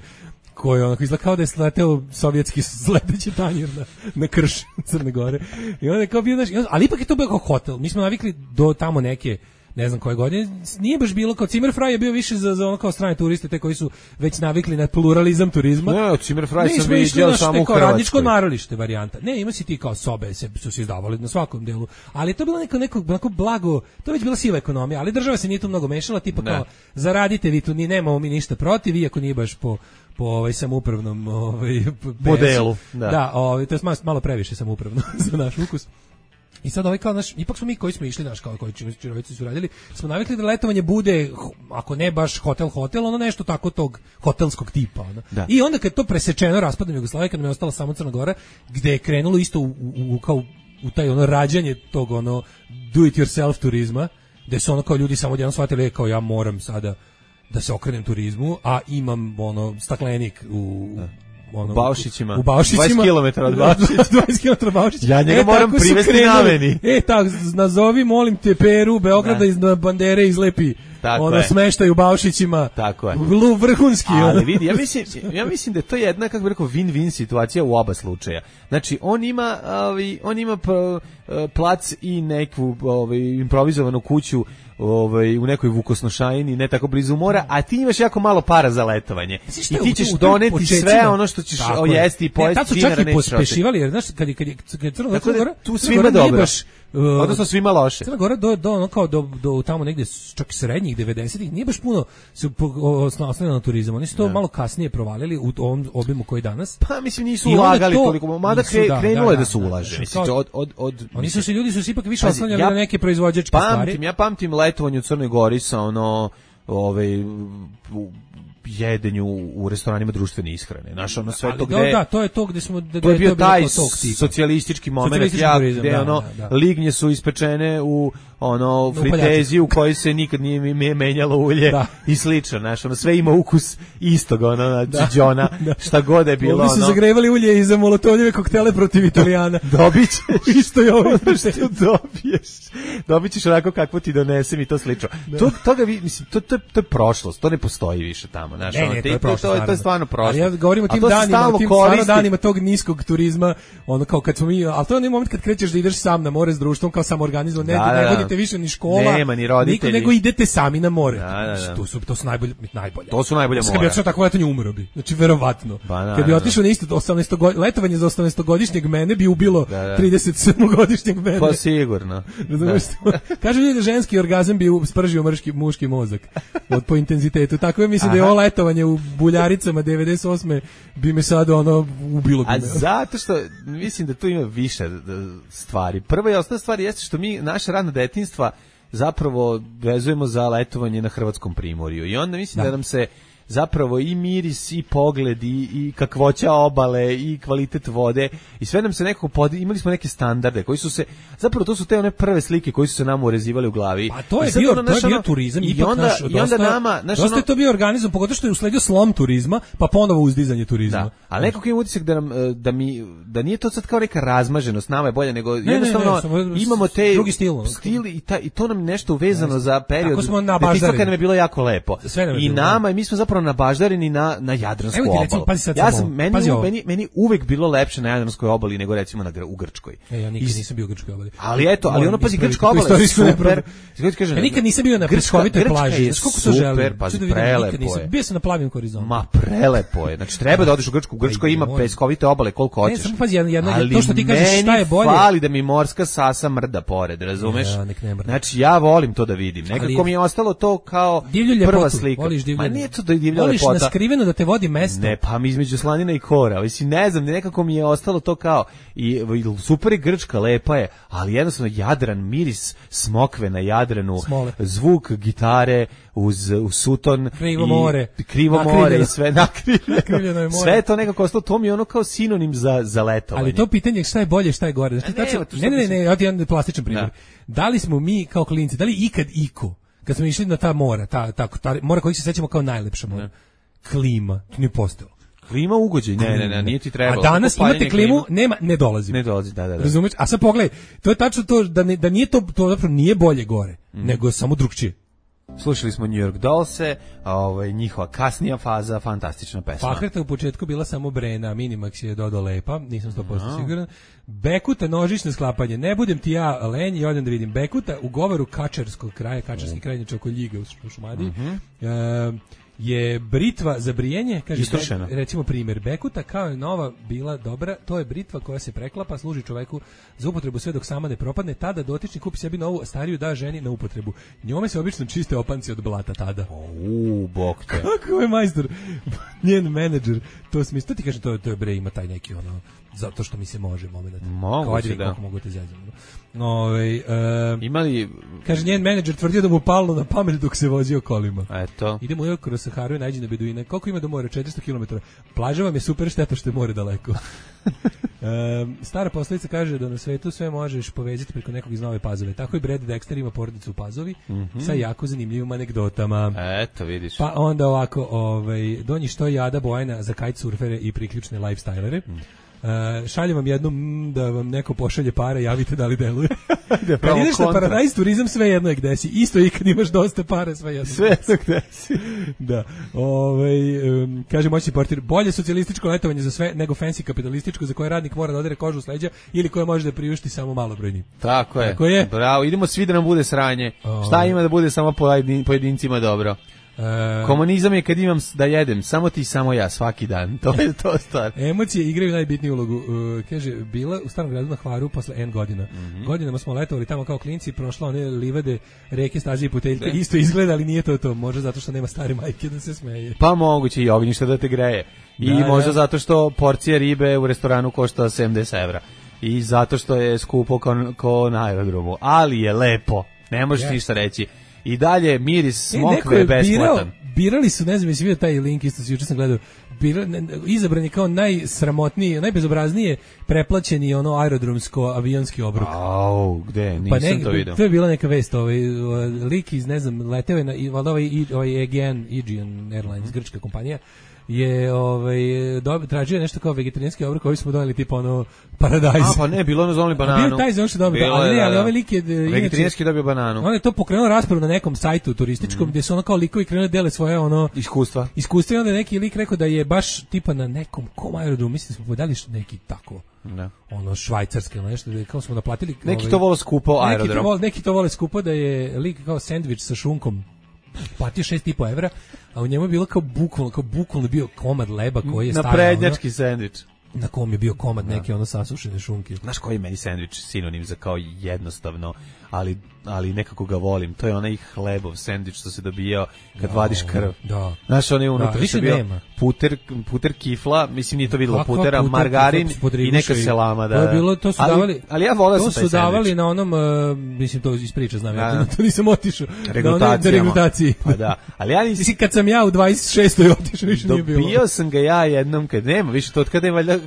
koji onako izgleda kao da je sleteo sovjetski sledeći tanjir na krš Crne Gore. I onda je kao bio, ali ipak je to bio kao hotel. Mi smo navikli do tamo neke, ne znam koje godine, nije baš bilo kao Zimmerfrei je bio više za ono kao strane turiste, te koji su već navikli na pluralizam turizma. Ne, Zimmerfrei sam vidio samo u Hrvatskoj. Radničko odmaralište varijanta. Ne, ima si ti kao sobe, su se izdavali na svakom delu, ali to je bilo neko blago, to je već bila siva ekonomija, ali država se nije tu mnogo mešala, tipa kao zaradite vi tu, nemamo mi ništa protiv, iako nije baš po samoupravnom modelu. Da, to je malo previše samoupravno za naš ukus. I sad kao ipak smo mi koji smo išli, kao koji čirovici su radili, smo navikli da letovanje bude, ako ne baš hotel, ono nešto tako tog hotelskog tipa. Ono. I onda kad to presečeno raspadom Jugoslavije, kad nam je ostala samo Crna Gora, gde je krenulo isto u taj rađanje tog do it yourself turizma, gde su kao ljudi samo odjednom shvatili kao ja moram sada da se okrenem turizmu, a imam staklenik u Baušićima. 20 km od Baušića. 20 km od Baušića. Ja njega moram privesti na meni. Tak, nazovi, molim te, Peru, Beograda iz Bandere izlepi. Smeštaju u Baušićima. Tako je. Vrhunski. Ali vidi, ja mislim da je to jedna, kako bih rekao, win-win situacija u oba slučaja. Znači, on ima plac i neku improvizovanu kuću u nekoj Vukosnošajini, ne tako blizu mora, a ti imaš jako malo para za letovanje. I ti ćeš doneti sve ono što ćeš jesti i pojesti dinara. Tad su čak i pospešivali, jer znaš, kad je Crna Gora, tu svima dobro. Odnosno svima loše. Crna Gora do tamo negde čak srednjih 90-ih nije baš puno se oslanjala na turizam. Oni su to malo kasnije provalili u ovom obimu koji danas. Pa mislim nisu ulagali toliko, mada krenulo je da su ulaže. Ljudi su se ipak više oslanjali na neke proizvođačke stvari. Ja pamtim letovanje u Crnoj Gori sa jedenju u restoranima društvene ishrane. Znaš, sve to gde... Da, to je to gde smo... To je bio taj socijalistički moment, gde lignje su ispečene u fritezi u kojoj se nikad nije menjalo ulje i slično, znaš, sve ima ukus istog, džiđona, šta god je bilo. Ovdje su zagrevali ulje i za molotovljeve koktele protiv Italijana. Dobit ćeš. Isto je ovo. Što dobit ćeš onako kakvo ti donesem i to slično. To je prošlost, to ne postoji više tamo. Znaš, to je stvarno prošlo. Ali ja govorim o tim danima tog niskog turizma, kao kad smo mi, ali to je onaj moment kad krećeš da ideš sam na more s društvom, kao sam organizovan, ne vodite više ni škola, nema ni roditelji, nego idete sami na more. To su najbolje. To su najbolje more. Kad bi otišao tako letanje, umro bi. Znači verovatno. Kad bi otišao na isto letovanje za 18-godišnjeg mene bi ubilo 37-godišnjeg mene. Pa sigurno. Kažu ljudi da ženski orgazam bi spržio muški mozak po intenzitetu. Tako je, mislim da je ovo letovanje u Buljaricama 98. bi me sad ubilo. A zato što mislim da tu ima više stvari. Prva i osnovna stvar jeste što mi naše radno detinjstva zapravo vezujemo za letovanje na hrvatskom primorju i onda mislim da nam se zapravo i miris i pogled i kakvoća obale i kvalitet vode i sve nam se nekako imali smo neke standarde koji su se zapravo to su te one prve slike koji su se nama urezivali u glavi. Pa to je bio turizam i onda nama dosta je to bio organizam, pogotovo što je usledio slom turizma, pa ponovo uzdizanje turizma. Da, ali nekako imam utisak da nije to sad kao neka razmaženost, nama je bolje nego jednostavno imamo te drugi stil i to nam nešto uvezano za period. Kad nam je bilo jako lepo. I nama i mi smo zapravo nabaždareni na Jadransku obalu. Meni uvek bilo lepše na Jadranskoj obali nego recimo u Grčkoj. Ja nikad nisam bio u Grčkoj obali. Ali ono pazi, Grčka obala je super. Ja nikad nisam bio na Grčkovitoj plaži. Koliko to želim? Pazi, prelepo je. Bio sam na plavim horizontu. Ma prelepo je. Znači treba da odeš u Grčku. U Grčkoj ima peskovite obale koliko hoćeš. Ne, samo pazi, to što ti kažeš šta je bolje. Ali fali da mi morska sasa mrda pored, razumeš? Znači ja volim to da vidim. Nekako mi je ostalo to kao prva slika. Ma nije to da je divlja lepota. Voliš na skriveno da te vodi mesto. Ne, pa mi između Slanina i Kora. Mislim, ne znam, nekako mi je ostalo to kao i super je Grčka, lepa je, ali jednostavno Jadran, miris smokve na Jadranu, zvuk gitare uz suton krivo more i sve nakrivljeno. Sve to nekako ostalo, to mi je ono kao sinonim za letovanje. Ali to pitanje šta je bolje, šta je gore. Ne, ja ti jedan plastičan primjer. Da li smo mi kao klinci, da li ikad iko kad smo išli na ta mora, ta mora kojih se sećamo kao najlepša mora, klima, to nije postojalo. Klima ugođaj, ne, nije ti trebalo. A danas imate klimu, ne dolazi, da. Razumeš? A sad pogledaj, to je tačno to da nije to zapravo nije bolje gore, nego samo drugčije. Slušali smo New York Dollse, njihova kasnija faza, fantastična pesma. Fahreta u početku bila samo Brena, Minimax je dodao lepa, nisam 100% siguran. Bekuta nožično sklapanje, ne budem ti ja lenj i odem da vidim. Bekuta u govoru Kačarskog kraja, Kačarski kraj oko Ljiga u Šumadiji, je britva za brijenje, kaže, recimo primjer, Bekuta kao je nova bila dobra, to je britva koja se preklapa, služi čoveku za upotrebu sve dok sama ne propadne, tada dotični kupi sebi novu, a stariju da ženi na upotrebu. Njome se obično čiste opanci od blata tada. Bok te. Kako je majstor, njen menadžer, to smisli, to ti kaže, to je bre, ima taj neki ono, zato što mi se može moment. Moguće, da. Kako mogu te zezati. Imali... Kaže, njen menadžer tvrdio da mu palno na pamet dok se vozio kolima. Eto. Idemo još kroz Saharu i nađi na Beduine. Koliko ima do mora? 400 km. Plaža vam je super, šteta što je more daleko. Stara poslovica kaže da na svetu sve možeš povezati preko nekog iz Nove Pazove. Tako i Brad Dexter ima porodicu u Pazovi sa jako zanimljivim anegdotama. Eto, vidiš. Pa onda ovako, donji što jada Bojana za kitesurfere i priključne lifestylere. Šaljem vam jednu da vam neko pošalje pare, javite da li deluje. Kad ideš na Paradise turizam, sve jedno je gde si. Isto i kad imaš dosta pare, sve jedno. Sve jedno gde si. Da. Kaže moćni portir, bolje socijalističko letovanje za sve nego fancy kapitalističko za koje radnik mora da odere kožu s leđa ili koje može da priušti samo malobrojni. Tako je. Bravo, idemo svi da nam bude sranje. Šta ima da bude samo pojedincima dobro? Komunizam je kad imam da jedem, samo ti, samo ja, svaki dan. To je to stvar. Emocije igraju najbitniju ulogu. Kaže, bila u Starom gradu na Hvaru posle N godina. Godinama smo letovali tamo kao klinci, prošla one livade, reke, staze i puteljke. Isto izgleda, ali nije to. Možda zato što nema stare majke da se smeje. Pa moguće i ognjište da te greje. I možda zato što porcija ribe u restoranu košta 70 evra. I zato što je skupo kao na aerodromu. Ali je lepo. Ne možeš ništa reći. I dalje miris smokve besplatan. Birali su, ne znam, jesi vidio taj link, isto juče sam gledao, izabran je kao najsramotniji, najbezobraznije preplaćeni aerodromsko avionski obrok. Gde? Nisam to vidio. To je bila neka vest, lik iz, ne znam, leteo je na Aegean Airlines, grčka kompanija, je tražio nešto kao vegetarijanski obrok, koji smo doneli tipa Paradise. Pa ne, bilo ono zonali bananu. Bio taj za što dobio, ali ovaj lik je vegetarijanski dobio bananu. On je to pokrenuo raspravu na nekom sajtu turističkom gdje su kao likovi krenuli dele svoje iskustva. I onda neki lik rekao da je baš tipa na nekom aerodromu, mislim da smo podali neki tako. Da. Švajcarske ili nešto, kao smo naplatili. Neki to vole skupo aerodrom. Neki to vole skupo da je lik kao sendvič sa šunkom. Platio 6,5 evra, a u njemu je bilo kao bukvalno bio komad leba koji je stavio na prednjački sendvič. Na kom je bio komad neke sasušene šunke. Znaš koji je meni sendvič sinonim za kao jednostavno, ali nekako ga volim. To je onaj hlebov sendvič što se dobijao kad vadiš krv. Da. Znaš, on je unutra što bio puter kifla, mislim nije to vidjelo putera, margarin i neka selama. Da. To su davali, ali ja volao sam taj sendvič. To su davali na onom, mislim to iz priča znam, ja to nisam otišao. Regrutaciji. Pa da. Ali ja nisam... Kad sam ja u 26. otišao, više nije bilo. Dobio sam ga ja jednom kad nema, više to od kada je valjda,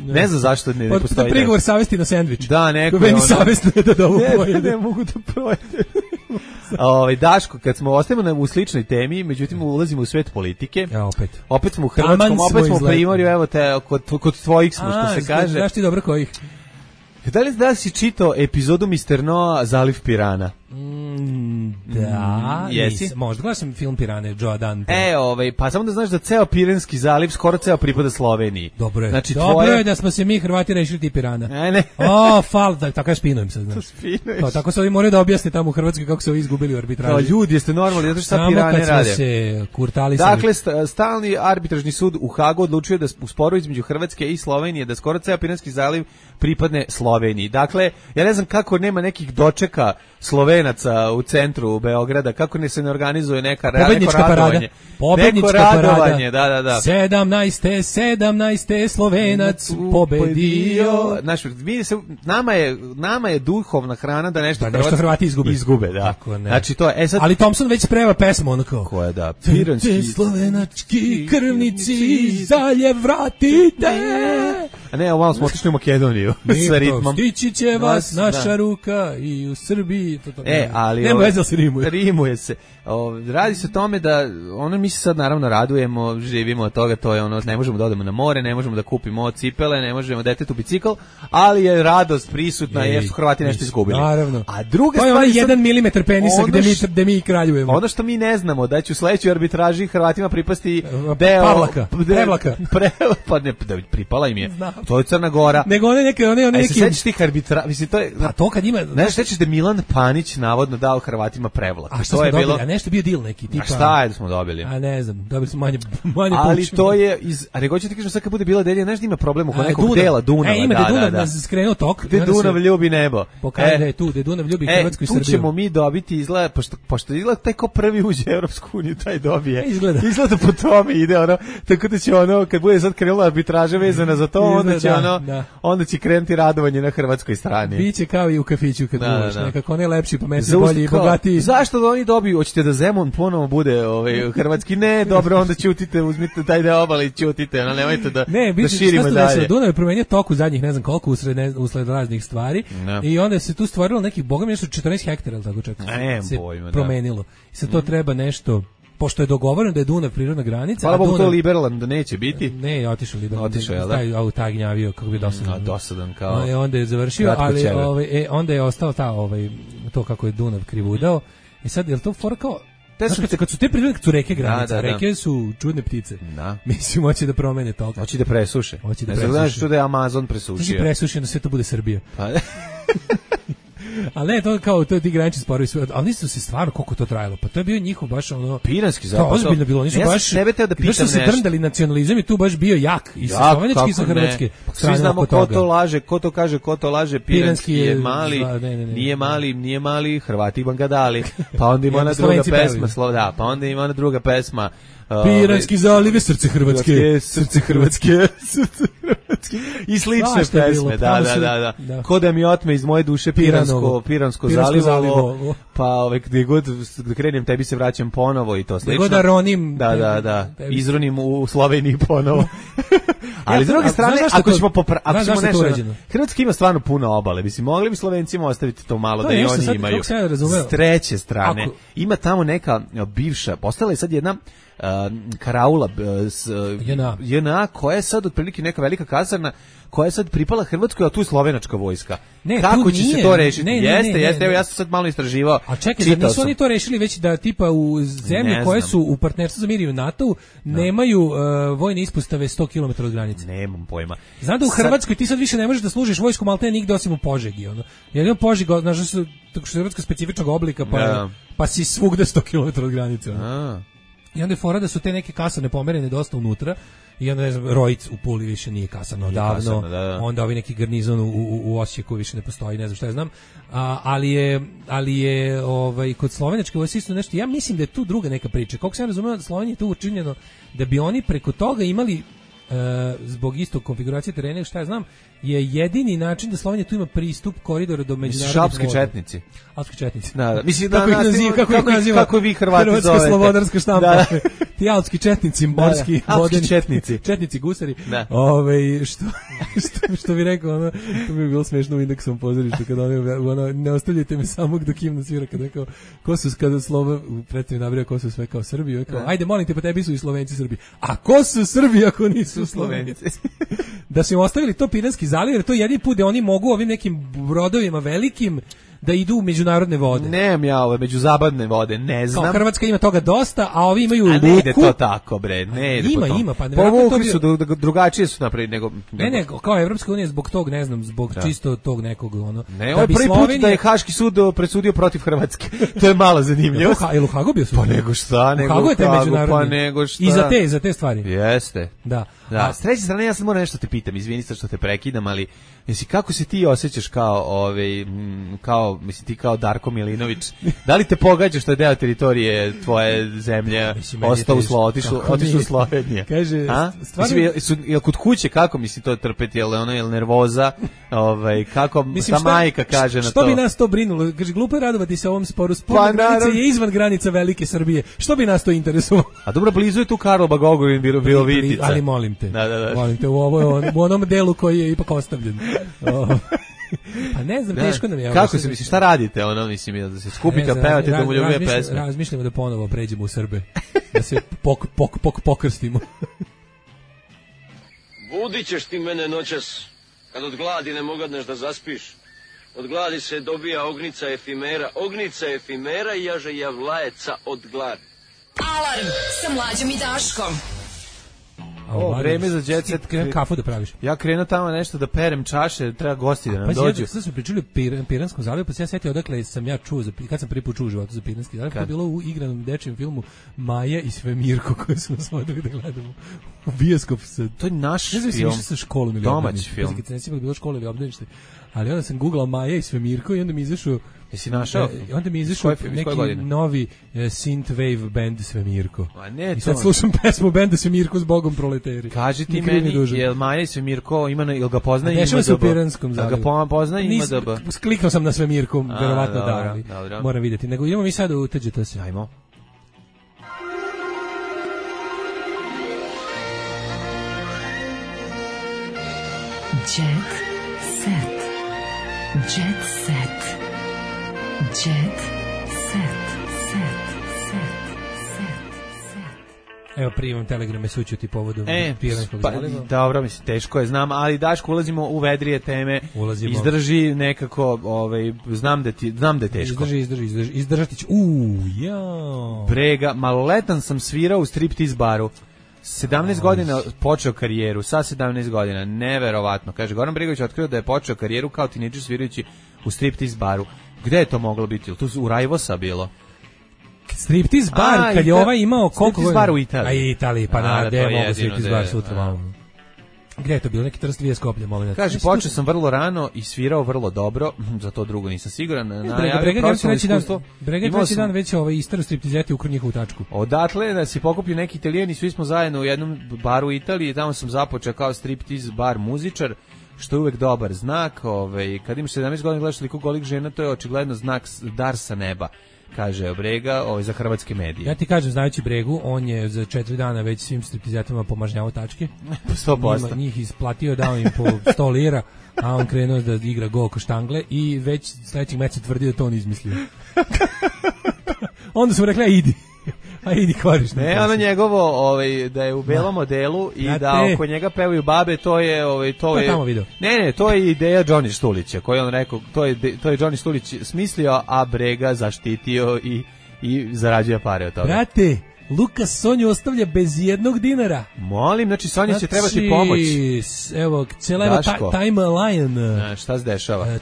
ne znam zašto ne postoji. To prigovor savesti na sendvič. Da, neko meni savestno je da ovo pojede. Ne mogu da projede. Daško, kad smo ostajemo u sličnoj temi, međutim ulazimo u svet politike. Opet smo u Hrvatskom, opet smo u Primorju, evo te, kod tvojih smo, što se kaže. Znaš ti dobro kojih? Da li si čitao epizodu Mr. Noah, Zaliv pirana? Da, možda gledao sam film Pirane, Joe Dante. Pa samo da znaš da ceo Piranski zaliv skoro ceo pripada Sloveniji. Dobro je, znači, dobro je da smo se mi Hrvati rešili ti Pirana. Ne. Tako ja spinujem se, znaš. Tako se ovi moraju da objasne tamo u Hrvatskoj kako se ovi izgubili u arbitraži. Kao ljudi, jeste normalni, zato što sa Pirane rade. Samo kad smo se kurtalisali. Dakle, stalni arbitražni sud u Hagu odlučio da u sporu između Hrvatske i Slovenije da skoro ceo Piranski zaliv pripadne Sloveniji. Dakle, ja ne znam kako nema nekih dočeka Slovenaca u centru Beograda, kako se ne organizuje neka pobednička parada. Neko radovanje, da. 17. Slovenac pobedio. Znaš, nama je duhovna hrana da nešto Hrvati izgube, da. Znači to je, ali Thompson već sprema pesmu onako. Koja da? Piranski slovenački krvnici zaljev vratite. A ne, malo smo otišli u Makedoniju sa ritmom. Stići će vas naša ruka i u Srbiji. Ali nema veze se rimuje. Rimuje se. Radi se o tome da mi se sad naravno radujemo, živimo od toga, to je ne možemo da odemo na more, ne možemo da kupimo cipele, ne možemo detetu bicikl, ali je radost prisutna jer su Hrvati nešto izgubili. Naravno. A druga stvar je 1 milimetar penisa gde mi kraljujemo. Ono što mi ne znamo da će u sledećoj arbitraži Hrvatima pripasti deo Prevlaka. Pa ne, pripala im je. To je Crna Gora. Nego one neki se sećaš tih arbitraža, mislim to je. A to kad ima, ne sećaš da Milan Panić navodno dao Hrvatima Prevlaku. A što je bilo? A nešto bio deal neki tipa. A šta je da smo dobili? A ne znam, dobili smo manje ali to je ali hoćete kažem sad kad bude bila deljenja, znaš da ima problem oko nekog dela Dunava. Ima da Dunav nas skrenuo tok. Gde Dunav ljubi nebo. Pokaže da je tu, da Dunav ljubi Hrvatsku i Srbiju. Tu ćemo mi dobiti izgleda, pošto izgleda taj ko prvi uđe u Evropsku uniju, taj dobije. Izgleda po tome ide ono, tako da će kad bude sad krenula arbitraža vezana za to, onda će krenuti radovanje na hrvatskoj strani. Biće kao i u kafiću kad budeš, nekako ne lepši, pametniji, bolji i bogatiji. Zašto da oni dobiju? Hoćete da Zemun ponovo bude hrvatski? Ne, dobro, onda ćutite, uzmite taj deo obale i ćutite, no nemojte da širimo dalje. Dunav je promenio tok u zadnjih ne znam koliko usled raznih stvari i onda se tu stvorilo nekih, boga mi nešto 14 hektara, ili tako čak se promenilo. I sad to treba nešto, pošto je dogovoreno da je Dunav prirodna granica. Hvala Bogu, to liberalan da neće biti. Ne, otišao liberalan. Otišao je, da? Taj auta gnjavio, kako bi dosadan. Dosadan, kao. Onda je završio, ali onda je ostao to kako je Dunav krivudao. I sad, je li to fora kao... Kad su te prirodne, kad su reke granice, reke su čudne ptice. Mislim, hoće da promene tok. Hoće da presuše. Ne znaš što da je Amazon presušio. Hoće presušio, da sve to bude Srbija. Ali ne, to kao, to je ti granični sporovi, ali nisu se stvarno koliko to trajalo, pa to je bio njihov baš ono... Piranski zapad. To ozbiljno bilo, nisu baš... Da su se drndali nacionalizam i tu baš bio jak, i sa slovenački i sa hrvatske. Svi znamo ko to laže, ko to kaže, ko to laže, Piranski je mali, nije mali, Hrvati Bangadali, pa onda ima ona druga pesma, pa onda ima ona druga pesma, Piranski zaliv, srce Hrvatske, srce Hrvatske. I slične pesme, da. Ko da mi otme iz moje duše Piransko zalivo, pa gdje god da krenem tebi se vraćam ponovo i to slično. Gdje god da ronim. Da, izronim u Sloveniji ponovo. Ali s druge strane, ako ćemo nešto, Hrvatska ima stvarno puno obale, mislim, mogli bi Slovencima ostaviti to malo da i oni imaju. S treće strane, ima tamo neka bivša, postala je sad jedna karaula JNA koja je sad otprilike neka velika kasarna koja je sad pripala Hrvatskoj, a tu je slovenačka vojska. Kako će se to rešiti? Jeste, evo ja sam sad malo istraživao. A čekaj, da nisu oni to rešili već da tipa u zemlje koje su u partnerstvu za mir i u NATO-u nemaju vojne ispostave 100 km od granice. Nemam pojma. Znam da u Hrvatskoj ti sad više ne možeš da služiš vojsku maltene nigde osim u Požegi. Jer je Požega, znaš, tako što je Hrvatska specifičnog oblika, pa si svugde 100 km od granice. I onda je fora da su te neke kasarne pomerene dosta unutra i onda, ne znam, Rojic u Puli više nije kasarno odavno, onda ovi neki garnizon u Osijeku više ne postoji, ne znam šta ja znam, ali je kod slovenačke vojske isto nešto, ja mislim da je tu druga neka priča, koliko sam razumio da Slovenija je tu učinjeno da bi oni preko toga imali zbog istog konfiguracije terena, šta ja znam, je jedini način da Slovenija tu ima pristup koridora do međunarodnih voda. Šapski četnici. Alpski četnici. Da. Mislim kako vi Hrvati zovete. Hrvatska slobodarska štampa. Ti alpski četnici, morski, vodeni četnici, gusari. Što bi rekao, to bi bilo smešno u Indeksovom pozorištu kada ne ostavljajte me samog dok himna svira, kada rekao ko su kada Slova predstavnik nabrija ko su sve kao Srbi, rekao ajde molim te, pa tebi su i Slovenci Srbi. A ko su Srbi ako nisu Slovenci? Da su im ostavili to Piranski zaliv, jer to je jedini put da oni mogu ovim nekim brodovima velikim da idu u međunarodne vode. Nemam ja ove međuzapadne vode, ne znam. Kao Hrvatska ima toga dosta, a ovi imaju luku. A ne ide to tako, bre, ne ide ima, pa povukli su, drugačije su napravili nego... Ne, kao Evropska unija zbog tog, ne znam, zbog čisto tog nekog, Ne, ovo je prvi put da je Haški sud presudio protiv Hrvatske. To je malo zanimljivo. Je u Hagu bio sud? Pa nego šta, pa nego šta. I za te stvari. Jeste. Da. A s treće strane, ja sad moram nešto te pitam, izvini što te prekidam, ali kako se ti osjećaš kao kao, mislim ti kao Darko Milinović, da li te pogađa što je deo teritorije tvoje zemlje ostao otišao u Sloveniju? Kaže, stvarno... Jel kod kuće, kako misli to trpeti, jel nervoza, kako ta majka kaže na to? Što bi nas to brinulo? Kaže, glupo je radovati se ovom sporu, spolna granica je izvan granica velike Srbije, što bi nas to interesovalo? A dobro, blizu je tu Karlobag-Ogulin, Virovitica. Ali molim te, da. molim te, u onom delu koji je ipak ostavljen. Pa ne znam, teško nam je. Kako se misli, šta radite, mislim, da se skupite, pevate domoljubne pesme? Razmišljamo da ponovo pređemo u Srbe, da se pokrstimo. Budit ćeš ti mene noćas, kad od gladi ne mogadneš da zaspiš. Od gladi se dobija ognica efimera i jaže javlajeca od gladi. Alarm sa Mlađom i Daškom. Vreme za jet set. Kafu da praviš. Ja krenuo tamo nešto da perem čaše, treba gosti da nam dođu. Sad smo pričali o Piranskom zalivu, pa se ja setio odakle sam ja čuo, kad sam prvi put čuo u životu za Piranski zaliv, to je bilo u igranom dečijem filmu Maja i Svemirko, koji smo nas odali da gledamo u bioskop. To je naš film. Ne znam sa školom ili domaći film. Kad se ne sjećam bilo škola ili obdanište. Ali onda sam googlao Maja i Svemirko i onda mi izašao Jesi našao? Onda mi izašao neki novi synthwave band Svemirko. A ne, i sad slušam pesmu benda Svemirko s Bogom proleteri. Kaži ti meni, jel Maja i Svemirko jel ga poznaje IMDb? Dešava se u Piranskom zalivu. Ga poznaje IMDb? Kliknuo sam na Svemirko, verovatno da, ali moram vidjeti. Nego idemo mi sad u TGT. Ajmo. Jet set. Jet set. Jet set. Evo primam telegrame sućuti povodom Piranskog zaliva. Dobro, mislim, teško je, znam, ali Daško, ulazimo u vedrije teme. Izdrži nekako, znam da je teško. Izdržati ću. Jao. Brega, maloletan sam svirao u striptease baru. 17 godina počeo karijeru, sa 17 godina, neverovatno. Kaže, Goran Bregović otkrio da je počeo karijeru kao tinidžer svirajući u striptease baru. Gde je to moglo biti? To u Rajvosa bilo? Striptease bar, kad je ovaj imao koliko godina? Striptease bar u Italiji. Italiji, pa na, gde je mogo striptease bar sutra malo. Gde je to bilo? Neki Trst 2 Skoplje, molim. Kaže, počeo sam vrlo rano i svirao vrlo dobro, za to drugo nisam siguran. Brega treći dan već istaro striptizeti ukru njihovu tačku. Odatle da si pokupio neki Italijani, svi smo zajedno u jednom baru u Italiji, tamo sam započeo kao striptease bar muzičar, što je uvek dobar znak. Kad imaš 17 godina gledaš toliko golih žena, to je očigledno znak dar sa neba. Kaže Brega, za hrvatske medije. Ja ti kažem, znajući Bregu, on je za 4 dana već svim striptizatima pomažnjavao tačke. 100%. Njih isplatio, dao im po 100 lira, a on krenuo da igra go oko štangle i već sledećeg meseca tvrdio da to on izmislio. Onda su mu rekli, idi kvariš. Ne, ono njegovo, da je u belom modelu i da oko njega pevaju babe, to je tamo video. Ne, to je ideja Johnny Štulića, koji on rekao, to je Johnny Štulić smislio, a Brega zaštitio i zarađuje pare od toga. Brate, Lukas Sonju ostavlja bez jednog dinara. Molim, znači Sonja će trebati pomoć. Evo, cijela evo timeline. Šta se dešava?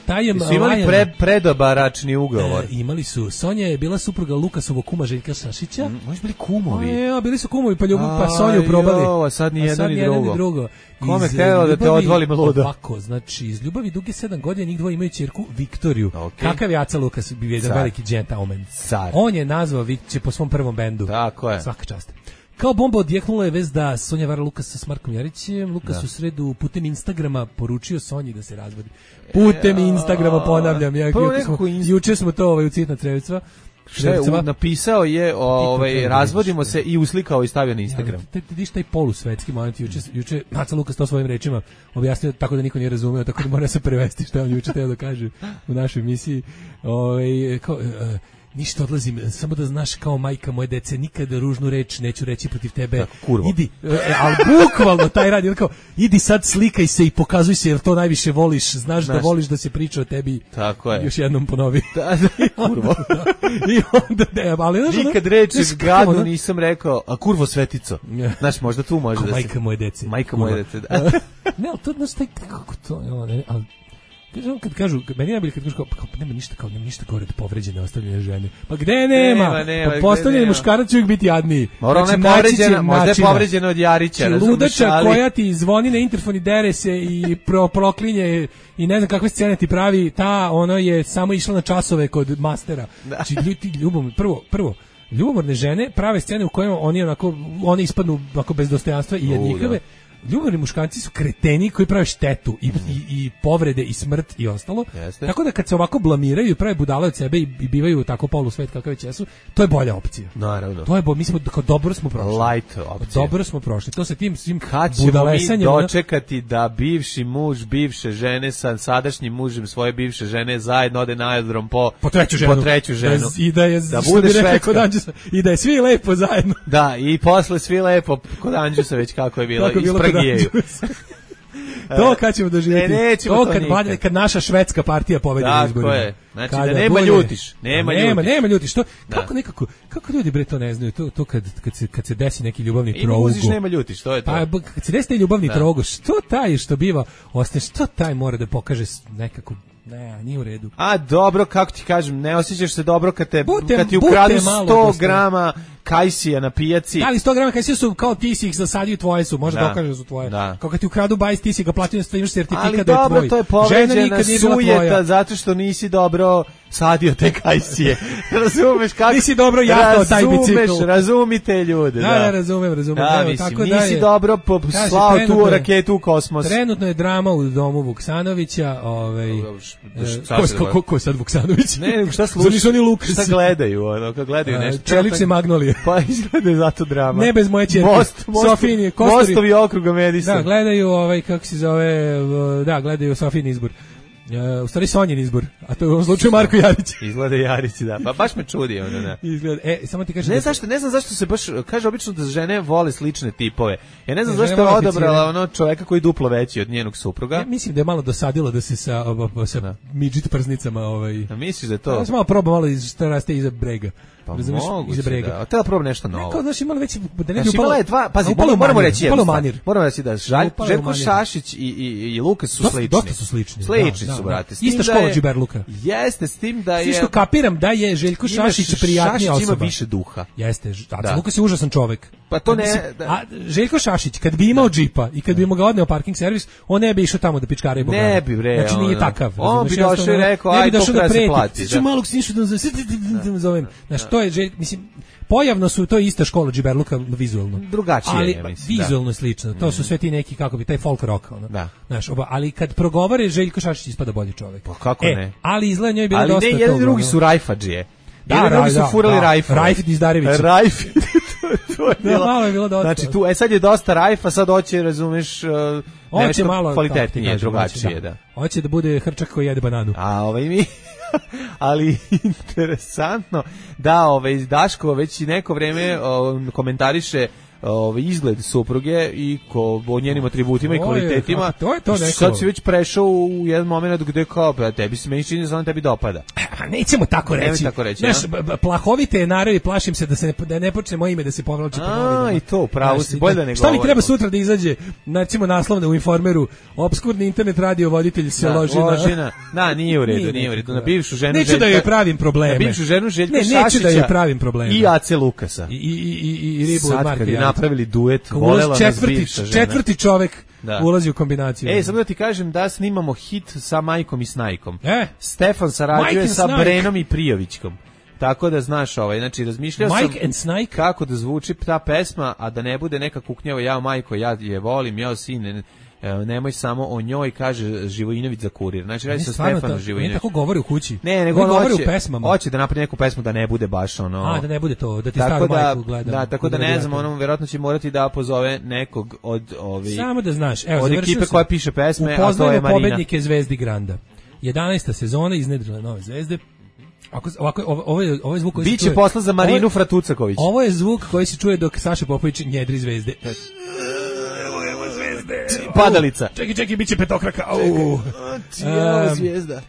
Su imali predobaračni ugovor. Imali su. Sonja je bila supruga Lukasovog kuma Željka Sašića. Oni su bili kumovi. Bili su kumovi, pa Sonju probali. A sad ni jedno ni drugo. Kome htjelo da te odvolim ludo? Ovako, znači, iz ljubavi duge 7 godina njih dvoje imaju ćerku Viktoriju. Kakav je Aca Lukas, bi jedan veliki gentleman. On je nazvao Viktoriju po svom prvom bendu. Tako je. Svaka čast. Kao bomba odjeknula je vez da Sonja vara Lukasa s Markom Jarićem. Lukas u sredu putem Instagrama poručio Sonji da se razvodi. Putem Instagrama, ponavljam. Juče smo to u Citna Trevicva. Napisao je razvodimo se i uslikao i stavio na Instagram. Vidiš taj polusvetski moment, juče Aca Lukas to svojim rečima objasnio tako da niko nije razumeo, tako da mora se prevesti što on juče teo da kaže u našoj emisiji. Ništa, odlazim, samo da znaš, kao majka moje dece, nikada ružnu reč neću reći protiv tebe. Kurvo. Idi, ali bukvalno taj radi, kao, idi sad slikaj se i pokazuj se jer to najviše voliš, znaš da voliš da se priča o tebi. Tako je. Još jednom ponovi. Kurvo. I onda, ali nikad reči gadno nisam rekao, a kurvo svetico. Znaš, možda tu može da se... Majka moje dece. Majka moje dece, da. Ne, ali to, znaš, kako to, ali Kad kažu, meni najbolje kad kažu kao nema ništa gore od povređene ostavljene žene. Pa gde nema? Pa postavljeni muškarac će uvijek biti jadniji. Možda je povređena od Jarića. Ludača koja ti zvoni na interfon i dere se i proklinje i ne znam kakve scene ti pravi, ono je samo išla na časove kod mastera. Znači, prvo, ljubomorne žene prave scene u kojima oni ispadnu onako bez dostojanstva i jednjikave. Ljubomorni muškarci su kreteni koji prave štetu i povrede i smrt i ostalo. Jeste. Tako da kad se ovako blamiraju i prave budale od sebe i bivaju tako polusvet kakav već jesu, to je bolja opcija. Naravno. To je mi smo dobro smo prošli. Light opcija. Dobro smo prošli. To sa tim svim budalesanjem. Kad ćemo mi dočekati da bivši muž bivše žene sa sadašnjim mužem svoje bivše žene zajedno ode na aerodrom po treću ženu. I da je da bude švedska. I da je svi lepo zajedno. Da, i posle svi lepo kod Anđusa već kako je bilo. To kad ćemo doživjeti. To kad naša švedska partija pobedi na izborima. Tako je. Znači da nema ljutiš. Nema ljutiš. Kako ljudi bre to ne znaju? To kad se desi neki ljubavni trougo. Nema ljutiš, to je to. Pa kad se desi ljubavni trougo, što taj što biva, ostaje što taj mora da pokaže nekako. Ne, nije u redu. A dobro, kako ti kažem, ne osjećaš se dobro kad ti ukradu 100 grama kajsija na pijaci. Da li 100 grama kajsija su kao ti si ih zasadio, tvoje su, možda dokažeš da su tvoje. Kao kad ti ukradu bajs, ti si ga platio, imaš sertifikat da je tvoj. Ali dobro, to je povređena sujeta zato što nisi dobro sadio te kajsije. Razumeš kako? Nisi dobro jahao taj bicikl. Razumite ljude. Da, razumem. Da, mislim, nisi dobro slao tu raketu u kosmos. Trenutno je drama u domu Vuksanovića. Ko je sad Vuksanović? Ne, šta slušaju? Šta gledaju? Kad gledaju nešto. Čelične magnolije. Pa izgleda zato drama. Ne bez moje ćerke. Sofini, Mostovi okruga Medisa. Da, gledaju kako se zove, gledaju Sofini izbor. U stvari Sonjin izbor, a to je u ovom slučaju Marko Jarić. Izgleda Jarić, da. Pa baš me čudi ono, da. Izgleda. Samo ti kažem. Ne znam zašto se baš kaže obično da žene vole slične tipove. Ja ne znam zašto je odabrala čoveka koji je duplo veći od njenog supruga. Ja mislim da je malo dosadilo da se sa midžit prznicama A misliš da je to? Ja sam malo probao malo šta raste iza brega. Pa moguće da. Treba probam nešto novo. Kao znaš imala već da ne bi upala dva, pazi, moramo reći da Željko Šašić i Lukas su slični. Dosta su slični. Slični su, brate. Ista škola Džiberluka. Jeste, s tim da je... Što kapiram da je Željko Šašić prijatnija osoba. Šašić ima više duha. Jeste, a Lukas je užasan čovek. Pa to ne... A Željko Šašić, kad bi imao džipa i kad bi mu ga odneo parking servis, on ne bi išao tamo da pičkara i bogana. Ne bi, bre. Znači nije takav. On bi došao i rekao, aj, to treba se plati. Ću malog snišu da zovem. Znaš, to je, mislim, pojavno su, to je ista škola Džiberluka vizualno. Drugačije je, mislim. Vizualno slično. To su sve ti neki, kako bi, taj folk rock. Znaš, ali kad progovore, Željko Šašić ispada bolji čovjek. Pa kako ne? Ali izgleda njoj je bilo dosta toga. Ali ne, jedni drugi su rajfadžije. Jedan drugi su furali rajfa. Rajfit Izdarević. Rajfit. To je bilo. Malo je bilo dosta. Znači, tu, sad je dosta rajfa, sad hoće, razumeš, nešto kvalitetnije, drugačije, da. Hoće da bude hrčak koji jede bananu. A mi... ali interesantno da Daško već neko vreme komentariše izgled supruge i o njenim atributima i kvalitetima. Sad si već prešao u jedan moment gde kao, tebi se meni čini da tebi dopada. Nećemo tako reći. Znaš, plahovite je naravi, plašim se da ne počne moje ime da se povlači po novinama. I to, pravo si, bolje da ne govorim. Šta mi treba sutra da izađe, recimo naslovne u Informeru, obskurni internet radio voditelj se loži na... Da, nije u redu, na bivšu ženu Željka. Neću da joj pravim probleme. Na bivšu ženu Željka Šašića. Neću da joj pravim probleme. I Ace Lukasa. I Ribu od Marka napravili duet, volela nas bivša žena. Četvrti čovek ulazi u kombinaciju. Samo da ti kažem da snimamo hit sa Majkom i Snajkom. Stefan sarađuje sa Brenom i Prijovićkom. Tako da znaš, znači razmišljao sam kako da zvuči ta pesma, a da ne bude neka kuknjava, ja majko, ja je volim, ja sine, nemoj samo o njoj, kaže Živojinović za Kurir. Znači radi se o Stefanu Živojinoviću. Ne tako govori u kući. Ne, nego on govori u pesmama. Hoće da napravi neku pesmu da ne bude baš ono. Da ne bude to, da ti staru majku gleda. Da, tako da ne znam, verovatno će morati da pozove nekog od Samo da znaš, evo, od ekipe koja piše pesme, a to je Marina. Pobednike Zvezdi Granda. 11. sezona, iznedrile nove zvezde. Ovo je zvuk koji se čuje. Biće posla za Marinu Fratucaković. Ovo je zvuk koji se čuje dok Saša Popović njedri zvezde. Padalica. Čekaj, biće petokraka. Evo zvijezda.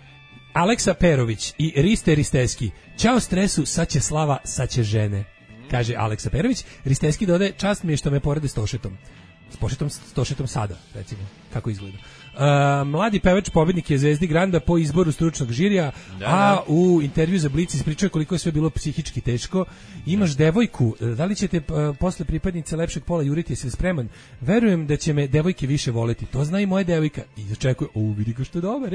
Aleksa Perović i Riste Risteski. Ćao stresu, sad će slava, sad će žene. Kaže Aleksa Perović. Risteski dodaje, čast mi je što me poredi s Tošetom. S Tošetom sada, recimo. kako izgleda. Mladi pevač pobednik je Zvezdi Granda po izboru stručnog žirija, a u intervju za Blic ispričao koliko je sve bilo psihički teško. Imaš devojku, da li ćete posle pripadnice lepšeg pola juriti, jesi li spreman? Verujem da će me devojke više voleti, to zna i moja devojka. I očekuje, vidi ga što je dobar,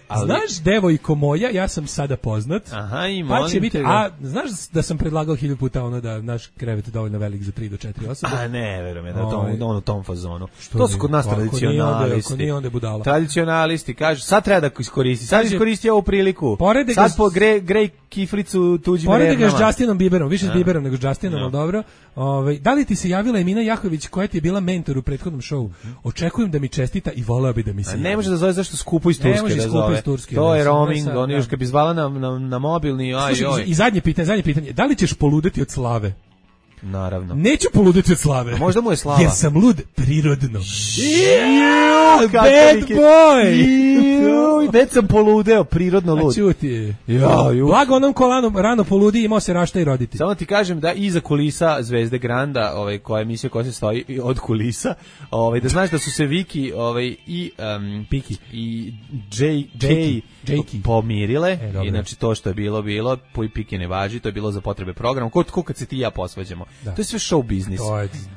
ali... Znaš, devojko moja, ja sam sada poznat. Aha, i molim te biti, a znaš da sam predlagao 1000 puta ono da naš krevet je dovoljno velik za 3 do 4 osobe? A ne, verujem, da u tom fazonu. To su kod nas tradicionalisti. Tradicionalisti kažu, sad treba da iskoristi. Sad iskoristi ovu priliku. Sad po grej kiflicu tuđim vernama. Porede ga s Justinom Bieberom, više s Bieberom nego s Justinom, ali dobro. Da li ti se javila Emina Jahović koja ti je bila mentor u prethodnom šovu? Očekujem da mi čestita i voleo bi da mi se. Ne može da zove zašto skupo iz Turske da zove. To je roaming, oni još kad bi zvala na mobilni, I zadnje pitanje, da li ćeš poludeti od slave? Naravno. Neću poludeti od slave. A možda mu je slava. Jer sam lud prirodno. Bad boy! Već sam poludeo, prirodno lud. A čuti. Blago onom ko rano poludi, imao se rašta i roditi. Samo ti kažem da iza kulisa Zvezde Granda, koja je emisija koja se stoji od kulisa, da znaš da su se Viki i Piki i Jay pomirile. Inače to što je bilo, Piki ne važi, to je bilo za potrebe programa. Ko kad se ti i ja posvađamo. To je sve show biznis.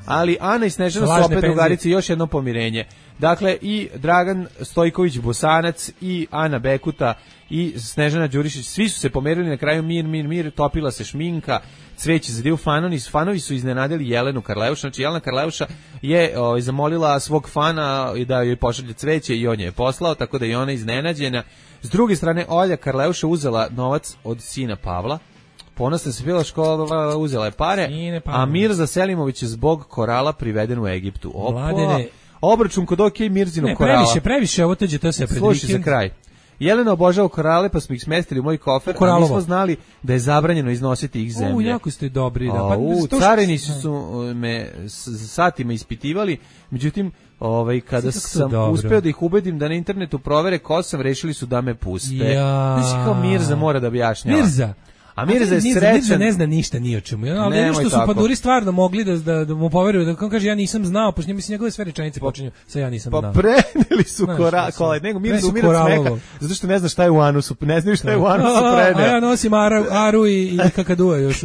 Ali Ana i Snežana su opet drugarice, još jedno pomirenje. Dakle, i Dragan Stojković Bosanac i Ana Bekuta i Snežana Đurišić, svi su se pomerili na kraju mir, topila se šminka, cveće za divu, fanovi su iznenadili Jelenu Karleuša, znači Jelena Karleuša je zamolila svog fana da joj pošalje cveće i on je poslao, tako da je ona iznenađena. S druge strane, Olja Karleuša uzela novac od sina Pavla, ponosna se bila škola, uzela je pare, a Mirza Selimović je zbog korala priveden u Egiptu. Obračun kod Mirzinog korala. Previše, ovo teđe to se pred vikend. Slušaj za kraj. Jelena obožava korale, pa smo ih smestili u moj kofer, a nismo znali da je zabranjeno iznositi ih zemlje. Jako ste dobri. Carini su me satima ispitivali, međutim, kada sam uspeo da ih ubedim da na internetu provere ko sam, rešili su da me puste. Znači kao Mirza mora da objašnjava. Mirza? A Mirza je srećan. Mirza ne zna ništa ni o čemu. Ali što su panduri stvarno mogli da mu poveruju, da on kaže ja nisam znao, pošto mislim njegove sve rečenice počinju sa ja nisam znao. Pa preneli su korale, nego Mirza umira smeka, zato što ne zna šta je u anusu, ne znaju šta je u anusu preneo. A ja nosim aru i kakadua još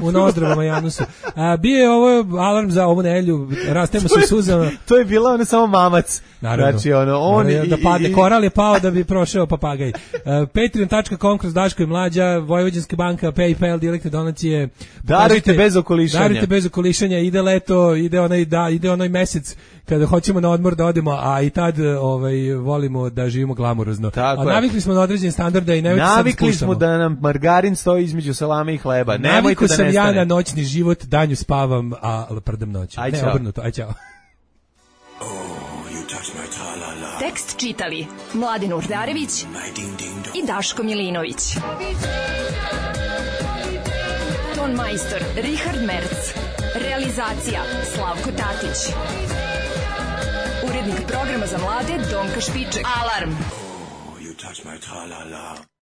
u nozdravama i anusu. Bio je ovo alarm za ovu nedelju, rastemo se suzama. To je bila ona samo mamac. Naravno. Znači on da padne, koral je pao da bi prošao papagaj. Patreon.com kroz Daško i Mlađa, Vojvođanska banka, PayPal, direktne donacije. Darujte bez okolišanja. Ide leto, ide onaj mesec kada hoćemo na odmor da odemo, a i tad volimo da živimo glamurozno. A navikli smo na određen standard da i ne navikli smo da nam margarin stoji između salame i hleba. Navikao sam ja na noćni život, danju spavam, a prdem noću. Ne, obrnuto. Aj, čao. Tekst čitali Mladen Urdarević i Daško Milinović. Ton majstor Richard Merc. Realizacija Slavko Tatić. Urednik programa za mlade Donka Špiček. Alarm!